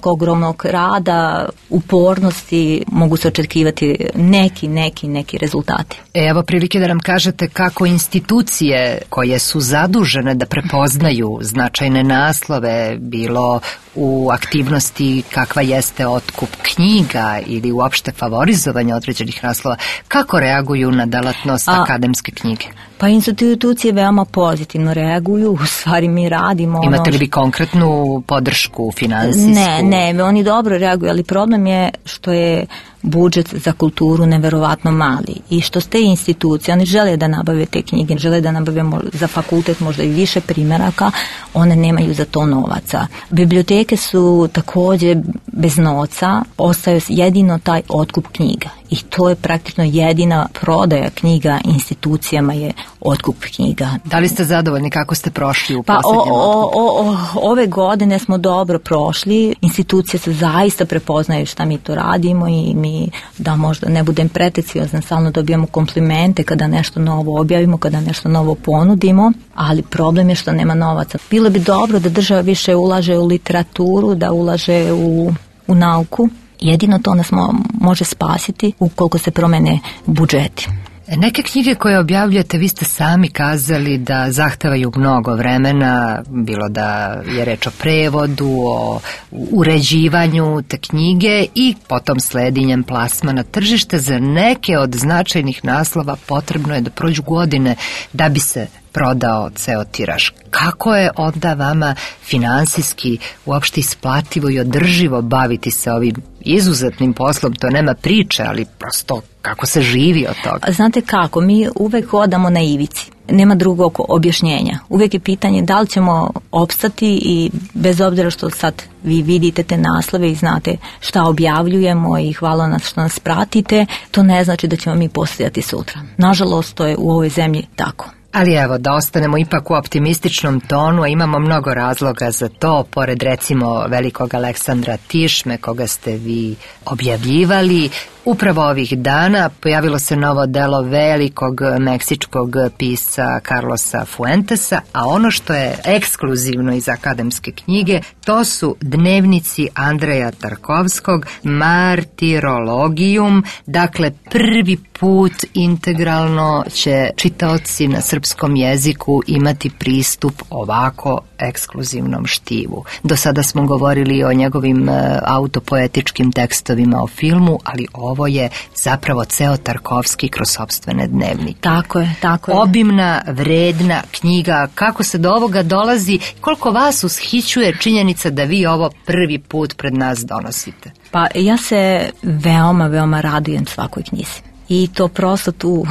N: ogromnog rada, upornosti, mogu se očekivati neki rezultati.
A: Evo prilike da nam kažete kako institucije koje su zadužene da prepoznaju značajne naslove, bilo u aktivnosti kakva jeste otkup knjiga ili uopšte favorizovanje određenih naslova, kako reaguju na delatnost akademske knjige?
N: Pa institucije veoma pozitivno reaguju, u stvari mi radimo.
A: Imate li vi konkretnu podršku finansijsku?
N: Ne, oni dobro reaguju, ali problem je što je budžet za kulturu neverovatno mali i što ste institucije, oni žele da nabave te knjige, žele da nabave za fakultet možda i više primjeraka, one nemaju za to novaca. Biblioteke su također bez novca, ostaje jedino taj otkup knjiga i to je praktično jedina prodaja knjiga institucijama je otkup knjiga.
A: Da li ste zadovoljni kako ste prošli u posljednjem otkupu?
N: Ove godine smo dobro prošli, institucije se zaista prepoznaju šta mi to radimo i mi, da možda ne budem pretenciozna, stalno dobijamo komplimente kada nešto novo objavimo, kada nešto novo ponudimo, ali problem je što nema novaca. Bilo bi dobro da država više ulaže u literaturu, da ulaže u nauku. Jedino to nas može spasiti ukoliko se promene budžeti.
A: Neke knjige koje objavljujete, vi ste sami kazali da zahtevaju mnogo vremena, bilo da je reč o prevodu, o uređivanju te knjige i potom sledinjem plasma na tržište. Za neke od značajnih naslova potrebno je da prođu godine da bi se prodao ceo tiraž. Kako je onda vama finansijski uopšte isplativo i održivo baviti se ovim izuzetnim poslom? To nema priče, ali prosto kako se živi od toga?
N: Znate kako, mi uvek hodamo na ivici. Nema drugog objašnjenja. Uvijek je pitanje da li ćemo opstati i bez obzira što sad vi vidite te naslove i znate šta objavljujemo i hvala nas što nas pratite, to ne znači da ćemo mi postojati sutra. Nažalost, to je u ovoj zemlji tako.
A: Ali evo, da ostanemo ipak u optimističnom tonu, a imamo mnogo razloga za to, pored recimo velikog Aleksandra Tišme, koga ste vi objavljivali. Upravo ovih dana pojavilo se novo delo velikog meksičkog pisca Carlosa Fuentesa, a ono što je ekskluzivno iz akademske knjige, to su dnevnici Andreja Tarkovskog, Martirologijum, dakle prvi put integralno će čitaoci na srpskom jeziku imati pristup ovako ekskluzivnom štivu. Do sada smo govorili o njegovim autopoetičkim tekstovima, o filmu, ali ovo je zapravo ceo Tarkovski kroz sopstvene dnevnike.
N: Tako je.
A: Obimna, vredna knjiga. Kako se do ovoga dolazi? Koliko vas ushićuje činjenica da vi ovo prvi put pred nas donosite?
N: Pa ja se veoma radujem svakoj knjizi. I to prosto tu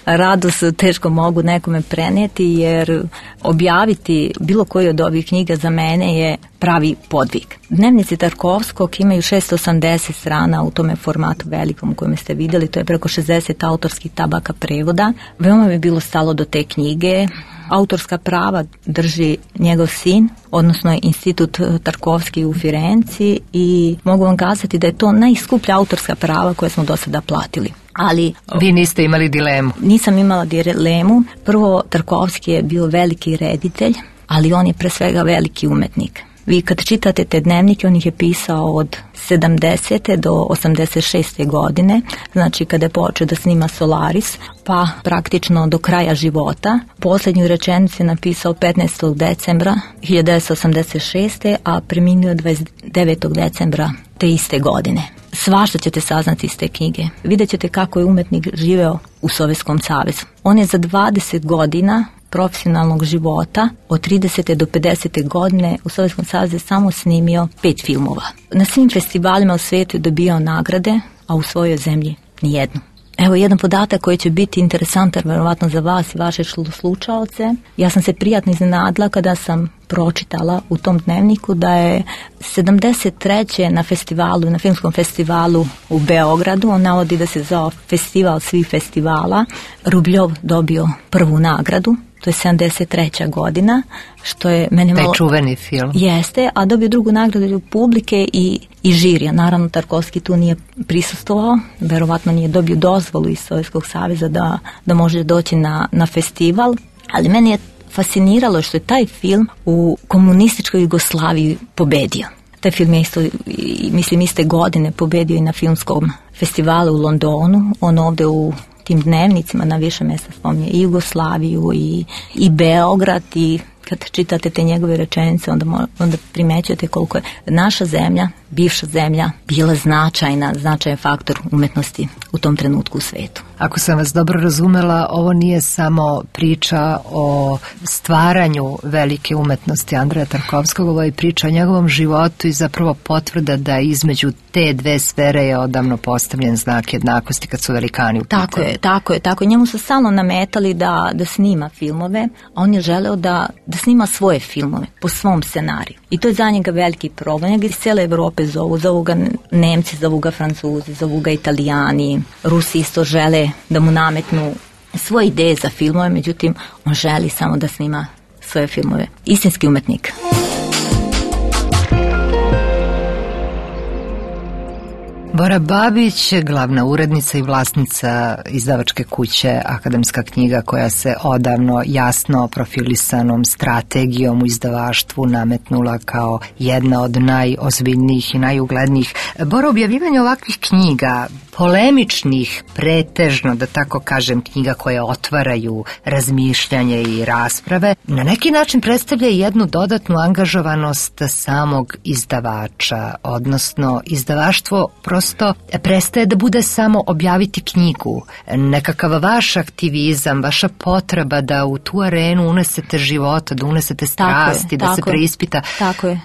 N: radost teško mogu nekome prenijeti, jer objaviti bilo koju od ovih knjiga za mene je pravi podvig. Dnevnici Tarkovskog imaju 680 strana u tome formatu velikom u kojem ste vidjeli, to je preko 60 autorskih tabaka prevoda. Veoma mi je bilo stalo do te knjige. autorska prava drži njegov sin, odnosno Institut Tarkovski u Firenci, i mogu vam kazati da je to najskuplja autorska prava koje smo do sada platili. Ali
A: vi niste imali dilemu?
N: Nisam imala dilemu. Prvo, Tarkovski je bio veliki reditelj, ali on je pre svega veliki umetnik. Vi kad čitate te dnevnike, on ih je pisao od 70. do 86. godine, znači kada je počeo da snima Solaris, pa praktično do kraja života. Posljednju rečenicu je napisao 15. decembra 1986. a preminuo 29. decembra te iste godine. Svašta ćete saznati iz te knjige. Vidjet ćete kako je umetnik živeo u Sovjetskom savezu. On je za 20 godina profesionalnog života od 30. do 50. godine u Sovjetskom savezu samo snimio 5 filmova. Na svim festivalima u svijetu je dobijao nagrade, a u svojoj zemlji nijednu. Evo jedan podatak koji će biti interesantan verovatno za vas i vaše slušaoce. Ja sam se prijatno iznenadila kada sam pročitala u tom dnevniku da je 73. na filmskom festivalu u Beogradu, on navodi da se zvao festival svih festivala, Rubljov dobio prvu nagradu. To je 73. godina, što je meni malo...
A: Taj čuveni film.
N: Jeste, a dobio drugu nagradu publike i žirija. Naravno, Tarkovski tu nije prisustvovao, verovatno nije dobio dozvolu iz Sovjetskog saveza da može doći na festival, ali meni je fasciniralo što je taj film u komunističkoj Jugoslaviji pobedio. Taj film je iste godine pobedio i na filmskom festivalu u Londonu. On ovdje u tim dnevnicima na više mjesta spominje i Jugoslaviju i Beograd, i kad čitate te njegove rečenice onda primećujete koliko je naša zemlja, bivša zemlja, bila značajan faktor umetnosti u tom trenutku u svetu.
A: Ako sam vas dobro razumela, ovo nije samo priča o stvaranju velike umetnosti Andreja Tarkovskog, ovo je priča o njegovom životu i zapravo potvrda da između te dve sfere je odavno postavljen znak jednakosti kad su velikani u pitanju.
N: Tako je. Njemu su stalno nametali da snima filmove, a on je želeo da snima svoje filmove po svom scenariju. I to je za njega veliki problem. Njega iz cijele Evrope zovu ga Nemci, zovu ga Francuzi, zovu ga Italijani, Rusi isto žele da mu nametnu svoje ideje za filmove, međutim on želi samo da snima svoje filmove. Istinski umetnik.
A: Bora Babić, glavna urednica i vlasnica izdavačke kuće Akademska knjiga, koja se odavno jasno profilisanom strategijom u izdavaštvu nametnula kao jedna od najozbiljnijih i najuglednijih. Bora, objavljivanje ovakvih knjiga, polemičnih, pretežno, da tako kažem, knjiga koje otvaraju razmišljanje i rasprave, na neki način predstavlja jednu dodatnu angažovanost samog izdavača, odnosno izdavaštvo prosto prestaje da bude samo objaviti knjigu. Nekakav vaš aktivizam, vaša potreba da u tu arenu unesete života, da unesete strasti, da se preispita.
N: Tako je.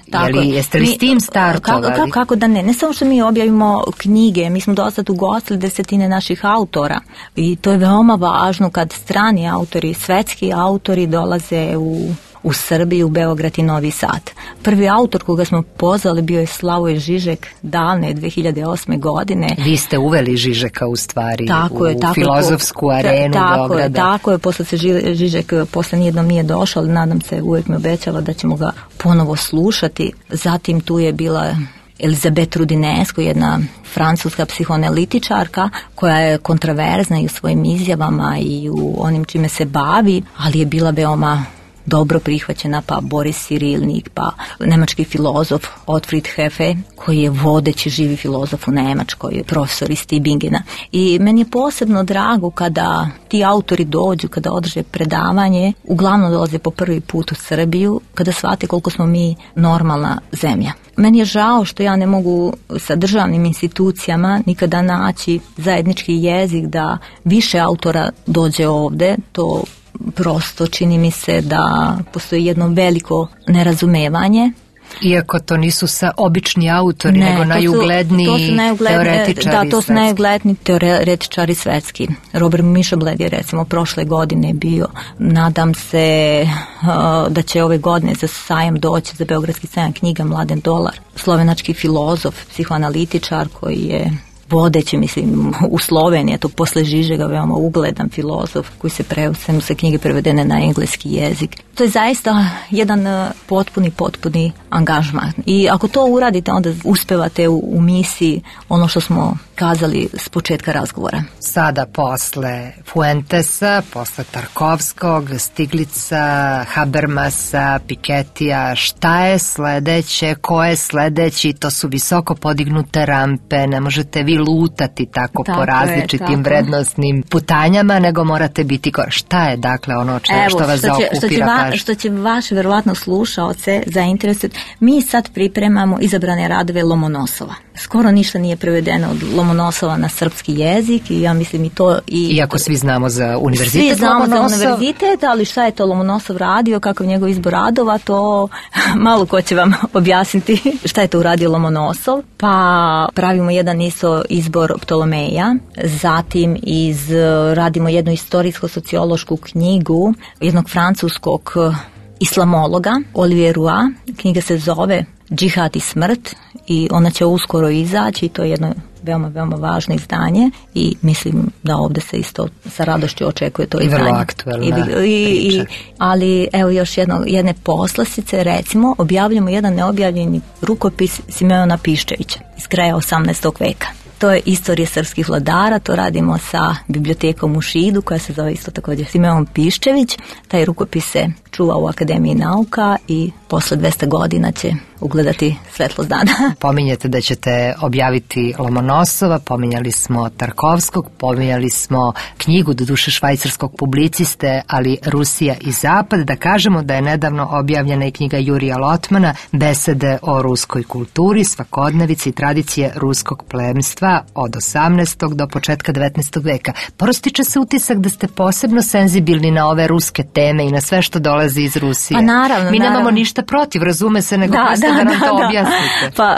A: Jeste li s tim startovali?
N: Kako da ne? Ne samo što mi objavimo knjige, mi smo dosad ugostili 10 naših autora i to je veoma važno kad strani autori, svetski autori dolaze u Srbiji, u Beograd i Novi Sad. Prvi autor koga smo pozvali bio je Slavoj Žižek davne 2008. godine.
A: Vi ste uveli Žižeka u stvari u filozofsku arenu Beograda.
N: Tako je, posle se Žižek posle nijednom nije došao, ali nadam se, uvijek mi obećava da ćemo ga ponovo slušati. Zatim tu je bila Elizabeth Rudinesco, jedna francuska psihoanalitičarka koja je kontraverzna i u svojim izjavama i u onim čime se bavi, ali je bila veoma dobro prihvaćena, pa Boris Cirilnik, pa nemački filozof Otfried Heffe, koji je vodeći živi filozof u Nemačkoj, profesor iz Tübingena. I meni je posebno drago kada ti autori dođu, kada održe predavanje, uglavnom dolaze po prvi put u Srbiju, kada shvate koliko smo mi normalna zemlja. Meni je žao što ja ne mogu sa državnim institucijama nikada naći zajednički jezik da više autora dođe ovde. To prosto čini mi se da postoji jedno veliko nerazumevanje.
A: Iako to nisu obični autori, nego najugledniji teoretičari.
N: Da, to su najugledniji teoretičari svetski. Robert Mišobled je recimo prošle godine bio. Nadam se da će ove godine za sajam doći, za Beogradski sajam knjiga, Mladen Dolar, slovenački filozof, psihoanalitičar koji je vodeći, mislim, u Sloveniji, to posle Žižega veoma ugledan filozof koji se preveo se knjige prevedene na engleski jezik. To je zaista jedan potpuni angažman. I ako to uradite, onda uspevate u misiji ono što smo kazali s početka razgovora.
A: Sada posle Fuentesa, posle Tarkovskog, Stiglica, Habermasa, Piketija, šta je sledeće, ko je sledeći, to su visoko podignute rampe, ne možete vi lutati tako po različitim vrednostnim putanjama, nego morate biti šta je dakle ono što vas zaokupira pažnju.
N: Što će vaše verovatno slušaoce zainteresovati, mi sad pripremamo izabrane radove Lomonosova. Skoro ništa nije prevedeno od Lomonosova na srpski jezik i ja mislim i to...
A: Iako svi znamo za univerzitet
N: Svi znamo
A: Lomonosov.
N: za univerzitet, ali šta je to Lomonosov radio, kakav njegov izbor radova, to malo ko će vam objasniti šta je to uradio Lomonosov. Pa pravimo jedan isto izbor Ptolomeja, zatim radimo jednu istorijsko-sociološku knjigu jednog francuskog islamologa, Olivier Roy. Knjiga se zove Džihad i smrt i ona će uskoro izaći i to je jedno veoma važno izdanje i mislim da ovde se isto sa radošću očekuje to izdanje.
A: I vrlo aktuelna priča.
N: Ali evo još jedne poslastice, recimo objavljamo jedan neobjavljeni rukopis Simeona Piščevića iz kraja 18. veka. To je istorija srpskih vladara, to radimo sa bibliotekom u Šidu koja se zove isto također Simeon Piščević. Taj rukopis se čuva u Akademiji nauka i posle 200 godina će ugledati svetlost dana.
A: Pominjete da ćete objaviti Lomonosova, pominjali smo Tarkovskog, pominjali smo knjigu doduše švajcarskog publiciste, ali Rusija i Zapad. Da kažemo da je nedavno objavljena i knjiga Jurija Lotmana Besede o ruskoj kulturi, svakodnevici i tradicije ruskog plemstva od 18. do početka 19. veka. Prostiče se utisak da ste posebno senzibilni na ove ruske teme i na sve što dolazi iz Rusije.
N: Pa naravno.
A: Mi nemamo ništa protiv, razume se, nego prosto da nam to objasnite.
N: Pa,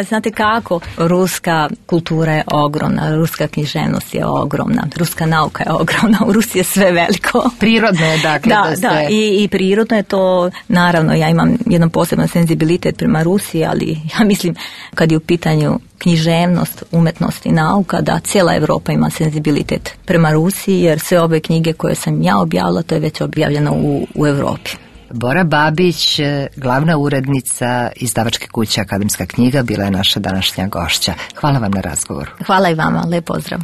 N: znate kako, ruska kultura je ogromna, ruska književnost je ogromna, ruska nauka je ogromna, u Rusiji je sve veliko.
A: Prirodno je, dakle, da ste...
N: Da, i prirodno je to, naravno, ja imam jedan poseban senzibilitet prema Rusiji, ali ja mislim, kad je u pitanju književnost, umetnost i nauka, da cijela Evropa ima senzibilitet prema Rusiji, jer sve ove knjige koje sam ja objavila, to je već objavljeno u Evropi.
A: Bora Babić, glavna urednica izdavačke kuće Akademska knjiga, bila je naša današnja gošća. Hvala vam na razgovoru.
N: Hvala i vama, lep pozdrav.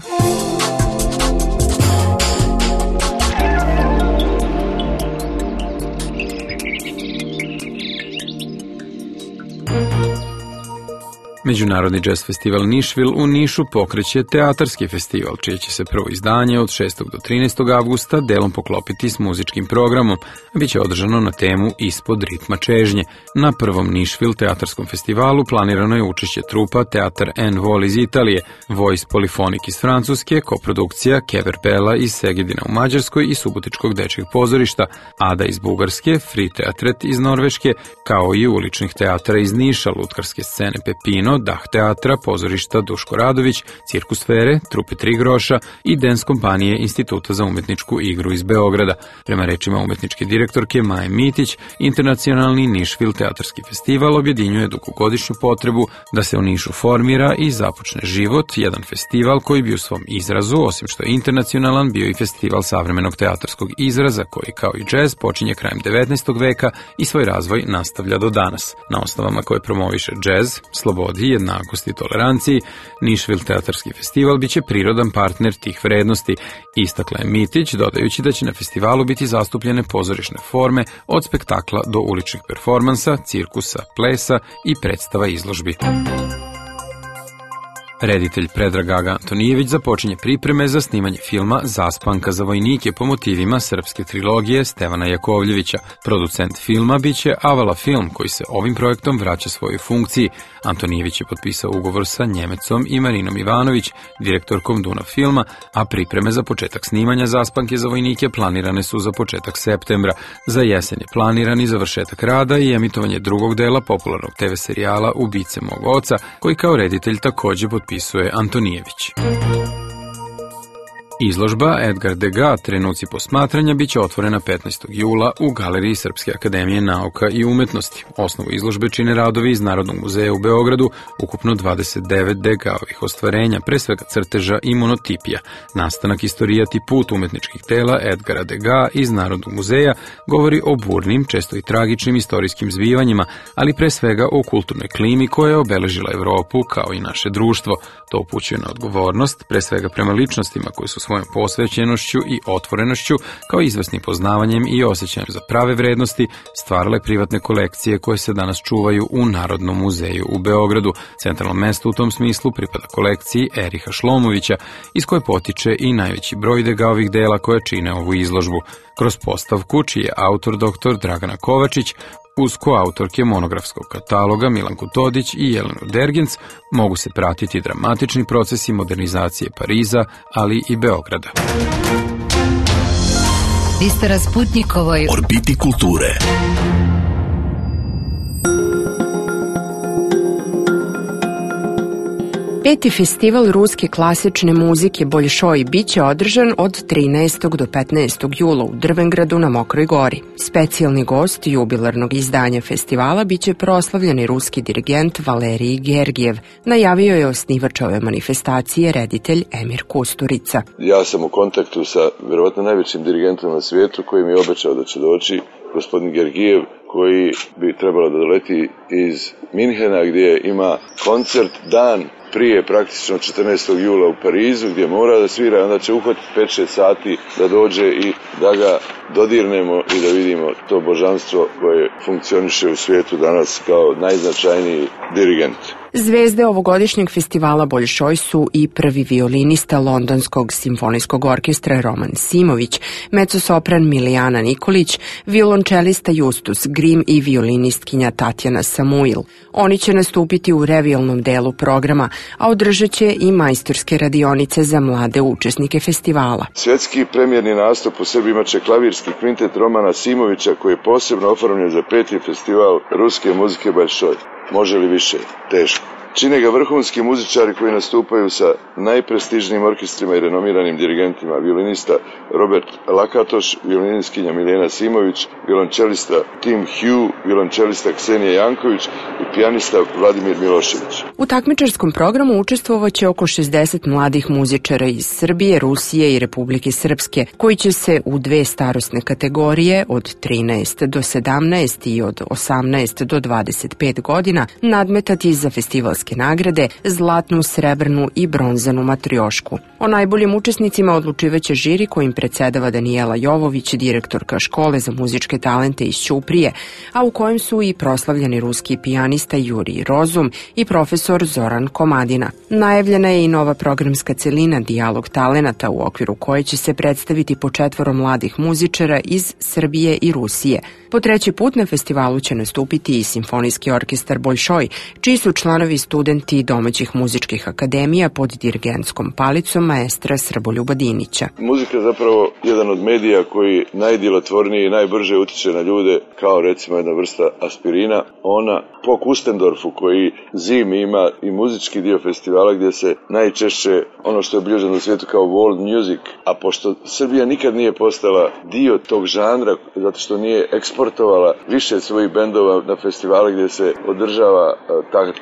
B: Međunarodni jazz festival Nišvil u Nišu pokreće teatarski festival, čije će se prvo izdanje od 6. do 13. avgusta delom poklopiti s muzičkim programom, a bit će održano na temu Ispod ritma čežnje. Na prvom Nišvil teatarskom festivalu planirano je učešće trupa Teatar en Vol iz Italije, Voice Polifonik iz Francuske, koprodukcija Kever Bela iz Segedina u Mađarskoj i Subotičkog dečjeg pozorišta, Ada iz Bugarske, Free Teatret iz Norveške, kao i uličnih teatara iz Niša, lutkarske scene Pepino, Dah teatra, pozorišta Duško Radović, Cirkusfere, Trupe Tri groša i dens kompanije Instituta za umetničku igru iz Beograda. Prema rečima umetničke direktorke Maje Mitić, internacionalni Nišvil teatarski festival objedinjuje dugogodišnju potrebu da se u Nišu formira i započne život, jedan festival koji bi u svom izrazu, osim što je internacionalan, bio i festival savremenog teatarskog izraza koji kao i džez počinje krajem 19. veka i svoj razvoj nastavlja do danas. Na osnovama koje promoviše džez, slobodi, jednakosti i toleranciji, Nišvil teatarski festival biće prirodan partner tih vrednosti, istakla je Mitić, dodajući da će na festivalu biti zastupljene pozorišne forme od spektakla do uličnih performansa, cirkusa, plesa i predstava izložbi. Reditelj Predrag Gaga Antonijević započinje pripreme za snimanje filma Zaspanka za vojnike po motivima srpske trilogije Stevana Jakovljevića. Producent filma biće Avala Film, koji se ovim projektom vraća svojoj funkciji. Antonijević je potpisao ugovor sa Njemecom i Marinom Ivanović, direktorkom Dunav filma, a pripreme za početak snimanja Zaspanke za vojnike planirane su za početak septembra. Za jesen je planiran i završetak rada i emitovanje drugog dela popularnog TV serijala Ubice mog oca, koji kao reditelj takođe potpisuje Antonijević. Izložba Edgar Degas trenuci posmatranja biće otvorena 15. jula u Galeriji Srpske akademije nauka i umetnosti. Osnovu izložbe čine radovi iz Narodnog muzeja u Beogradu, ukupno 29 Degasovih ostvarenja, pre svega crteža i monotipija. Nastanak, istorijat i put umetničkih tela Edgara Degas iz Narodnog muzeja govori o burnim, često i tragičnim istorijskim zbivanjima, ali pre svega o kulturnoj klimi koja je obeležila Evropu kao i naše društvo. To upućuje na odgovornost, pre svega prema ličnostima koji su svojom posvećenošću i otvorenošću, kao izvesnim poznavanjem i osjećajem za prave vrednosti, stvarale privatne kolekcije koje se danas čuvaju u Narodnom muzeju u Beogradu. Centralno mesto u tom smislu pripada kolekciji Eriha Šlomovića, iz koje potiče i najveći broj Degasovih dela koje čine ovu izložbu. Kroz postavku, čiji je autor dr. Dragana Kovačić, uz koautorke monografskog kataloga Milanku Todić i Jelenu Dergenc, mogu se pratiti dramatični procesi modernizacije Pariza, ali i Beograda.
A: Vi ste na Sputnikovoj
C: orbiti kulture.
H: Peti festival ruske klasične muzike Boljšoj biće održan od 13. do 15. jula u Drvengradu na Mokroj gori. Specijalni gost jubilarnog izdanja festivala biće proslavljeni ruski dirigent Valerij Gergijev. Najavio je osnivač ove manifestacije reditelj Emir Kusturica.
O: Ja sam u kontaktu sa verovatno najvećim dirigentom na svijetu koji mi je obećao da će doći, gospodin Gergijev, koji bi trebalo da doleti iz Minhena gdje ima koncert dan prije praktično 14. jula u Parizu gdje mora da svira, onda će uhvatiti 5-6 sati da dođe i da ga dodirnemo i da vidimo to božanstvo koje funkcioniše u svijetu danas kao najznačajniji dirigent.
H: Zvezde ovogodišnjeg festivala Boljšoj su i prvi violinista Londonskog simfonijskog orkestra Roman Simović, mecosopran Milijana Nikolić, violončelista Justus Grim i violinistkinja Tatjana Samuil. Oni će nastupiti u revijalnom delu programa, a održat će i majstorske radionice za mlade učesnike festivala.
O: Svjetski premijerni nastup u Srbiji imaće klavirski kvintet Romana Simovića koji je posebno oformljen za 5. festival ruske muzike Boljšoj. Može li više? Teško. Čine ga vrhunski muzičari koji nastupaju sa najprestižnijim orkestrima i renomiranim dirigentima, violinista Robert Lakatoš, violinistkinja Miljena Simović, violončelista Tim Hugh, violončelista Ksenija Janković i pijanista Vladimir Milošević.
H: U takmičarskom programu učestvovaće oko 60 mladih muzičara iz Srbije, Rusije i Republike Srpske, koji će se u 2 starosne kategorije od 13 do 17 i od 18 do 25 godina nadmetati za festivalske nagrade, zlatnu, srebrnu i bronzanu matriošku. O najboljim učesnicima odlučivaće žiri kojim predsedava Danijela Jovović, direktorka škole za muzičke talente iz Ćuprije, a u kojem su i proslavljeni ruski pijanista Jurij Rozum i profesor Zoran Komadina. Najavljena je i nova programska celina Dijalog talenata u okviru koje će se predstaviti po 4 mladih muzičara iz Srbije i Rusije. Po 3. put na festivalu će nastupiti i simfonijski orkestar Boljšoj, čiji su članovi studenti domaćih muzičkih akademija pod dirigentskom palicom maestra Srboljuba Dinića.
O: Muzika je zapravo jedan od medija koji najdjelotvornije i najbrže utiče na ljude, kao recimo jedna vrsta aspirina. Ona po Kustendorfu koji zimi ima i muzički dio festivala gdje se najčešće ono što je obilježeno u svijetu kao world music, a pošto Srbija nikad nije postala dio tog žanra zato što nije eksportovala više svojih bendova na festivale gdje se održava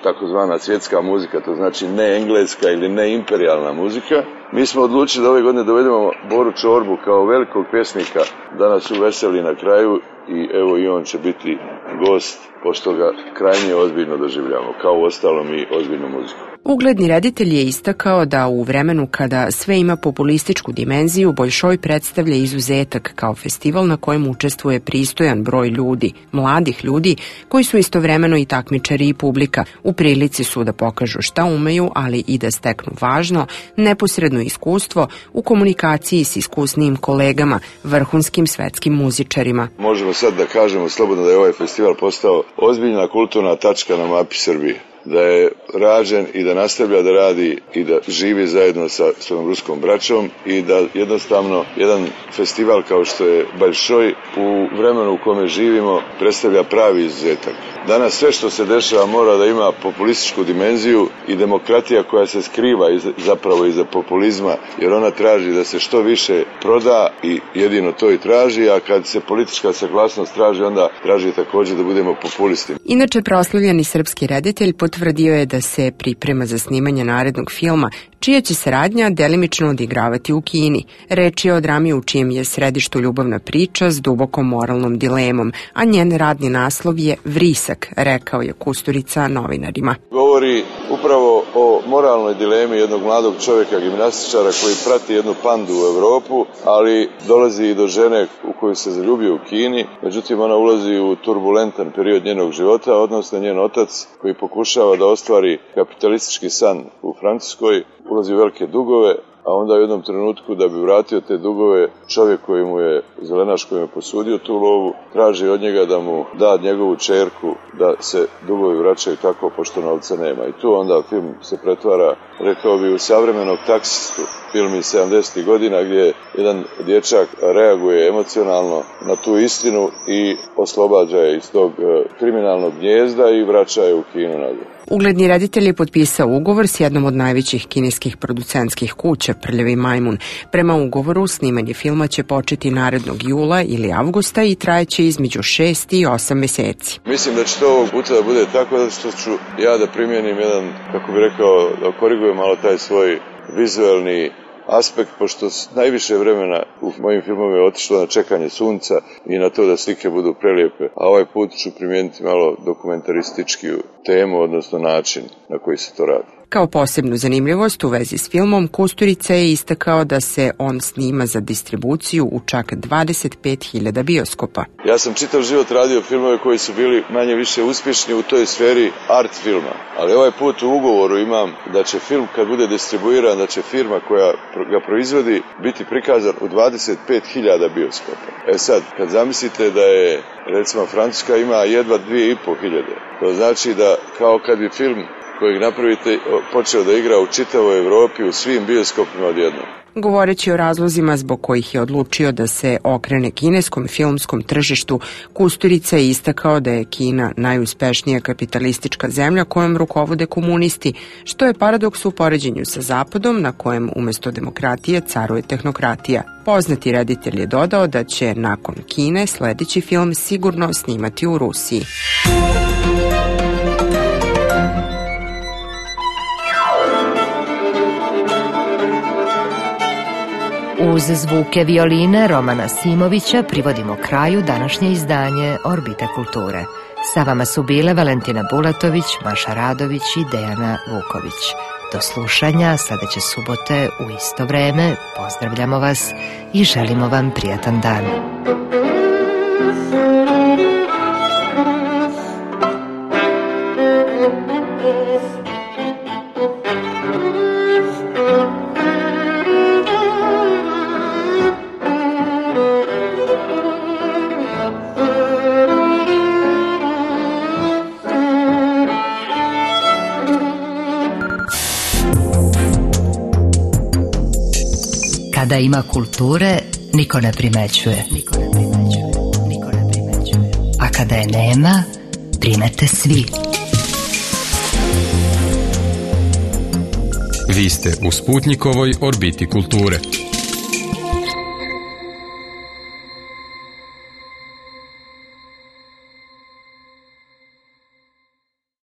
O: takozvana svjetska muzika, to znači ne engleska ili ne imperijalna muzika, mi smo odlučili da ove godine dovedemo Boru Čorbu kao velikog pjesnika da nas uveseli na kraju i evo i on će biti gost pošto ga krajnje ozbiljno doživljamo, kao uostalom i ozbiljnu muziku.
H: Ugledni reditelj je istakao da u vremenu kada sve ima populističku dimenziju, Boljšoj predstavlja izuzetak kao festival na kojem učestvuje pristojan broj ljudi, mladih ljudi, koji su istovremeno i takmičari i publika. U prilici su da pokažu šta umeju, ali i da steknu važno, neposredno iskustvo u komunikaciji s iskusnijim kolegama, vrhunskim svetskim muzičarima.
O: Možemo sad da kažemo slobodno da je ovaj festival postao ozbiljna kulturna tačka na mapi Srbije. da je rađen i da nastavlja da radi i da živi zajedno sa svojom ruskom braćom i da jednostavno jedan festival kao što je Bolšoj u vremenu u kome živimo predstavlja pravi izuzetak. Danas sve što se dešava mora da ima populističku dimenziju i demokratija koja se skriva zapravo iza populizma, jer ona traži da se što više proda i jedino to i traži, a kad se politička saglasnost traži, onda traži također da budemo populisti.
H: Inače, proslavljeni srpski reditelj potvrdio je da se priprema za snimanje narednog filma, čija će saradnja delimično odigravati u Kini. Reč je o drami u čijem je središtu ljubavna priča s dubokom moralnom dilemom, a njen radni naslov je Vrisak, rekao je Kusturica novinarima.
O: Govori upravo o moralnoj dilemi jednog mladog čovjeka, gimnastičara koji prati jednu pandu u Evropu, ali dolazi i do žene u koju se zaljubio u Kini. Međutim, ona ulazi u turbulentan period njenog života, odnosno njen otac koji pokušava da ostvari kapitalistički san u Francuskoj, ulazi u velike dugove, a onda u jednom trenutku da bi vratio te dugove, čovjek koji mu je, zelenaš koji mu je posudio tu lovu, traži od njega da mu da njegovu čerku da se dugovi vraćaju tako pošto novca nema. I tu onda film se pretvara, rekao bi, u savremenog taksistu, film iz 70. godina gdje jedan dječak reaguje emocionalno na tu istinu i oslobađa je iz tog kriminalnog gnijezda i vraća je u Kinu nazad.
H: Ugledni reditelj je potpisao ugovor s jednom od najvećih kineskih producentskih kuća, Prljavi majmun. Prema ugovoru, snimanje filma će početi narednog jula ili avgusta i trajeće između 6 i 8 meseci.
O: Mislim da će to ovog puta da bude tako da što ću ja da primjenim jedan, kako bih rekao, da korigujem malo taj svoj vizualni aspekt, pošto najviše vremena u mojim filmovima je otišlo na čekanje sunca i na to da slike budu prelijepe, a ovaj put ću primijeniti malo dokumentaristički temu, odnosno način na koji se to radi.
H: Kao posebnu zanimljivost u vezi s filmom, Kusturica je istakao da se on snima za distribuciju u čak 25.000 bioskopa.
O: Ja sam čitav život radio filmove koji su bili manje više uspješni u toj sferi art filma, ali ovaj put u ugovoru imam da će film kad bude distribuiran, da će firma koja ga proizvodi biti prikazan u 25.000 bioskopa. E sad, kad zamislite da je, recimo, Francuska ima jedva 2.500, to znači da kao kad bi film kojeg napravite počeo da igra u čitavoj Evropi u svim bioskopima odjednom.
H: Govoreći o razlozima zbog kojih je odlučio da se okrene kineskom filmskom tržištu, Kusturica je istakao da je Kina najuspešnija kapitalistička zemlja kojom rukovode komunisti, što je paradoks u poređenju sa Zapadom na kojem umjesto demokratije caruje tehnokratija. Poznati reditelj je dodao da će nakon Kine sljedeći film sigurno snimati u Rusiji.
A: Uz zvuke violine Romana Simovića privodimo kraju današnje izdanje Orbite kulture. Sa vama su bile Valentina Bulatović, Maša Radović i Dejana Vuković. Do slušanja sledeće subote u isto vreme. Pozdravljamo vas i želimo vam prijatan dan. Kada ima kulture, niko ne primećuje. A kada je nema, primete svi.
B: Vi ste u Sputnikovoj orbiti kulture.